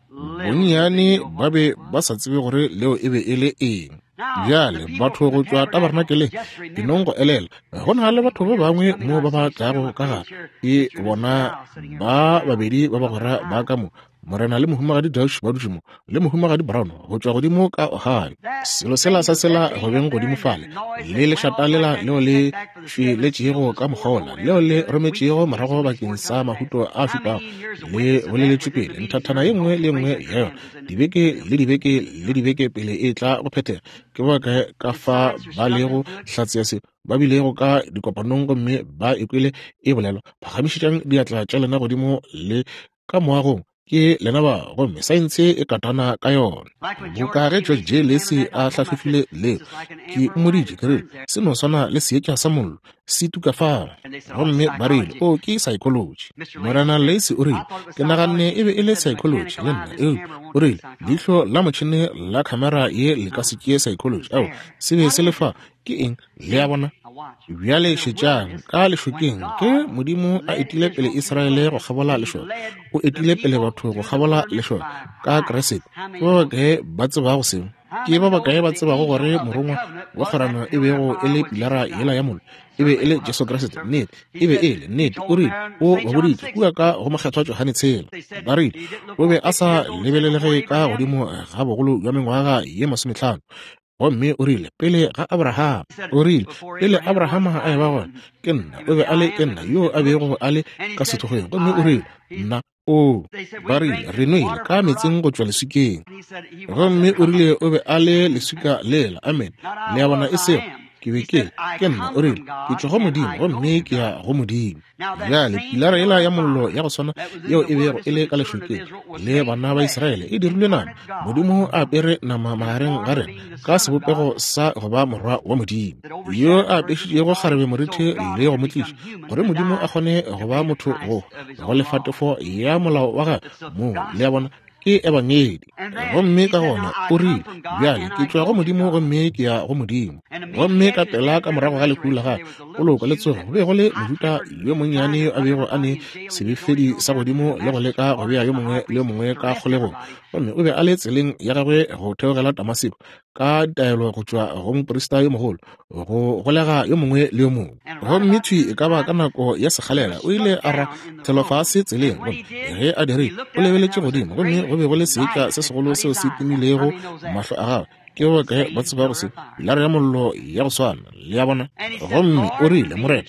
Bonnyane ba be ba sa tsebe gore leo e be e le eng. Bjale, batho go tšwa tabernakeleng, ke nong go elela, go na le batho ba bangwe mo ba ba tlago ka gare. Ke bona ba babedi ba bagwera ba ka mo, Morena le Mohumagadi Dauch ba dutše mo, le Mohumagadi Brown go tšwa godimo ka Ohio. Selo sela sa sela go beng godimo fale, le lešata lela leo le tšweletšego ka mokgwa wola, leo le rometšego morago bakeng sa mahuto a šupago, le boleletšwe pele nthathana ye nngwe le ye nngwe ya yona, dibeke le dibeke le dibeke pele e tla go phethega. Ke ba kae ka fa ba lego hlatse ya seo, ba bilego ka dikopanong gomme ba e kwele e bolelwa? Phagamišetšang diatla tša lena godimo le ka moagong, ke lena ba, gomme saense e katana ka yona. Boka ge George J. Lacy a hlahlofile leo, ke mmoditše, ke rile, se no swana le seetša sa mollo se tuka fao. Gomme ba rile, O, ke psychology. Morena Lacy o rile, Ke naganne e be e le psychology, le nna. Eupša, o rile, leihlo la motšhene la khamera ye le ka se tšee psychology. Ao, se be se le fa. Ke eng? Le a bona? Bjale šetšang, ka lešokeng, ge Modimo a etile pele Israele go kgabola lešoka, o etile pele batho go kgabola lešoka ka Kriste. Ke ba bakae ba tsebago seo? Ke ba bakae ba tsebago gore morongwa wa kgwerano e bego e le pilara yela ya mollo e be e le Jesu Kriste? Nnete, e be e le nnete. O rile, o ba boditše kua ka go Mokgethwa Johane tshela, ba rile o be a sa lebelelege ka godimo ga bogolo bja mengwaga ye masometlhano. Gomme o rile, pele ga Abraham, o rile, pele Abraham a eba gona, ke nna, o be a le ke nna yo a bego a le ka sethokgweng. Gomme o rile, nna, o, ba rile, re nwele ka meetseng go tšwa leswikeng. Gomme o rile o be a le leswika lela. Amen. Le a bona, e sego, ke be ke le, ke nna. O rile, ke tšwa go Modimo, gomme ke ya go Modimo. Bjale, pilara yela ya mollo ya go swana yeo e bego e le ka lešokeng le bana ba Israele e dirilwe nama. Modimo a apere nama magareng ga rena ka sebopego sa go ba morwa wa Modimo, yo a apešitšego kgarebe morithi le go mo tliša, gore Modimo a kgone go ba motho go go lefa tefo ya molao wa gagwe moo. Le a bona, ke ebangedi. Gomme ka gona o rile, Bjale ke tšwa go Modimo gomme ke ya go Modimo. Gomme ka pela ka morago ga lehu la gagwe, poloko le tsogo, go be go le Mojuda yo monnyane yo a bego a ne sebefedi sa godimo le go leka go bea yo mongwe le yo mongwe ka kgolegong. Gomme o be a le tseleng ya gagwe go theogela Damaseko, ka ditaelo go tšwa go moprista yo mogolo, go golega yo mongwe le yo mongwe. Gomme thwi e ka ba ka nako ya sekgalela o ile a ra thelofase tseleng, gomme ge a dirile, o lebeletše godimo, gomme go be go le seetša se segolo seo se timilego mahlo a gagwe. Ke ba bakae ba tsebago se? Pilara ya mollo ya go swana, le a bona. Gomme o rile, Morena,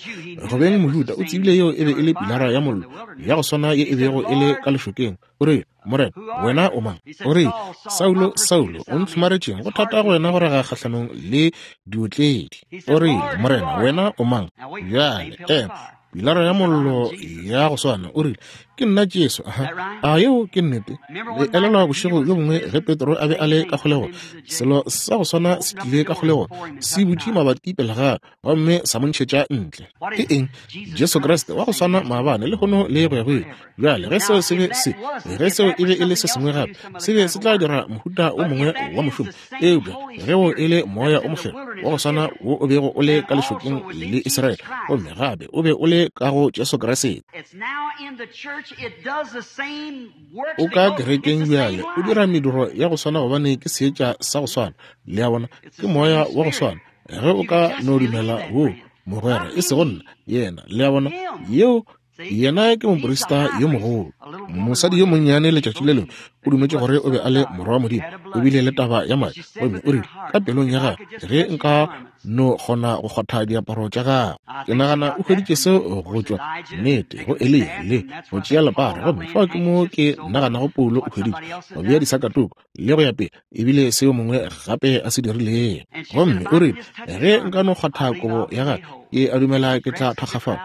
go beng Mojuda, o tsebile yeo e be e le pilara ya mollo ya go swana ye e bego e le ka lešokeng. O rile, Morena, wena o mang? O rile, Saulo, Saulo, o ntlhomaretšeng? Go thata go wena go raga kgahlanong le diotledi. O rile, Morena, wena o mang? Bjale, ema. Pilara ya mollo ya go swana, o rile, Ke nna Jesu. Aha. A yeo ke nnete? Le elelwa bošego bjo bongwe ge Petro a be a le ka kgolegong, selo sa go swana se tlile ka kgolegong, se butše mabati pele ga gomme sa mo ntšhetša ntle. Ke eng? Jesu Kriste wa go swana maabane, lehono le go ya go ile. Bjale ge seo se be se, ge seo e be e le se sengwe gape, se be se tla dira mohuta o mongwe wa mošomo. Eupša ge wo e le Moya o Mokgethwa wa go swana wo o bego o le ka lešokeng le Israele, gomme gape o be o le ka go Jesu Kriste, o ka kerekeng bjale, o dira mediro ya go swana gobane ke seetša sa go swana. Le a bona, ke Moya wa go swana. Ge o ka no dumela wo, mogwera, e sego nna, yena. Le a bona, yeo Yena ke moprista yo mogolo. Mosadi yo monnyane letšatši le lengwe o dumetše gore o be a le morwa wa Modimo. O bile le taba ya madi, gomme o rile ka pelong ya gagwe, Ge nka no kgona go kgwatha diaparo tša gagwe. Ke nagana o hweditše seo go tšwa, nnete, go Eliya, le go tšea lepara. Gomme fao ke mo ke naganago Paulo o hweditše go bea disakatuku le go ya pele, ebile seo mongwe gape a se dirilego. Gomme o rile, Ge nka no kgwatha kobo ya gagwe, ke a dumela ke tla thakgafala.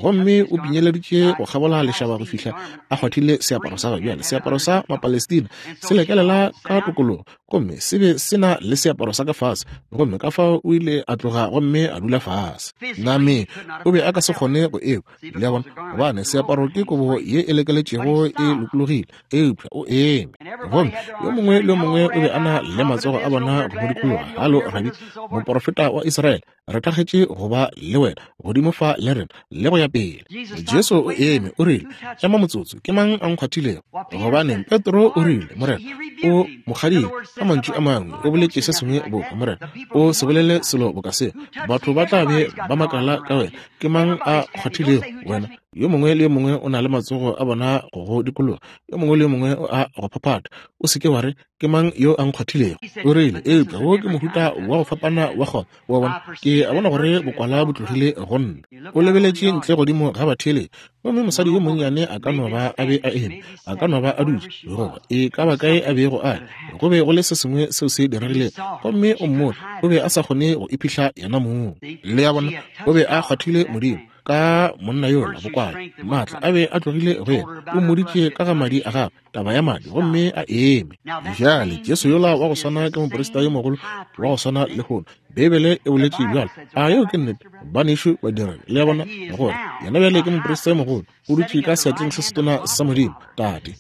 Gomme o pinyeleditše go kgabola lešaba go fihla a kgwathile seaparo sa gagwe. Bjale, seaparo sa Mapalestina se lekelela ka tokologo, gomme se be se na le seaparo sa ka fase. Gomme ka fao o ile a tloga gomme a dula fase. Nameng, o be a ka se kgone go ekwa. Le a bona? Gobane seaparo ke kobo ye e lekeletšego e lokologile, eupša o eme. Gomme yo mongwe le yo mongwe o be a na le matsogo a bona go mo dikologa. Halo, Rabi, moporofeta wa Israele, re thakgetše go ba le wena godimo fa le rena, le go ya pele. Jesu o eme, o rile, Ema motsotso, ke mang a nkgwathilego? Gobaneng, Petro o rile, Morena, o mo kgadile. Ka mantšu a mangwe, o boletše se sengwe boka, Morena, o se bolele selo boka seo. Batho ba tla be ba makala ka wena. Ke mang a kgwathilego wena? Yo mongwe le yo mongwe o na le matsogo a bona go go dikologa. Yo mongwe le yo mongwe o a go phaphatha. O se ke wa re, Ke mang yo a nkgwathilego? O rile, Eupša wo ke mohuta wa go fapana wa gona. Wa bona, ke a bona gore bokwala bo tlogile go nna. O lebeletše ntle godimo ga batheeletši, gomme mosadi yo monnyane a ka no ba a be a eme, a ka no ba a dutše, goba e ka ba kae a bego a le. Go be go le se sengwe seo se diregilego, gomme o mmone, o be a sa kgone go iphihla yena mong. Le a bona, o be a kgwathile Modimo ka monna yola, bokwala, maatla a be a tlogile go yena. O mmoditše ka ga madi a gagwe, taba ya madi, gomme a eme. Bjale, Jesu yola wa go swana ke moprista yo mogolo wa go swana lehono. Beibele e boletše bjalo. A yeo ke nnete, banešu badiredi? Le a bona, gore yena bjale ke moprista yo mogolo, o dutše ka seatleng se setona sa Modimo, Tate.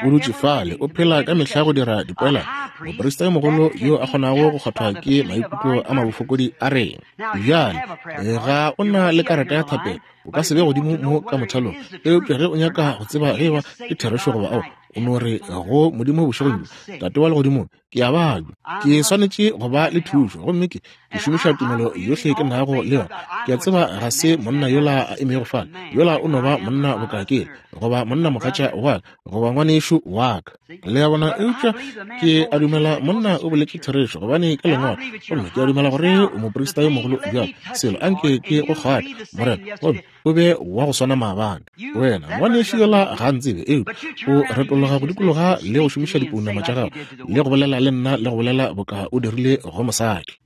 O dutše fale, o phela ka mehla go dira dipoelano. Moprista yo mogolo yo a kgonago go kgwathwa ke maikutlo a mabofokodi a rena. Bjale, ga o na le karata ya thapelo, o ka se be godimo mo ka mothalong. Eupša ge o nyaka go tseba ge eba ke therešo goba aowa, o no re go Modimo bošegong bjo, Tate wa Legodimong, ke a babja, ke swanetše go ba le thušo, gomme ke ke šomiša tumelo yohle ke nago le yona. Ke a tseba ga se monna yola a emego fale, yola o no ba monna boka ke, goba monna mogatša wa ka, goba ngwanešu wa ka. Le a bona? Eupša ke a dumela monna o boletše therešo, gobane ke Lengwalo, gomme ke a dumela gore o moprista yo mogolo bjalo. Selo, a nke ke go kgwathe, Morena, gomme o be wa go swana maabane. Wena, ngwanešu yola ga a ntsebe, eupša o retologa go dikologa le go šomiša dipounama tša gago le go bolela le nna le go bolela boka o dirile go mosadi.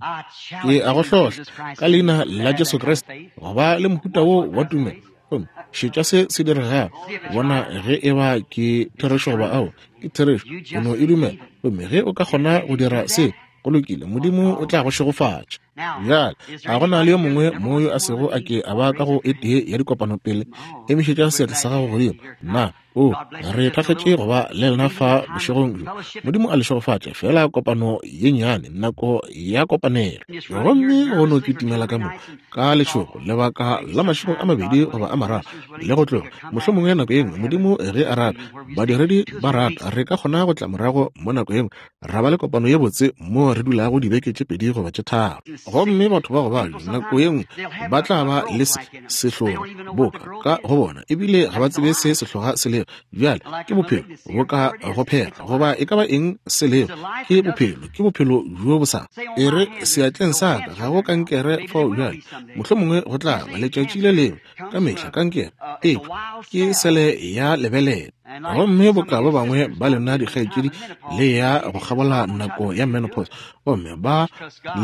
Ke a go hlohla ka leina la Jesu Kriste go ba le mohuta wo wa tumelo. Gomme šetša se se diregago, bona ge e ba ke therešo goba aowa. Ke therešo, o no e dumela. Gomme ge o ka kgona go dira se, go lokile, Modimo o tla go šegofatša. Bjale, a go na le yo mongwe mo yo a sego a ke a ba ka go e tee ya dikopano pele? Emišetša seatla sa gago godimo. Na o re thakgetše go ba le lena fa bošegong bjo? Modimo a le šegofatše. Feela kopano ye nnyane, nako ya kopanelo. Gomme go no kitimela ka mo ka letšhogo lebaka la mašego a mabedi goba a mararo, le go tloga. Mohlomongwe nako ye nngwe, Modimo ge a rata, badiredi ba rata, re ka kgona go tla morago mo nako ye nngwe ra ba le kopano ye botse moo re dulago dibeke tše 2 goba tše 3. Gomme batho ba go babja nako ye nngwe ba tla ba le se, sehloga boka ka go bona, ebile ga ba tsebe se sehloga se lego. Bjale, ke bophelo boka go phela, goba e ka ba eng se lego, ke bophelo, ke bophelo bjo bo sa. E re, seatleng sa ka ga go kankere fao bjale, mohlomongwe go tla ba letšatši le lengwe, ka mehla kankere, eupša ke sele ya lebelele. Gomme boka ba bangwe ba lena dikgaetšedi le ya go kgabola nako ya menopause, gomme ba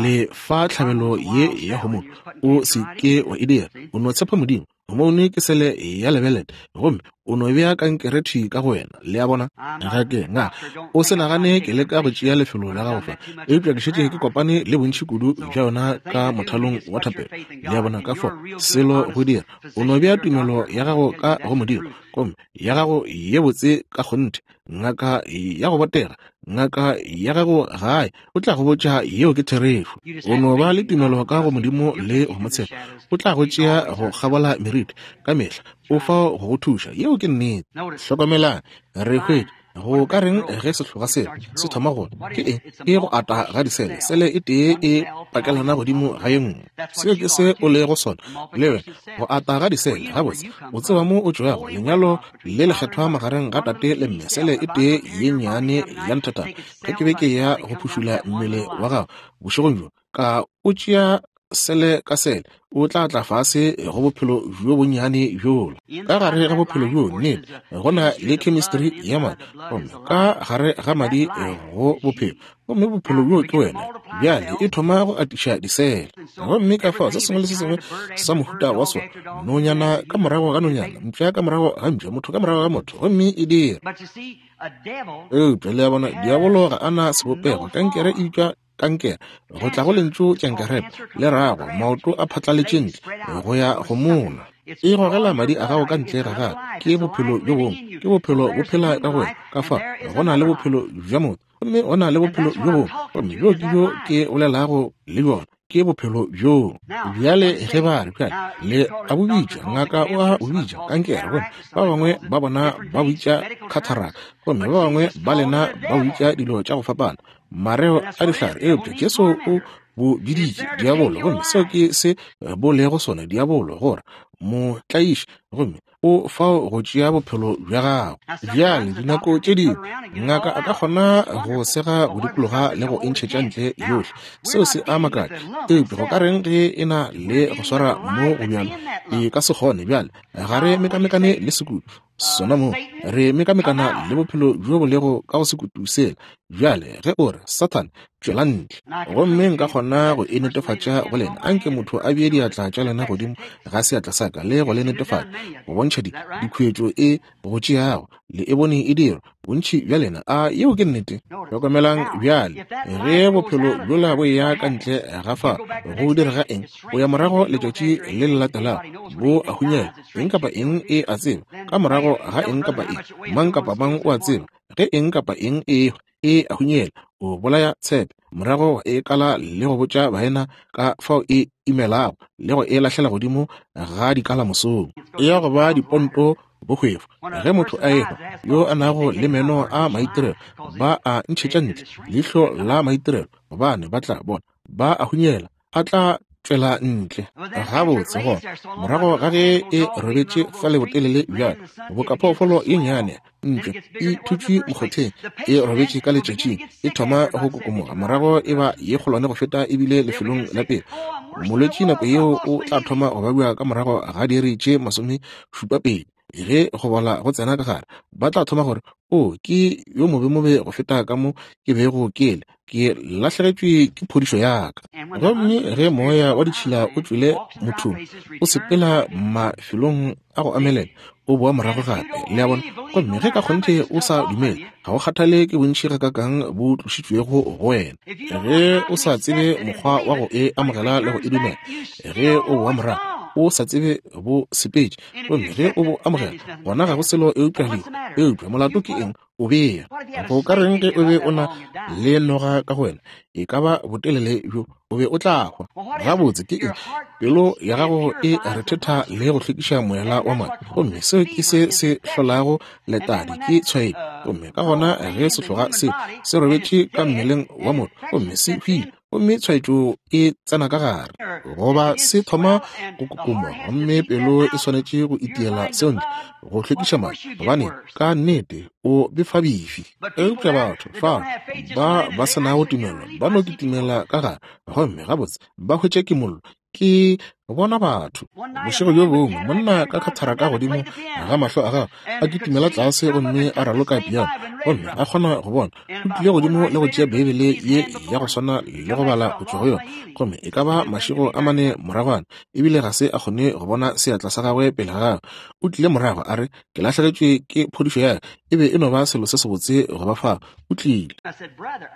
le fa tlhabelo ye ya hormone, o se ke wa e dira. O no tshepa Modimo. Homoune ke sele ya lebelete, gomme o no bea kankere thwi ka go wena. Le a bona? Ga ke nga. O se nagane ke leka go tšea lefelo la gago fa, eupša ke šetše ke kopane le bontši kudu bja yona ka mothalong wa thapelo. Le a bona? Ka fao, selo go dira, o no bea tumelo ya gago ka go Modimo, gomme ya gago ye botse ka kgonthe, ngaka ya go botega, ngaka ya gago gae o tla go botša yeo ke therešo. O no ba le tumelo ka go Modimo le go mo tshepa, o tla go tšea go kgabola meriti ka mehla, o fao go go thuša. Yeo ke nnete. Hlokomelang, re hwetša go ka reng ge sehloga sela se thoma go ke eng? Ke go ata ga disele, sele e tee e pakelana godimo ga ye nngwe. Seo ke se o lego sona le wena, go ata ga disele. Gabotse, o tseba mo o tšwago, lenyalo le lekgethwa magareng ga tate le mme, sele e tee ye nnyane ya nthatana. Ge ke be ke ya go phušula mmele wa gago bošegong bjo, ka o tšea sele ka sele, o tla tla fase go bophelo bjo bonnyane bjola. Ka gare ga bophelo bjo, nnete, go na le chemistry ya madi, gomme ka gare ga madi go bophelo, gomme bophelo bjo ke wena. Bjale e thoma go atiša disele, gomme ka fao se sengwe le se sengwe sa mohuta wa sona, nonyana ka morago ga nonyana, mpša ka morago ga mpša, motho ka morago ga motho, gomme e dira. Eupša le a bona, diabolo ga a na sebopego, kankere e bitšwa kankere, go tla go lentšu tšankerep, le rago maoto a phatlaletše ntle go ya go mona. E gogela madi a gago ka ntle ga gago. Ke bophelo bjo bongwe, ke bophelo bo phela ka go wena. Ka fa go na le bophelo bja motho, gomme go na le bophelo bjo bongwe, gomme bjo ke bjo ke bolelago le bjona, ke bophelo bjoo. Bjale ge ba re, bjale le a bo bitša, ngaka o a bo bitša kankere, gomme ba bangwe ba bona ba bitša cataract, gomme ba bangwe ba lena ba bitša dilo tša go fapana, mareo a dihlare, eupša Jesu o bo biditše diabolo, gomme seo ke se bo lego sona, diabolo, gore motlaiši, gomme o fao go tšea bophelo bja gago. Bjale dinako tše dingwe ngaka a ka kgona go sega go dikologa le go e ntšhetša ntle yohle, seo se a makatša, eupša go ka reng ge e na le go swara mo go bjalo? E ka se kgone. Bjale ga re mekamekane le sekutu sona mo, re mekamekana le bophelo bjo bo lego ka go sekutu sela. Bjale ge o re, Sathane, tšwela ntle, gomme nka kgona go e netefatša go lena, anke motho a bee diatla tša lena godimo ga seatla sa ka le go le netefatša, go bontšha di, dikhuetšo e go tšeago, le e bone e dirwa, bontši bja lena. A yeo ke nnete? Hlokomelang bjale, ge bophelo bjola bo eya ka ntle ga fa, go direga eng? O ya morago letšatši le le latelago, bo a hunyela. Eng kapa eng e a tseba, ka morago ga eng kapa eng, mang kapa mang o a tseba, ge eng kapa eng e ehwa, e a hunyela. O bolaya tshepe, morago e kala le go botša baena ka fao e imelago, le go e lahlela godimo ga dikala mosong. E ya go ba diponto bohwefo. Ge motho a ehwa, yo a nago le meno a maitirelo, ba a ntšhetša ntle leihlo la maitirelo, gobane ba tla bona ba a hunyela, a tla tšwela ntle. Gabotse, gona morago ga ge e robetše fale botelele bjalo, boka phoofolo ye nnyane ntšo e thutšwe mokgotheng, e robetše ka letšatšing, e thoma go kokomoga, morago e ba ye kgolwane go feta ebile lefelong la pele. Molwetši nako yeo o tla thoma go babja ka morago ga diiri tše 72. Ge go bola go tsena ka gare, ba tla thoma gore, O, ke yo mobemobe go feta ka mo ke bego ke le. Ke lahlegetšwe ke phodišo ya ka. Gomme ge moya wa ditšhila o tšwele mothong, o sepela mafelong a go amelela, o boa morago gape. Le a bona? Gomme ge ka kgonthe o sa dumele, ga go kgathale ke bontši gakakang bo tlošitšwego go wena, ge o sa tsebe mokgwa wa go e amogela le go e dumela, ge o boa morago o sa tsebe bo sepetše, gomme ge o bo amogela, gona ga go selo eupša lehu. Eupša molato ke eng? O bea. Go ka reng ge o be o na le noga ka go wena, e ka ba botelele bjo, o be o tla hwa. Gabotse ke eng? Pelo ya gago e rethetha le go hlwekiša moela wa madi, gomme seo ke se se hlolago letadi, ke tshwaetšo. Gomme ka gona ge sehloga se se robetše ka mmeleng wa motho gomme se hwile, gomme tshwaetšo e tsena ka gare, goba se thoma go kokoma, gomme pelo e swanetše go itiela seo ntle go hlwekiša madi, gobane ka nnete o befabefi. Eupša batho fa ba ba se nago tumelo ba no kitimela ka gare, gomme gabotse ba hwetša kimollo. Ke. Bona batho. Bošego bjo bongwe, monna ka khatharaka godimo ga mahlo a gagwe, a kitimela tlase gomme a raloka piano, gomme a kgona go bona. O tlile godimo le go tšea Beibele ye ya go swana le go bala go tšwa go yona, gomme e ka ba mašego a mane moragwana, ebile ga se a kgone go bona seatla sa gagwe pele ga gagwe. O tlile morago, a re, Ke lahlegetšwe ke phodišo ya ka. E be e no ba selo se sebotse go ba fao. O tlile.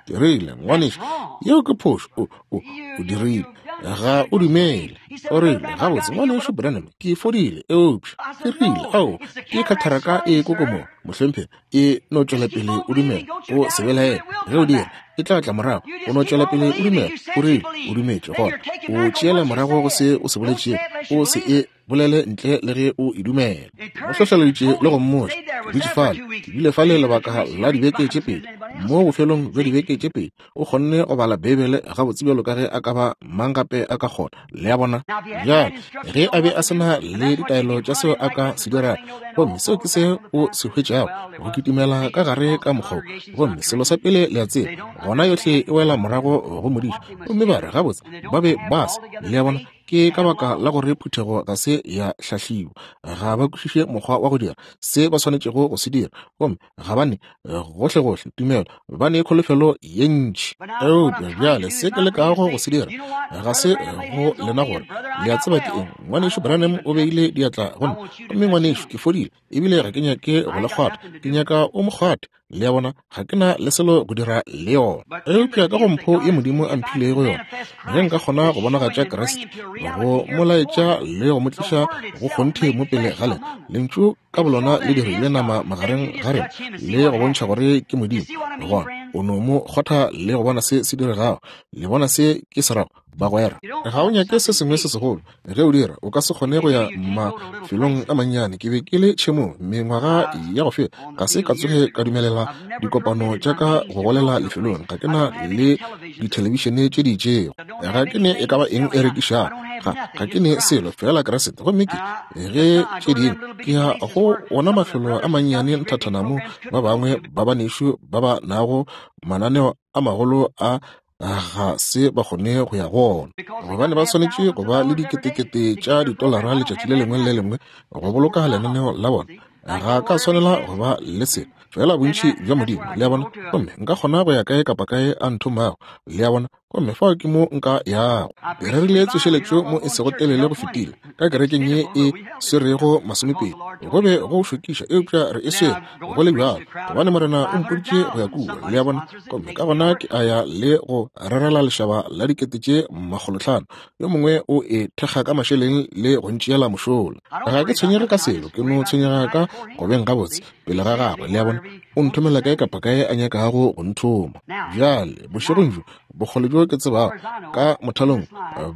Ke rile, Ngwanešu, yeo ke phošo. O, o, o dirile. Ga o dumele. O rile, Gabotse, Ngwanešu Branham, ke fodile. Eupša, ke rile, ao, ke khatharaka e kokomoga, mohlomphegi. E no tšwela pele o dumela. O se belaele. Ge o dira, e tla tla morago. O no tšwela pele o dumela. O rile, o dumetše. Gona o tšeela morago go se o se boletšego. O se e bolele ntle le ge o e dumela. Mo hlohleleditše le go mmotša. Ke dutše fale, ke bile fale lebaka la dibeke tše pedi. Mo bofelong bja dibeke tše pedi, o kgonne go bala Beibele gabotse bjalo ka ge a ka ba mang gape a ka kgona. Le a bona? Bjale, ge a be a se na le ditaelo tša seo a ka se dirago, gomme seo ke se o se hwetšago, go kitimela ka gare ka mokgwa wo. Gomme selo sa pele le a tseba, gona yohle e wela morago go modiša. Gomme ba re, Gabotse, ba be ba se. Le a bona? Ke ka baka la gore phuthego ga se ya hlahliwa. Ga ba kwešiše mokgwa wa go dira se ba swanetšego go se dira. Gomme ga ba ne gohlegohle tumelo, ba ne kholofelo ye ntši. Eupša bjale se ke lekago go se dira ga se go lena gore le a tseba ke eng. Ngwanešu Branham o beile diatla go nna, gomme ngwanešu ke fodile, ebile ga ke nyake go le kgwatha. Ke nyaka o mo kgwathe. Le a bona, ga ke na le selo go dira le yona. Eupša ka go mpho ye Modimo a mphilego yona, ge nka kgona go bonagatša Kriste, go mo laetša le go mo tliša go kgonthe mo pele ga lena, Lentšu ka bolona le dirile nama magareng ga rena, le go bontšha gore ke Modimo, gona o no mo kgotha le go bona se se diregago. Le bona se ke se rago? Bagwera, ga o nyake se sengwe se segolo. Ge o dira, o ka se kgone go ya mafelong a mannyane. Ke be ke le tšhemong mengwaga ya go feta, ga se ka tsoge ka dumelela dikopano tša ka go golela lefelong. Ga ke na le dithelebišene tše di itšego, ga ke ne e ka ba eng e rekišago, ga ke ne selo, feela Kriste. Gomme ke ge tše dingwe ke ya go ona mafelo a mannyane nthathana mo ba bangwe ba banešu ba ba nago mananeo a magolo a ga se ba kgone go ya go ona, gobane ba swanetše go ba le diketekete tša ditolara letšatši le lengwe le le lengwe go boloka lenaneo la bona. Ga ka swanela go ba le selo, fela bontši bja Modimo, le a bona, gomme nka kgona go ya kae kapa kae a nthomago, le a bona, gomme fao ke mo nka yago. Ke rerile tsošeletšo mo e sego telele go fetile ka kerekeng ye e swerego masomepedi. Go be go šokiša, eupša re e swere go le bjalo, gobane Morena o mpoditše go ya kua, le a bona. Gomme ka gona ke a ya le go rerela lešaba la dikete tše makgolotlhano. Yo mongwe o e thekga ka mašeleng le go ntšeela mošola. Ga ke tshwenyege ka selo, ke no tshwenyega ka go beng gabotse pele ga gagwe, le a bona. O nthomela kae kapa kae a nyakago go nthoma. Bjale, bošegong bjo, bokgole bjo ke tsebago ka mothalong,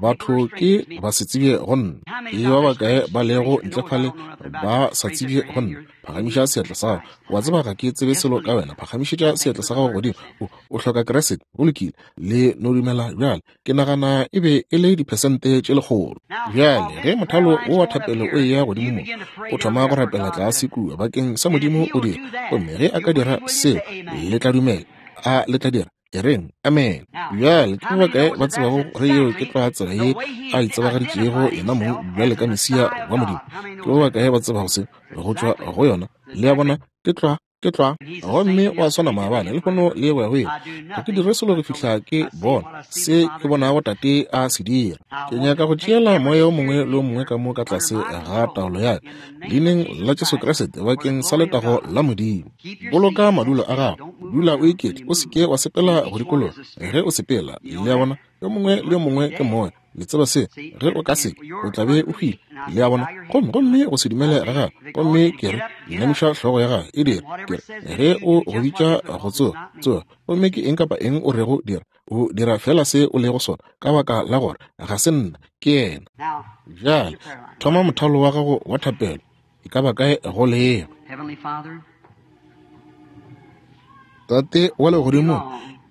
batho ke ba se tsebje go nna. Ke ba bakae ba lego ntle fale ba sa tsebje go nna? Phagamiša seatla sa gago. Wa tseba ga ke tsebe selo ka wena. Phagamišetša seatla sa gago godimo. O, o hloka Kriste. Go lokile. Le no dumela bjale. Ke nagana e be e le diphesente tše lekgolo. Bjale, ge mothalo wo wa thapelo o eya godimo mo, o thoma go rapela tlase kua bakeng sa Modimo o dira. Gomme ge a ka dira seo, le tla dumela. A le tla dira? E reng, Amene. Bjale, ke ba bakae ba tsebago gore yeo ke tlwa tsela ye a itsebagaditšego yena mong bjale ka Mesia wa Modimo? Ke ba bakae ba tsebago se go tšwa go yona? Le a bona, ke tlwa, ke tlwa. Gomme o a swana maabane, lehono le go ya go ile. Ga ke dire selo go fihla ke bona se ke bonago Tate a se dira. Ke nyaka go tšeela moya o mongwe le o mongwe ka mo ka tlase ga taolo ya ka, Leineng la Jesu Kriste, bakeng sa letago la Modimo. Boloka madulo a gago, dula o iketle, o se ke wa sepela go dikologa ge o sepela. Le a bona, yo mongwe le yo mongwe ke moya. Le tseba se, ge o ka se, o tla be o hwile. Le a bona, gomme, gomme go se dumele ga gago, gomme ke re, inamiša hlogo ya gago, e dira, ke re, ge o go bitša go tsoga, tsoga, gomme ke eng kapa eng o rego dira, o dira fela se o lego sona, ka baka la gore ga se nna, ke yena. Bjale, thoma mothalo wa gago wa thapelo, e ka ba kae go lego. Tate wa legodimo,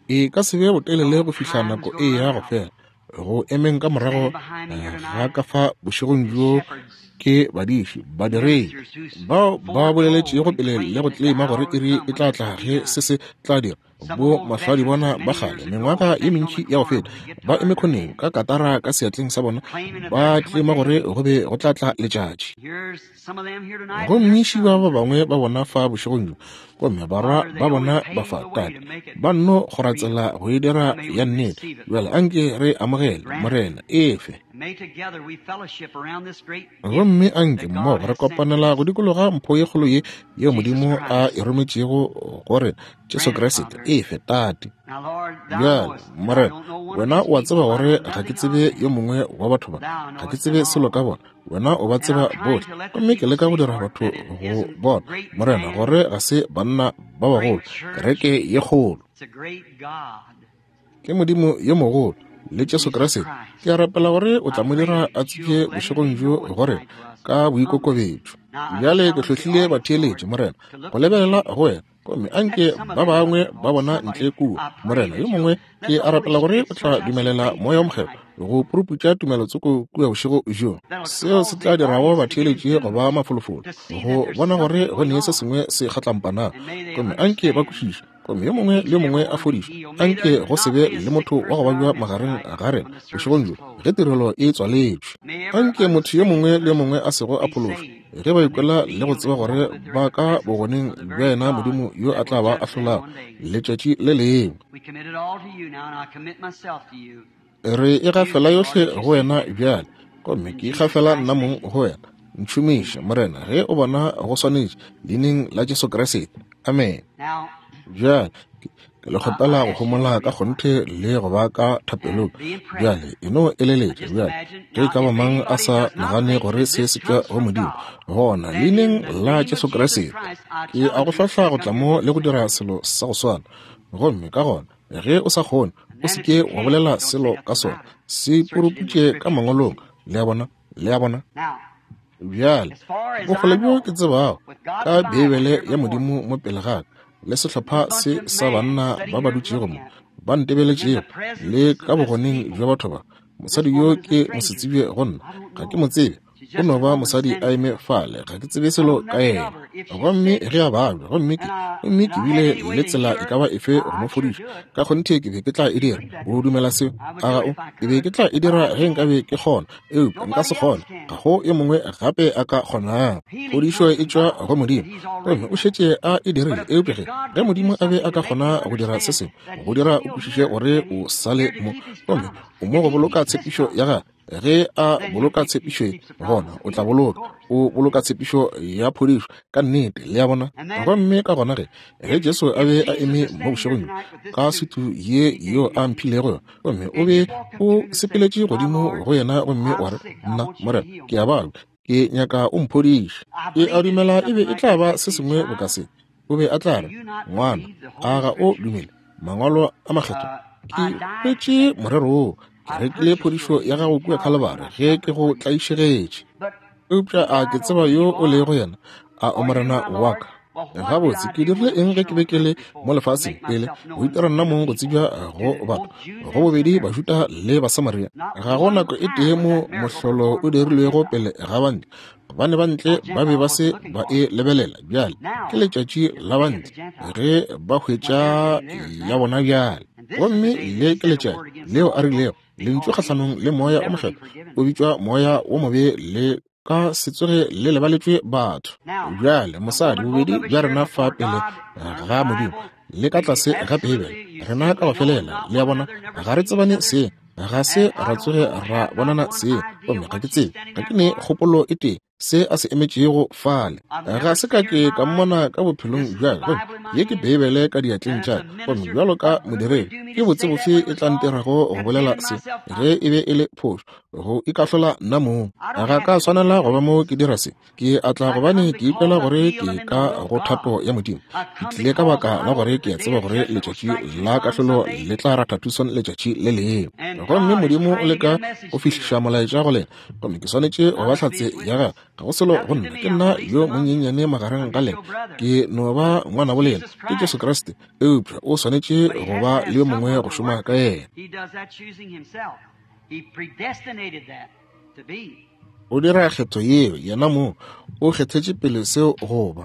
e ka se be botelele go fihla nako e ya go fela go emeng ka morago ga ka fa bošegong bjo ke badiši badiredi bao ba boleletšego pele le go tlema gore iri e tla tla ge se se tla dira. Bo mahlwadibona ba kgale, mengwaga ye mentši ya go feta, ba eme khoneng ka katara ka seatleng sa bona, ba tlema gore go be go tla tla letšatši. Gomme šiba ba bangwe ba bona fa bošegong bjo, gomme barwa ba bona ba fa, Tate, ba nno kgora tsela go e dira ya nnete. Bjale anke re amogele, Morena, efe. Gomme anke mmogo re kopanela go dikologa mpho ye kgolo ye yeo Modimo a e rometšego go rena, Jesu Kriste. Efe, Tate. Bjale, Morena, Wena o a tseba gore ga ke tsebe yo mongwe wa batho ba. Ga ke tsebe selo ka bona. Wena o ba tseba bohle. Gomme ke leka go dira batho go bona, Morena, gore ga se banna ba bagolo, kereke ye kgolo. Ke Modimo yo mogolo, le Jesu Kriste. Ke a rapela gore o tla mo dira a tsebje bošegong bjo gore ka boikokobetšo. Bjale ke hlohlile batheeletši, Morena, go lebelela go wena. Gomme anke ba bangwe ba bona ntle kua, Morena, yo mongwe, ke a rapela gore o tla dumelela Moya wo Mokgethwa go puruputša tumelotsoko kua bošego bjo, seo se tla dirago batheeletši go ba mafolofolo, go bona gore go ne se sengwe se kgatlampana. Gomme anke ba kwešiše, gomme yo mongwe le yo mongwe a fodišwe. Anke go se be le motho wa go babja magareng ga rena bošegong bjo ge tirelo e tswaletšwe. Anke motho yo mongwe le yo mongwe a sego a phološwa, ge ba ikwela le go tseba gore ba ka bogoneng bja yena Modimo yo a tla ba ahlolago letšatši le lengwe. Re e gafela yohle go wena bjale, gomme ke ikgafela nna mong go wena. Ntšhomiše, Morena, ge o bona go swanetše, leineng la Jesu Kriste. Amen. Bjale, ke le kgopela go homola ka kgonthe le go ba ka thapelong. Bjale, e no eleletša bjale, ge e ka ba mang a sa nagane gore se se tšwa go Modimo, gona leineng la Jesu Kriste, ke a go hlahla go tla mo le go dira selo sa go swana. Gomme ka gona, ge o sa kgone, o se ke wa bolela selo ka sona. Se puruputše ka Mangwalong. Le a bona? Le a bona? Bjale, bokgole bjo ke tsebago ka Beibele ya Modimo mo pele ga ka, le sehlopha se sa banna ba ba dutšego mo, ba ntebeletšego, le ka bogoneng bja batho ba, mosadi yo ke mosetsebje go nna, ga ke mo tsebe, o no ba mosadi a eme fale, ga ke tsebe selo ka yena. Gomme ge a babja, gomme ke, gomme ke bile le tsela e ka ba efe go mo fodiša, ka kgonthe ke be ke tla e dira. O dumela seo? A ga o? Ke be ke tla e dira ge nkabe ke kgona, eupša nka se kgone. Ga go yo mongwe gape a ka kgonago. Phodišo e tšwa go Modimo, gomme o šetše a e dirile. Eupša ge, ge Modimo a be a ka kgona go dira se sengwe, go dira o kwešiše gore o sa le mo, gomme o mo go boloka tshepišo ya gagwe. Ge a boloka tshepišo ye, gona o tla boloka, o boloka tshepišo ya phodišo ka nnete. Le a bona? Gomme ka gona ge, ge Jesu a be a eme mo bošegong bjo, ka sutu ye yeo a mphilego yona, gomme o be o sepeletše godimo go yena gomme wa re, Nna, Morena, ke a babja, ke nyaka o mphodiše. Ke a dumela e be e tla ba se sengwe boka se. O be a tla re, Ngwana, a ga o dumele Mangwalo a Makgethwa? Ke hwetše morero woo. Ke rekile phodišo ya gago kua Khalibari ge ke go tlaišegetše. Eupša a ke tseba yo o lego yena? A o Morena wa ka? Gabotse, ke dirile eng ge ke be ke le mo lefaseng pele go itira nna mong go tsebja go batho, go bobedi Bajuda le Basamaria? Ga go nako e tee mo mohlolo o dirilwego pele ga bantle, gobane bantle ba be ba se ba e lebelela. Bjale ke letšatši la bantle ge ba hwetša ya bona bjale. Gomme le ke letšatši leo a rilego lentšu kgahlanong le Moya o Mokgethwa o bitšwa moya wo mobe le ka se tsoge le lebaletšwe batho. Bjale mosadi, bobedi bja rena fa pele ga Modimo le ka tlase ga Beibele, rena ka go felela, le a bona, ga re tsebane seng, ga se ra tsoge ra bonana seng, gomme ga ke tsebe, ga ke ne kgopolo e tee se a se emetšego fale. Ga se ka ke ka mmona ka bophelong bja ka. Gomme ye ke Beibele ka diatleng tša ka. Gomme bjalo ka modiredi, ke botse bofe e tla ntirago go bolela se ge e be e le phošo, go ikahlola nna mong? Ga ka swanela go ba mo ke dira se. Ke a tla gobane ke ikwela gore ke ka go thato ya Modimo. Ke tlile ka baka la gore ke a tseba gore letšatši la kahlolo le tla ratha Tucson letšatši le lengwe. Gomme Modimo o leka go fihliša molaetša go lena. Gomme ke swanetše go ba hlatse ya gagwe. Ga go selo go nna, ke nna yo monyenyane magareng ga lena, ke no ba ngwanabo lena, ke Jesu Kriste. Eupša o swanetše go ba le yo mongwe go šoma ka yena. O dira kgetho yeo yena mong, o kgethetše pele seo go ba.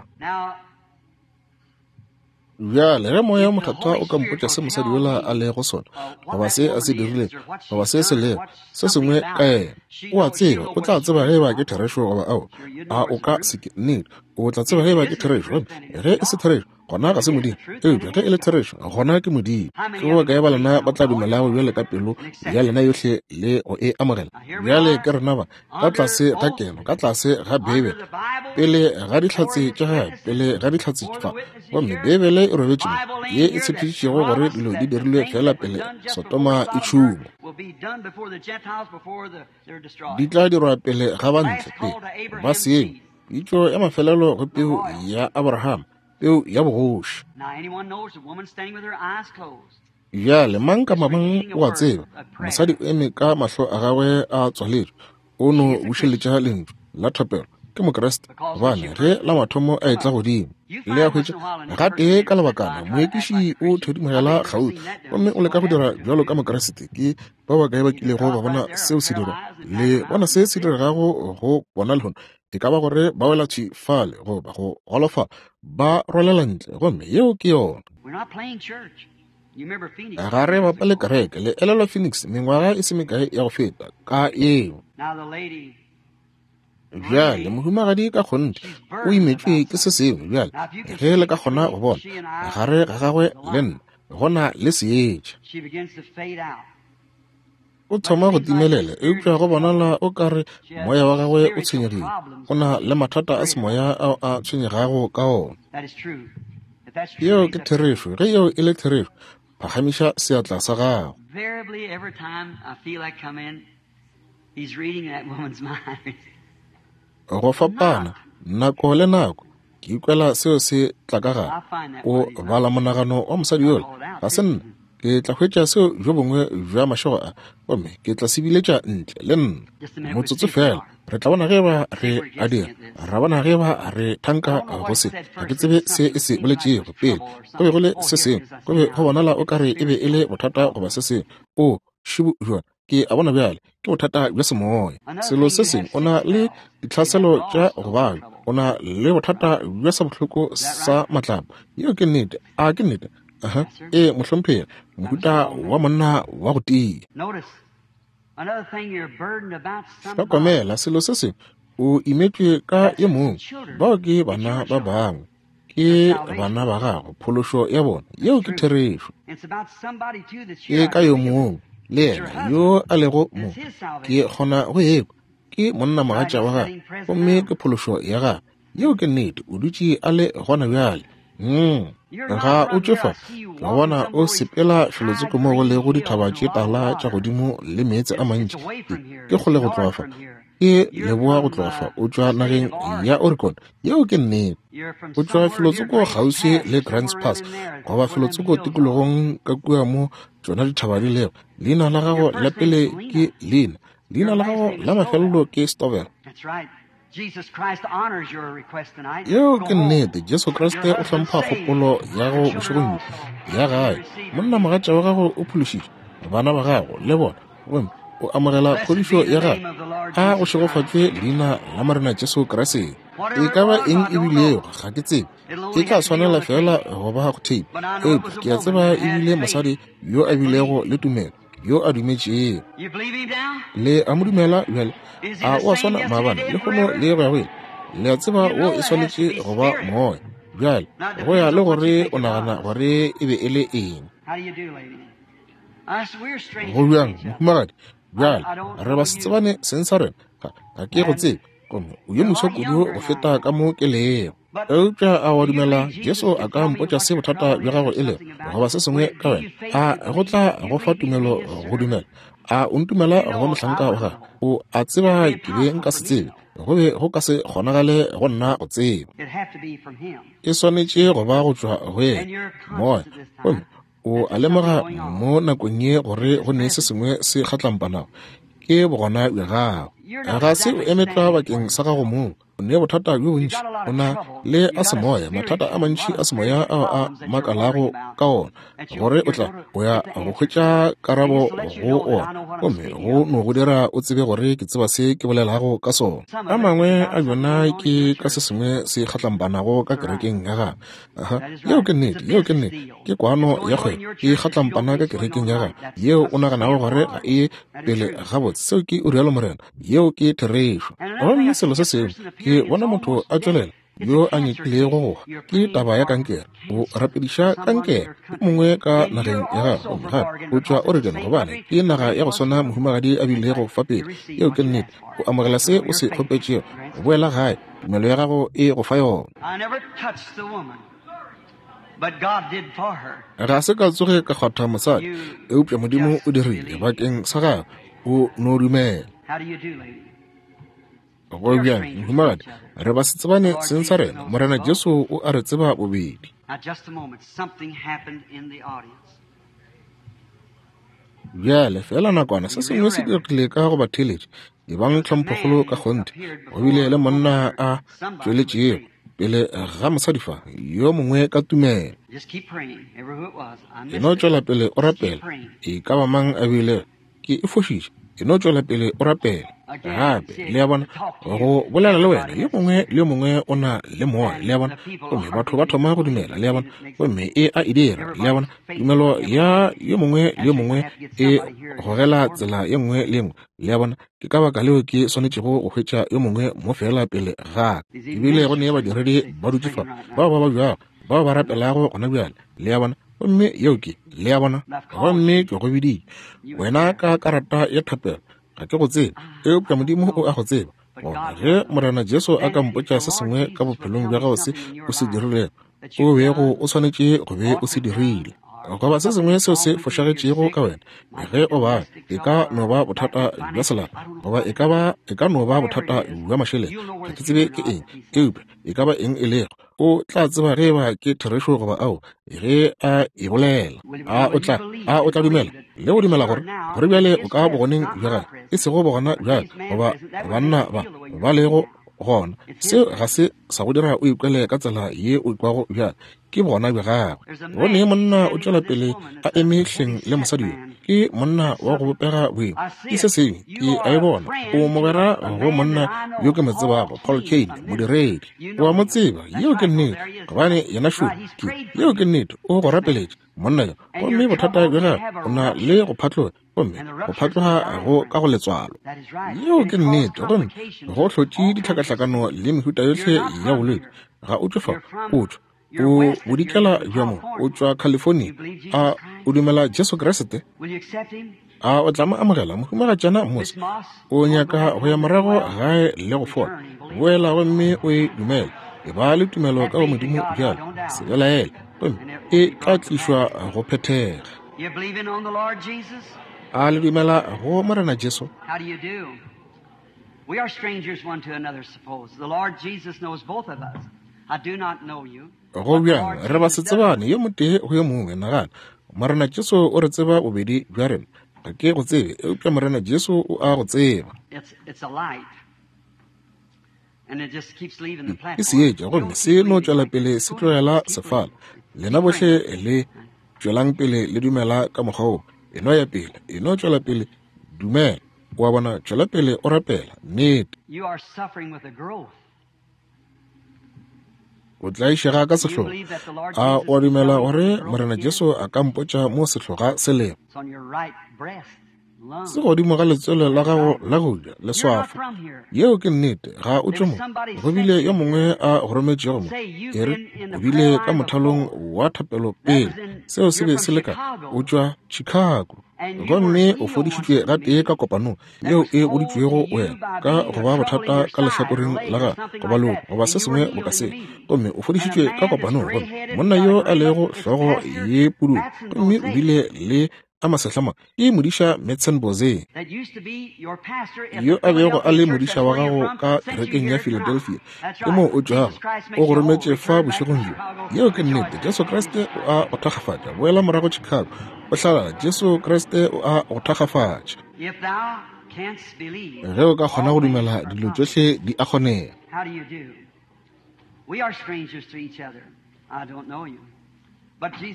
Bjale, ge Moya wo Mokgethwa o ka mpotša se mosadi yola a lego sona, goba se a se dirilego, goba se se lego, se sengwe ka yena, o a tseba, o tla tseba ge eba ke therešo goba aowa. A o ka se ke? Nnete, o tla tseba ge eba ke therešo. Gomme ge e se therešo, gona ga se Modimo. Eupša ge e le therešo, gona ke Modimo. Ke ba bakae ba lena ba tla dumelago bjale ka pelo ya lena yohle le go e amogela? Bjale ke rena ba, ka tlase ga keno, ka tlase ga Beibele, pele ga dihlatse tša gagwe, pele ga dihlatse fa. Gomme Beibele e robetše mo, ye e tshepišitšego gore dilo di dirilwe feela pele Sodoma e tšhungwa. Di tla dirwa pele ga bantle, pele ba senywa. Pitšo ya mafelelo go peu ya Abraham, peu ya bogoši. Bjale mang kapa mang o a tseba, mosadi o eme ka mahlo a gagwe a tswaletšwe, o no bušeletša lentšu la thapelo. Ke Mokriste, gobane ge la mathomo a etla godimo, le a hwetša gatee ka lebakana, moekiši o thedimogela kgauswi gomme o leka go dira bjalo ka Mokriste. Ke ba bakae ba kilego ba bona seo se dirwa? Le bona se se diregago go bona lehono? E ka ba gore ba wela thwi fale goba go golofala, ba rwalela ntle, gomme yeo ke yona. Ga re bapale kereke. Le elelwa Phoenix mengwaga e se mekae ya go feta ka yeo. Bjale mohumagadi ka kgonthe o imetšwe ke se sengwe. Bjale ge le ka kgona go bona gare ga gagwe le nna go na le seetša. O thoma go timelela, eupša go bonala o ka re moya wa gagwe o tshwenyegile. O na le mathata a semoya ao a tshwenyegago ka ona. Yeo ke therešo. Ge yeo e le therešo, phagamiša seatla sa gago. Go fapana, nako le nako, ke ikwela seo se tla ka gare. O bala monagano wa mosadi yola. Ga se nna. Ke tla hwetša seo bjo bongwe bja mašego a, gomme ke tla se biletša ntle le nna. Motsotso feela, re tla bona ge ba re a dira, ra bona ge ba re thanka go se. Ga ke tsebe se e se boletšego pele. Go be go le se sengwe, go be go bonala o ka re e be e le bothata goba se sengwe. O, šibu bjona, ke a bona bjale, ke bothata bja semoya. Selo se sengwe, o na le ditlhaselo tša go babja, o na le bothata bja sabohloko sa matlapa. Yeo ke nnete. A ke nnete? Aha. Ee, mohlomphegi, mohuta wa monna wa go tia. Hlokomela, selo se sengwe, o imetšwe ka yo mongwe. Bao ke bana ba bangwe. Ke bana ba gago, phološo ya bona. Yeo ke therešo. Ke ka yo mongwe le yena yo a lego mo. Ke kgona go ekwa. Ke monna mogatša wa gagwe, gomme ke phološo ya gagwe. Yeo ke nnete. O dutše a le gona bjale. Ga o tšwe fa, ke go bona o sepela felotsoko mo go lego dithaba tše tala tša godimo le meetse a mantši. Ke kgole go tloga fa. Ke leboa go tloga fa. O tšwa nageng ya Oregon. Yeo ke nnete. O tšwa felotsoko kgauswi le Grants Pass, goba felotsoko tikologong ka kua mo tšona dithaba di lego. Leina la gago la pele ke Lina. Leina la gago la mafelelo ke Stovell. Yeo ke nnete. Jesu Kriste o hlompha kgopolo ya go bošegong bjo ya gae. Monna mogatša wa gago o phološitšwe, bana ba gago le bona, gomme o amogela phodišo ya gagwe. A go šegofatšwe leina la Morena Jesu Kriste. E ka ba eng e bilego, ga ke tsebe. E tla swanela feela go ba go tape. Eupša ke a tseba e bile mosadi yo a bilego le tumelo, yo a dumetšego. Le a mo dumela bjale? A o a swana maabane, lehono le go ya go ile? Le a tseba wo e swanetše go ba moya. Bjale, go ya le gore o nagana gore e be e le eng. Go bjang, mohumagadi? Bjale, re ba se tsebane seng sa rena. Ga ke go tsebe, gomme o yo moswa kudu go feta ka mo ke lego. Eupša a wa dumela Jesu a ka mpotša se bothata bja gago e lego, goba se sengwe ka wena? A go tla go fa tumelo go dumela? A o ntumela go ba mohlanka wa gagwe? O a tseba ke be nka se tsebe, go be go ka se kgonagale go nna go tseba. E swanetše go ba go tšwa go yena, moya. Gomme o a lemoga mo nakong ye gore go ne se sengwe se kgatlampanago, ke bogona bja gago. Ga se o eme tlwa bakeng sa gago mong. O ne bothata bjo bontši. O na le a semoya, mathata a mantši a semoya ao a makalago ka ona, gore o tla o ya go hwetša karabo go ona, gomme go no go dira o tsebe gore ke tseba se ke bolelago ka sona. A mangwe a bjona ke ka se sengwe se kgatlampanago ka kerekeng ya gagwe. Aha, yeo ke nnete, yeo ke nnete. Ke kwano ya kgwebo e kgatlampana ka kerekeng ya gagwe, yeo o naganago gore ga e pele gabotse. Seo ke o rialo Morena. Yeo ke therešo. Gomme selo se sengwe, ke bona motho a tšwelela yo a nyakilego go hwa, ke taba ya kankere. O rapediša kankere, yo mongwe ka nageng ya gagwe. Gomme gape o tšwa Oregon, gobane ke naga ya go swana mohumagadi a bilego fa pele. Yeo ke nnete. O amogela se o se kgopetšego. Boela gae, tumelo ya gago e go fa yona. Ga se ka tsoge ka kgwatha mosadi, eupša Modimo o dirile bakeng sa gagwe. O no dumela. Go bjang, mohumagadi? Re ba se tsebane seng sa rena. Morena Jesu o a re tseba bobedi. Bjale, feela nakwana, se sengwe se diregile ka go batheeletši. Ebang tlhomphokgolo ka kgonthe. Go bile le monna a tšweletšego pele ga mosadi fa, yo mongwe ka tumelo. E no tšwela pele o rapela. E ka ba mang a bile, ke e fošitše. E no tšwela pele o rapela. Gape, le a bona, go bolela le wena, yo mongwe le yo mongwe o na le moya, le a bona, gomme batho ba thoma go dumela, le a bona, gomme e a e dira, le a bona, tumelo ya yo mongwe le yo mongwe e gogela tsela ye nngwe le ye nngwe, le a bona. Ke ka baka leo ke swanetšego go hwetša yo mongwe mo feela pele ga ka. Ebile go ne badiredi ba dutše fa, bao ba babjago, bao ba rapelago gona bjale, le a bona. Gomme yeo ke, le a bona, gomme ke go biditše wena ka karata ya thapelo. Ga ke go tsebe, eupša Modimo o a go tseba. Gona ge Morena Jesu a ka mpotša se sengwe ka bophelong bja gago se o se dirilego, o bego o swanetše go be o se dirile, goba se sengwe seo se fošagetšego ka wena, ge o ba, e ka no ba bothata bja selapa, goba e ka ba, e ka no ba bothata bja mašeleng, ga ke tsebe ke eng, eupša e ka ba eng e lego, o tla tseba ge eba ke therešo goba ao, ge a e bolela. A o tla, a o tla dumela le go dumela gore, gore bjale o ka bogoneng bja gagwe, e sego bogona bja goba banna ba ba lego gona. Seo ga se sa go dira o ikwele ka tsela ye o ikwago bjale, ke bogona bja gagwe. Go ne monna o tšwela pele a eme hleng le mosadi yo, ke monna wa go bopega boima, ke se sengwe ke a e bona. O mogwera go monna yo ke mo tsebago, Paul Cain, modiredi. O a mo tseba, yeo ke nnete, gobane yena šo ke, yeo ke nnete, o go rapeletše monna yo. Gomme bothata bja gagwe, o na le go phatloga, gomme go phatloga go ka go letswalo. Yeo ke nnete, gomme go hlotše ditlhakahlakano le mehuta yohle ya bolwetši. Ga o tšwe fa, o tšwa o bodikela bja mo, o tšwa California. A o dumela Jesu Kriste? A o tla mo amogela, mohumagatšana Moss? O nyaka go ya morago gae le go fola? Boela gomme o e dumele. E ba le tumelo ka go Modimo bjalo, se belaele, gomme e tla tlišwa go phethega. A le dumela go Morena Jesu? We are strangers one to another, suppose. The Lord Jesus knows both of us. I do not know you. Go bjang, re ba se tsebane yo motee go yo mongwe, nagana. Morena Jesu o re tseba bobedi bja rena. Ga ke go tsebe, eupša Morena Jesu o a go tseba. It's a light. And it just keeps leaving the Ke platform. seetša, gomme se no tšwela pele se tlogela sefala. Lena bohle le tšwelang pele le dumela ka mokgwa wo. E no ya pele, e no tšwela pele, dumela. O a bona, tšwela pele o rapela. Nnete. You are suffering with a growth. O tlaišega ka sehloga. A o a dumela gore Morena Jesu a ka mpotša mo sehloga se lego? It's on your right breast, lung. Se godimo ga letswele la gago la go ja, leswafo. Yeo ke nnete, ga o tšwe mo. Go bile yo mongwe a go rometšego mo. E re, o bile ka mothalong wa thapelo pele. Seo se be se le ka, o tšwa Chicago. Gomme o fodišitšwe gatee ka kopanong yeo e boditšwego wena ka go ba bothata ka lehlakoreng la gago, goba loko, goba se sengwe boka se. Gomme o fodišitšwe ka kopanong, gomme monna yo a lego hlogo ye pududu, gomme o bile le a masehlama, ke modiša Madsen Boze, yo a bego a le modiša wa gago ka kerekeng ya Philadelphia, ke moo o tšwago, o go rometše fa bošegong bjo. Yeo ke nnete. Jesu Kriste o a go thakgafatša. Boela morago Chicago, O hlalala, Jesu Kriste o a go thakgafatša. Ge o ka kgona go dumela, dilo tšohle di a kgonega.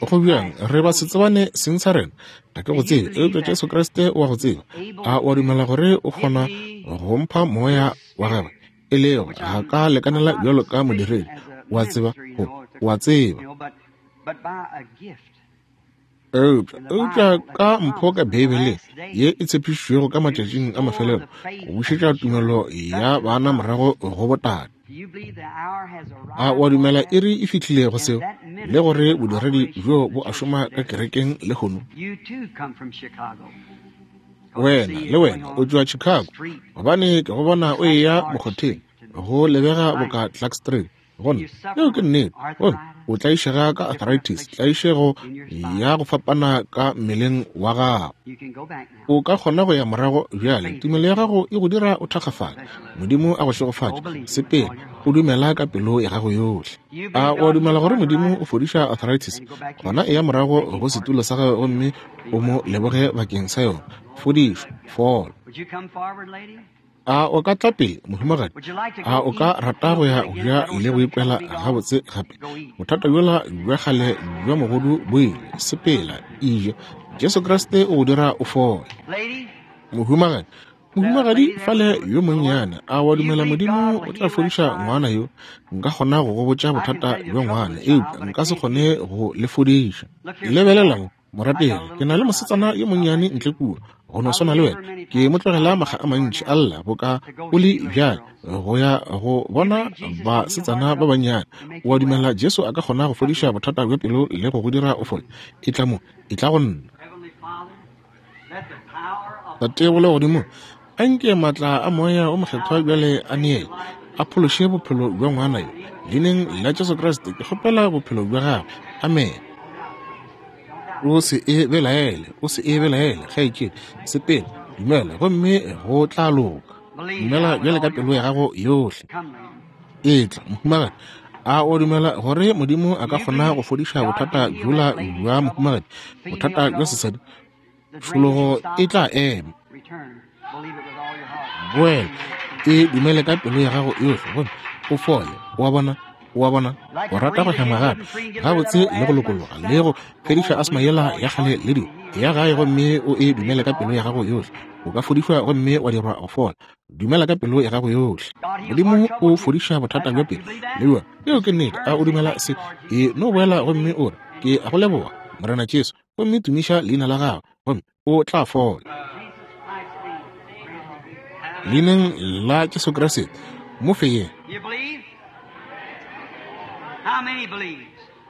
Go bjang, re ba se tsebane seng sa rena. Ga ke go tsebe, eupša Jesu Kriste o a go tseba. A o a dumela gore o kgona go mpha moya wa gagwe? E lego, ga ka lekanela bjalo ka modiredi, o a tseba, go, o a tseba. Eupša, eupša ka mpho ka Beibeleng ye e tshepišitšwego ka matšatšing a mafelelo, go bušetša tumelo ya bana morago go botate. A o a dumela iri e fihlile go seo, le gore bodiredi bjo bo a šoma ka kerekeng lehono? Wena, le wena, o tšwa Chicago, gobane ke go bona o eya mokgotheng, go lebega boka Clark Street. Gomme yeo ke nnete. Gomme o tlaišega ka arthritis, tlaišego ya go fapana ka mmeleng wa gago. O ka kgona go ya morago bjale. Tumelo ya gago e go dira o thakgafale. Modimo a go šegofatše. Sepela, o dumela ka pelo ya gago yohle. A o a dumela gore Modimo o fodiša arthritis? Gona eya morago go setulo sa gago gomme o mo leboge bakeng sa yona. Fodišwa, fola. A o ka tla pele, mohumagadi? A o ka rata go ya go ja le go ikwela gabotse gape? Bothata bjola bja kgale bja mogodu bo ile. Sepela, eja. Jesu Kriste o go dira o fole. Mohumagadi, mohumagadi fale yo monnyane, a wa dumela Modimo o tla fodiša ngwana yo? Nka kgona go go botša bothata bja ngwana, eupša nka se kgone go le fodiša. Lebelela mo. Morapedi, ke na le mosetsana yo monnyane ntle kua, go no swana le wena. Ke mo tlogela makga a mantši a lla boka o le bjale, go ya go bona basetsana ba bannyane. O a dumela Jesu a ka kgona go fodiša bothata bja pelo le go go dira o fole? Etla mo, etla go nna. Tate wa Legodimo, a nke maatla a Moya o Mokgethwa bjale a neele, a phološe bophelo bja ngwana yo. Leineng la Jesu Kriste, ke kgopela bophelo bja gagwe. Amene. O se e belaele, o se e belaele, kgaetšedi. Sepela, dumela, gomme go tla loka. Dumela bjale ka pelo ya gago yohle. Etla, mohumagadi. A o dumela gore Modimo a ka kgona go fodiša bothata bjola bja mohumagadi, bothata bja sesadi? Tšhologo e tla ema. Boela, e dumele ka pelo ya gago yohle gomme o fole. O a bona? O a bona? O rata go hema gape gabotse le go lokologa le go fediša asma yela ya kgale le dilo. Ya gae gomme o e dumele ka pelo ya gago yohle. O ka fodišwa gomme wa dirwa go fola. Dumela ka pelo ya gago yohle. Modimo o fodiša bothata bja pelo le bjona. Yeo ke nnete. A o dumela se? E no boela gomme o re, Ke a go leboga, Morena Jesu, gomme tumiša leina la gago, gomme o tla fola. Leineng la Jesu Kriste, mo fe ye.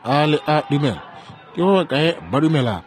A le a dumela? Ke ba bakae ba dumelago?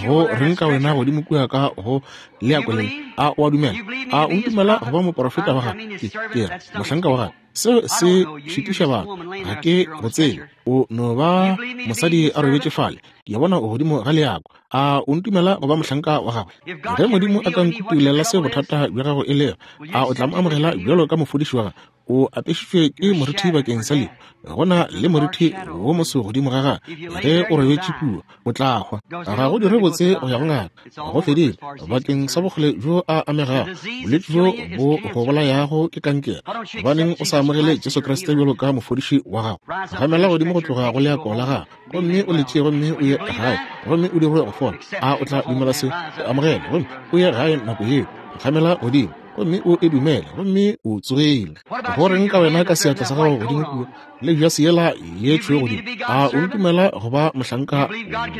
Go reng ka wena godimo kua ka go leako le? A o a dumela? A o ntumela go ba moporofeta wa gagwe? Ke, ke re, mohlanka wa gagwe. Seo se šitiša batho. Ga ke go tsebe. O no ba mosadi a robetše fale. Ke a bona o godimo ga leako. A o ntumela go ba mohlanka wa gagwe? Ge Modimo a ka nkutulela se bothata bja gago e lego, a o tla mo amogela bjalo ka mofodiši wa gagwe? O apešitšwe ke morithi bakeng sa lehu. Go na le morithi wo moso godimo ga gagwe. Ge o robetše kua, o tla hwa. Ga go dire botse go ya go ngaka. Go fedile bakeng sa bokgole bjo a amegago. Bolwetši bjo bo go bolayago ke kankere. Gobaneng o sa amogele Jesu Kriste bjalo ka mofodiši wa gago? Gamela godimo go tloga go leako la gago gomme o le tšee gomme o ye gae gomme o dirwe go fola. A o tla dumela se? O amogele gomme o ye gae nako yeo. Gamela godimo gomme o e dumele gomme o tsogile. Go reng ka wena ka seatla sa gago godimo kua le jase yela ye tšhweu godimo? A o ntumela go ba mohlanka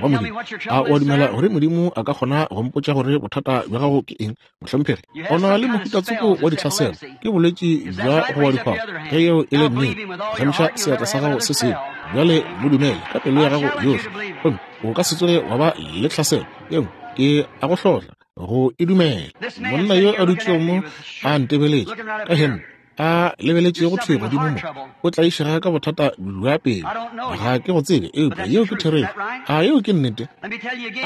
wa Modimo? A o a dumela gore Modimo a ka kgona go mpotša gore bothata bja gago ke eng, mohlomphegi? O na le mohuta tsoko wa ditlhaselo, ke bolwetši bja go wa dikgwabo. Ge yeo e le nnete, phagamiša seatla sa gago se sengwe bjale, mo dumele ka pelo ya gago yohle, gomme o ka se tsoge wa ba le tlhaselo ye nngwe. Ke a go hlohla go e dumela. Monna yo a dutšego mo a ntebeletše ka hempe, a lebeletšego thwi godimo mo, o tlaišega ka bothata bja pelo. Ga ke go tsebe, eupša yeo ke therešo. A yeo ke nnete?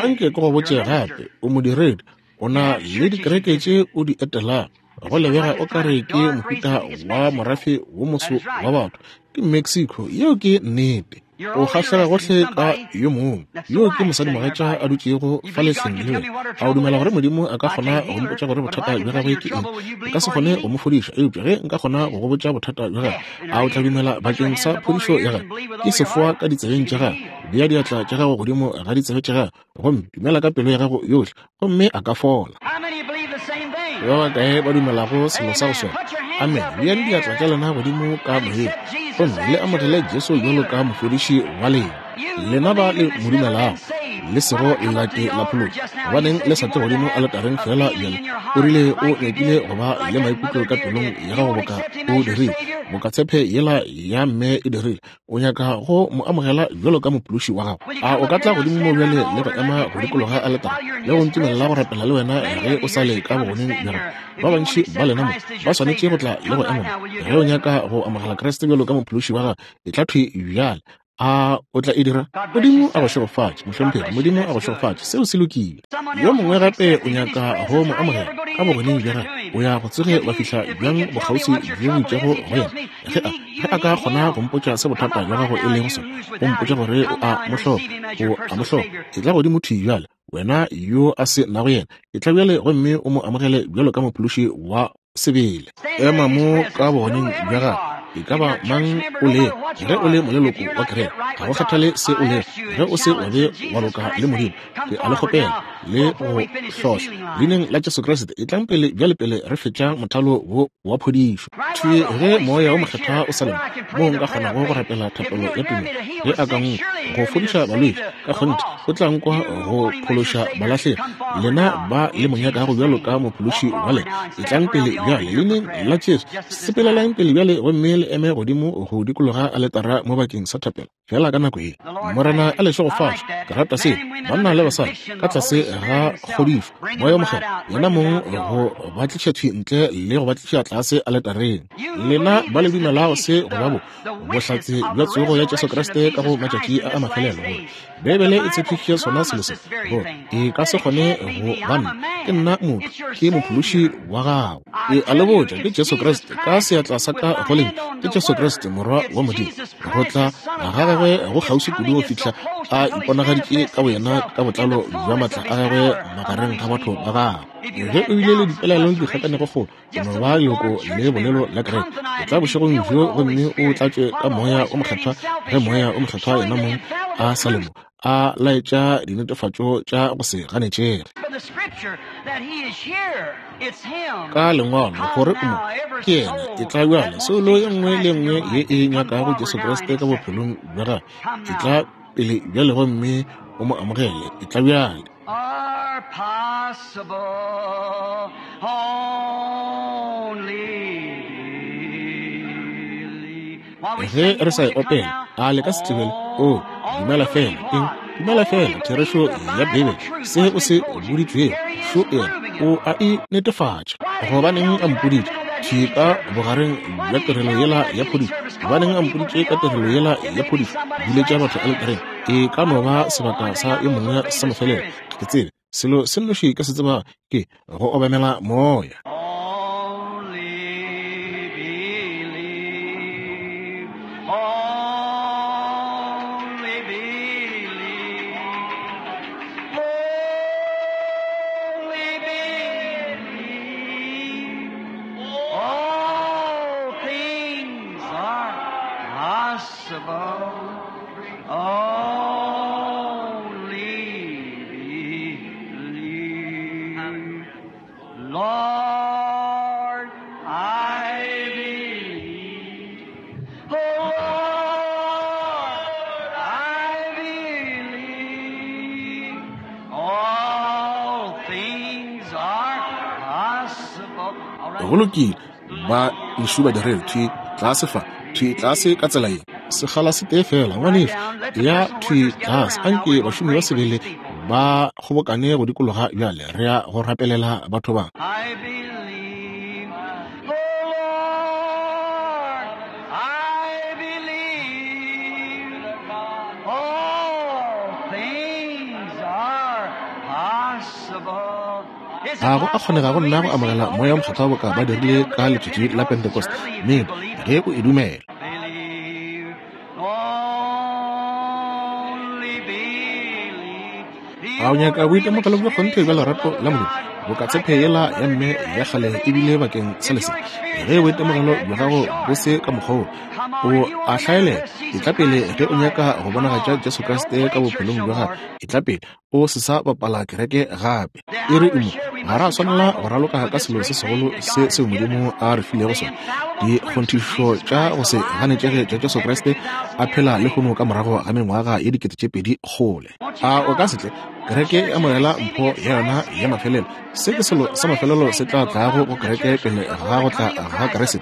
Anke ke go botše gape, o modiredi, o na le dikereke tše o di etelago. Go lebega o ka re ke mohuta wa morafe wo moso wa batho. Ke Mexico. Yeo ke nnete. O kgahlega gohle ka yo mongwe. Yo ke mosadimogatša a dutšego fa lehleng le wena. A o dumela gore Modimo a ka kgona go mpotša gore bothata bja gagwe ke eng? Nka se kgone go mo fodiša, eupša ge nka kgona go go botša bothata bja gagwe, a o tla dumela bakeng sa phodišo ya gagwe? Ke sefoa ka ditsebeng tša gagwe. Bea diatla tša gago godimo ga ditsebe tša gagwe, gomme dumela ka pelo ya gago yohle, gomme a ka fola. Ba bakae ba dumelago selo sa go swana? Amen. Beang diatla tša lena godimo ka moyeng gomme le amogele Jesu bjalo ka mofodiši wa lena. Lena ba le mo dumelago, le sego la ke la phološwa, gobaneng le sa tle godimo aletareng feela bjale? O rile o nyakile go ba le maikutlo ka pelong ya gago boka o dirile, boka tshepe yela ya mme e dirile. O nyaka go mo amogela bjalo ka mophološi wa gago. A o ka tla godimo mo bjale le go ema go dikologa aletara le go ntumelela go rapela le wena ge o sa le ka bogoneng bja gago? Ba bantši ba lena mo ba swanetše go tla le go ema mo. Ge o nyaka go amogela Kriste bjalo ka mophološi wa gago, etla thwi bjale. A o tla e dira? Modimo a go šegofatše, mohlomphegi. Modimo a go šegofatše. Seo se lokile. Yo mongwe gape o nyaka go mo amogela ka bogoneng bja gagwe. O ya go tsoge wa fihla bjang bokgauswi bjo bo itšego go yena? Ge a, ge a ka kgona go mpotša se bothata bja gago e lego sona, go mpotša gore o a mo hloka, o a mo hloka, etla godimo thwi bjale, wena yo a se nago yena, etla bjale gomme o mo amogele bjalo ka mophološi wa sebele. Ema mo ka bogoneng bja gagwe, e ka ba mang o lego, ge o le moleloko wa kereke, ga go kgathale se o lego, ge o se wa be wa loka le Modimo, ke a le kgopela le go hlohla leineng la Jesu Kriste, etlang pele bjale pele re fetša mothalo wo wa phodišo. Thwi ge Moya wo Mokgethwa o sa le mo, moo nka kgonago go rapela thapelo ya tumelo, ge a ka nkwa go fodiša balwetši, ka kgonthe o tla nkwa go phološa balahlegi. Lena ba le mo nyakago bjalo ka mophološi wa lena, etlang pele bjale leineng la Jesu. Sepelelang pele bjale gomme le eme godimo go dikologa aletara mo bakeng sa thapelo. Fela ka nako ye, Morena a le šegofatše. Ke rata seo, banna le basadi, ka tlase ga kgodišo, Moya wo Mokgethwa yena mong go ba tliša thwi ntle le go ba tliša tlase aletareng. Lena ba le dumelago se go ba bo, bohlatse bja tsogo ya Jesu Kriste ka go matšatši a a mafelelo, gore Beibele e tshepišitše sona selo se, gore e ka se kgone go ba nna, ke nna motho, ke mophološi wa gago. Ke a le botša, ke Jesu Kriste, ka seatla sa ka go lentšu, ke Jesu Kriste, Morwa wa Modimo. Go tla ga gagwe go kgauswi kudu go fihla a iponagaditše ka boyena ka botlalo bja maatla a gagwe magareng ga batho ba gagwe. Ge o bile le dipelaelo le dikgakanegokgolo, o no ba leloko le bolelo la kereke, o tla bošegong bjo gomme o tlatšwe ka Moya o Mokgethwa, ge Moya o Mokgethwa yena mong a sa le mo, a laetša dinetefatšo tša go se ganetšege ka Lengwalo gore o mo ke yena. E tla bjale soulo ye nngwe le nngwe ye e nyakago Jesu Kriste ka bophelong bja gagwe, e tla pele bjale gomme o mo amogele. E tla bjale. Are possible only believe. Ge re sa e opela, a le ka se tlebele? O dumela fela eng? Dumela fela therešo ya Beibele, se o se boditšwego, šo yena o a e netefatša. Gobaneng a mpoditše thwi ka bogareng bja tirelo yela ya phodišo? Gobaneng a mpoditše ka tirelo yela ya phodišo? Biletša batho aletareng. E ka no ba sebaka sa yo mongwe sa mafelelo. Ga ke tsebe. Selo se nnoši ke se tsebago ke go obamela Moya. Only believe. Only believe. Only believe. All things are possible. Only believe. Lord, I believe. Oh, Lord, I believe. All things are possible. All right. Go lokile, ba ešo ba direle thwi tlase fa, thwi tlase ka tsela ye. Sekgala se tee fela, ngwanešu, ya thwi tlase. Anke bašomi ba sebele ba kgobokane go dikologa bjale. Re ya go rapelela batho ba. I believe, oh Lord, I believe all things are possible. Is it A go a possible kgonega for go me nna to go receive amogela the Moya Holy wo Mokgethwa Spirit boka ba like they dirile did on ka the letšatši day la of Pentecost? Pentecost? Certainly, if Nnete, you believe ge it. o e dumela. Believe. A o nyaka boitemogelo bja kgonthe bja lerato la Modimo, boka tshepe yela ya mme ya kgale e bile bakeng sa lesea? Ge boitemogelo bja gago bo se ka mokgwa woo, o a hlaelela. Etla pele ge o nyaka go bonagatša Jesu Kriste ka bophelong bja gago. Etla pele o se sa bapala kereke gape. E re mo, ga ra swanela go raloka ka selo se segolo se seo Modimo a re filego sona, dikgonthišo tša go se ganetšege tša Jesu Kriste a phela lehono ka morago ga mengwaga ye 2000 kgole. A o ka se tle? Kereke e amogela mpho ya yona ya mafelelo. Se ke selo sa mafelelo se tla tlago go kereke pele ga go tla ga Kriste,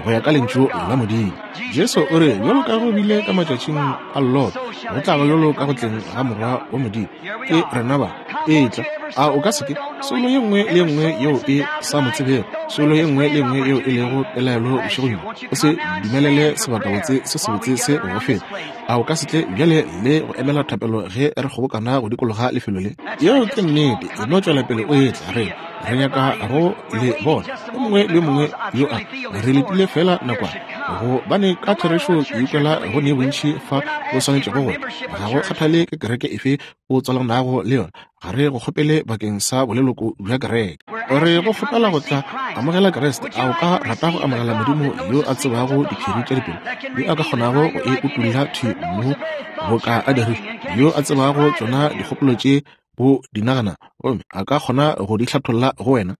go ya ka Lentšu la Modimo. Jesu o re, Bjalo ka go bile ka matšatšing a Lot, go tla ba bjalo ka go tleng ga Morwa wa Modimo. Ke rena ba. Etla. A o ka se ke? Soulo ye nngwe le ye nngwe yeo e sa mo tsebego, soulo ye nngwe le ye nngwe yeo e lego pelaelo bošegong bjo, o se dumelele sebakabotse se sebotse se go go feta. A o ka se tle bjale le go emela thapelo ge re kgobokana go dikologa lefelo le? Yeo ke nnete. E no tšwela pele o etla. Re, re nyaka go le bona. Yo mongwe le yo mongwe yo a re letile feela nakwana, gobane ka therešo ke ikwela go ne bontši fa bo swanetšego go. Ga go kgathale ke kereke efe o tswalanago le yona, ga re go kgopele bakeng sa boleloko bja kereke. Re go kgopela go tla amogela Kriste. A o ka rata go amogela Modimo yo a tsebago diphiri tša dipelo, yo a ka kgonago go e utolla thwi mo boka a dirile, yo a tsebago tšona dikgopolo tše o di nagana gomme a ka kgona go di hlatholla go wena?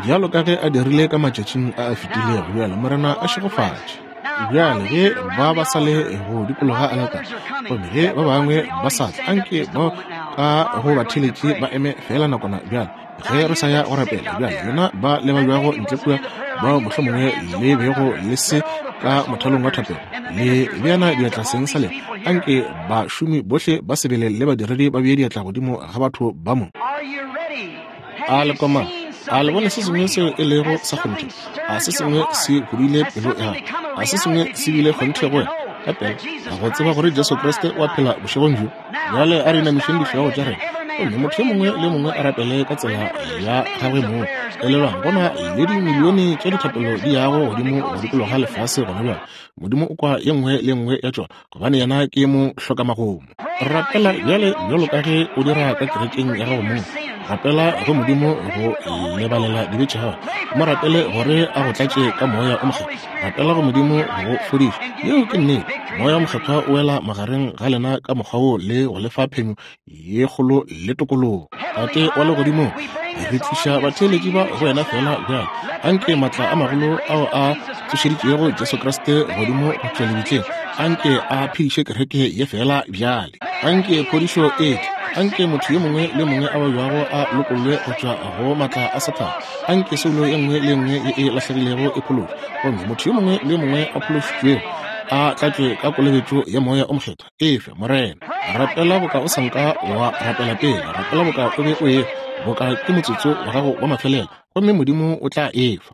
Bjalo ka ge a dirile ka matšatšing a a fetilego, bjale Morena a šegofatše. Bjale ge ba ba sa le go dikologa aletare, gomme ge ba bangwe ba sa tla, anke bao ka go batheeletši ba eme feela nakwana bjale ge re sa ya go rapela. Bjale lena ba le babjago ntle kua, bao mohlomongwe le bego le se ka mothalong wa thapelo, le beana diatla seng sa lena, anke bašomi bohle ba sebele le badiredi ba bee diatla godimo ga batho ba mo. A le komana? A le bone se sengwe seo e lego sa kgonthe? A se sengwe se hudile pelo ya gago? A se sengwe se bile kgonthe go wena ka pela go tseba gore Jesu Kriste o a phela bošegong bjo? Bjale a re inamišeng dihlogo tša rena gomme motho yo mongwe le mongwe a rapele ka tsela ya gagwe mong. Elelwang, go na le dimilione tša dithapelo di yago godimo go dikologa lefase gona bjale. Modimo o kwa ye nngwe le ye nngwe ya tšona, gobane yena ke mo hlokamagomo. Rapela bjale bjalo ka ge o dira ka kerekeng ya gago mong. Rapela go Modimo go lebalela dibe tša gago. Mo rapele gore a go tlatše ka Moya o Mokgethwa. Rapela go Modimo go fodiša. Yeo ke nnete. Moya o Mokgethwa o wela magareng ga lena ka mokgwa wo le go lefa phenyo ye kgolo le tokologo. Tate wa legodimong, re tliša batheeletši ba go wena feela bjale. Anke maatla a magolo ao a tsošeditšego Jesu Kriste godimo go tšwa lebitleng, anke a phediše kereke ye feela bjale. Anke phodišo e tle. Anke motho yo mongwe le mongwe a babjago a lokollwe go tšwa go maatla a Sathane. Anke soulo ye nngwe le ye nngwe ye e lahlegilego e phološwe, gomme motho yo mongwe le yo mongwe a phološitšwego a tlatšwe ka kolobetšo ya Moya o Mokgethwa. Efe, Morena. Rapela boka o sa nka wa rapela pele. Rapela boka o be o e, boka ke motsotso wa gago wa mafelelo, gomme Modimo o tla efa.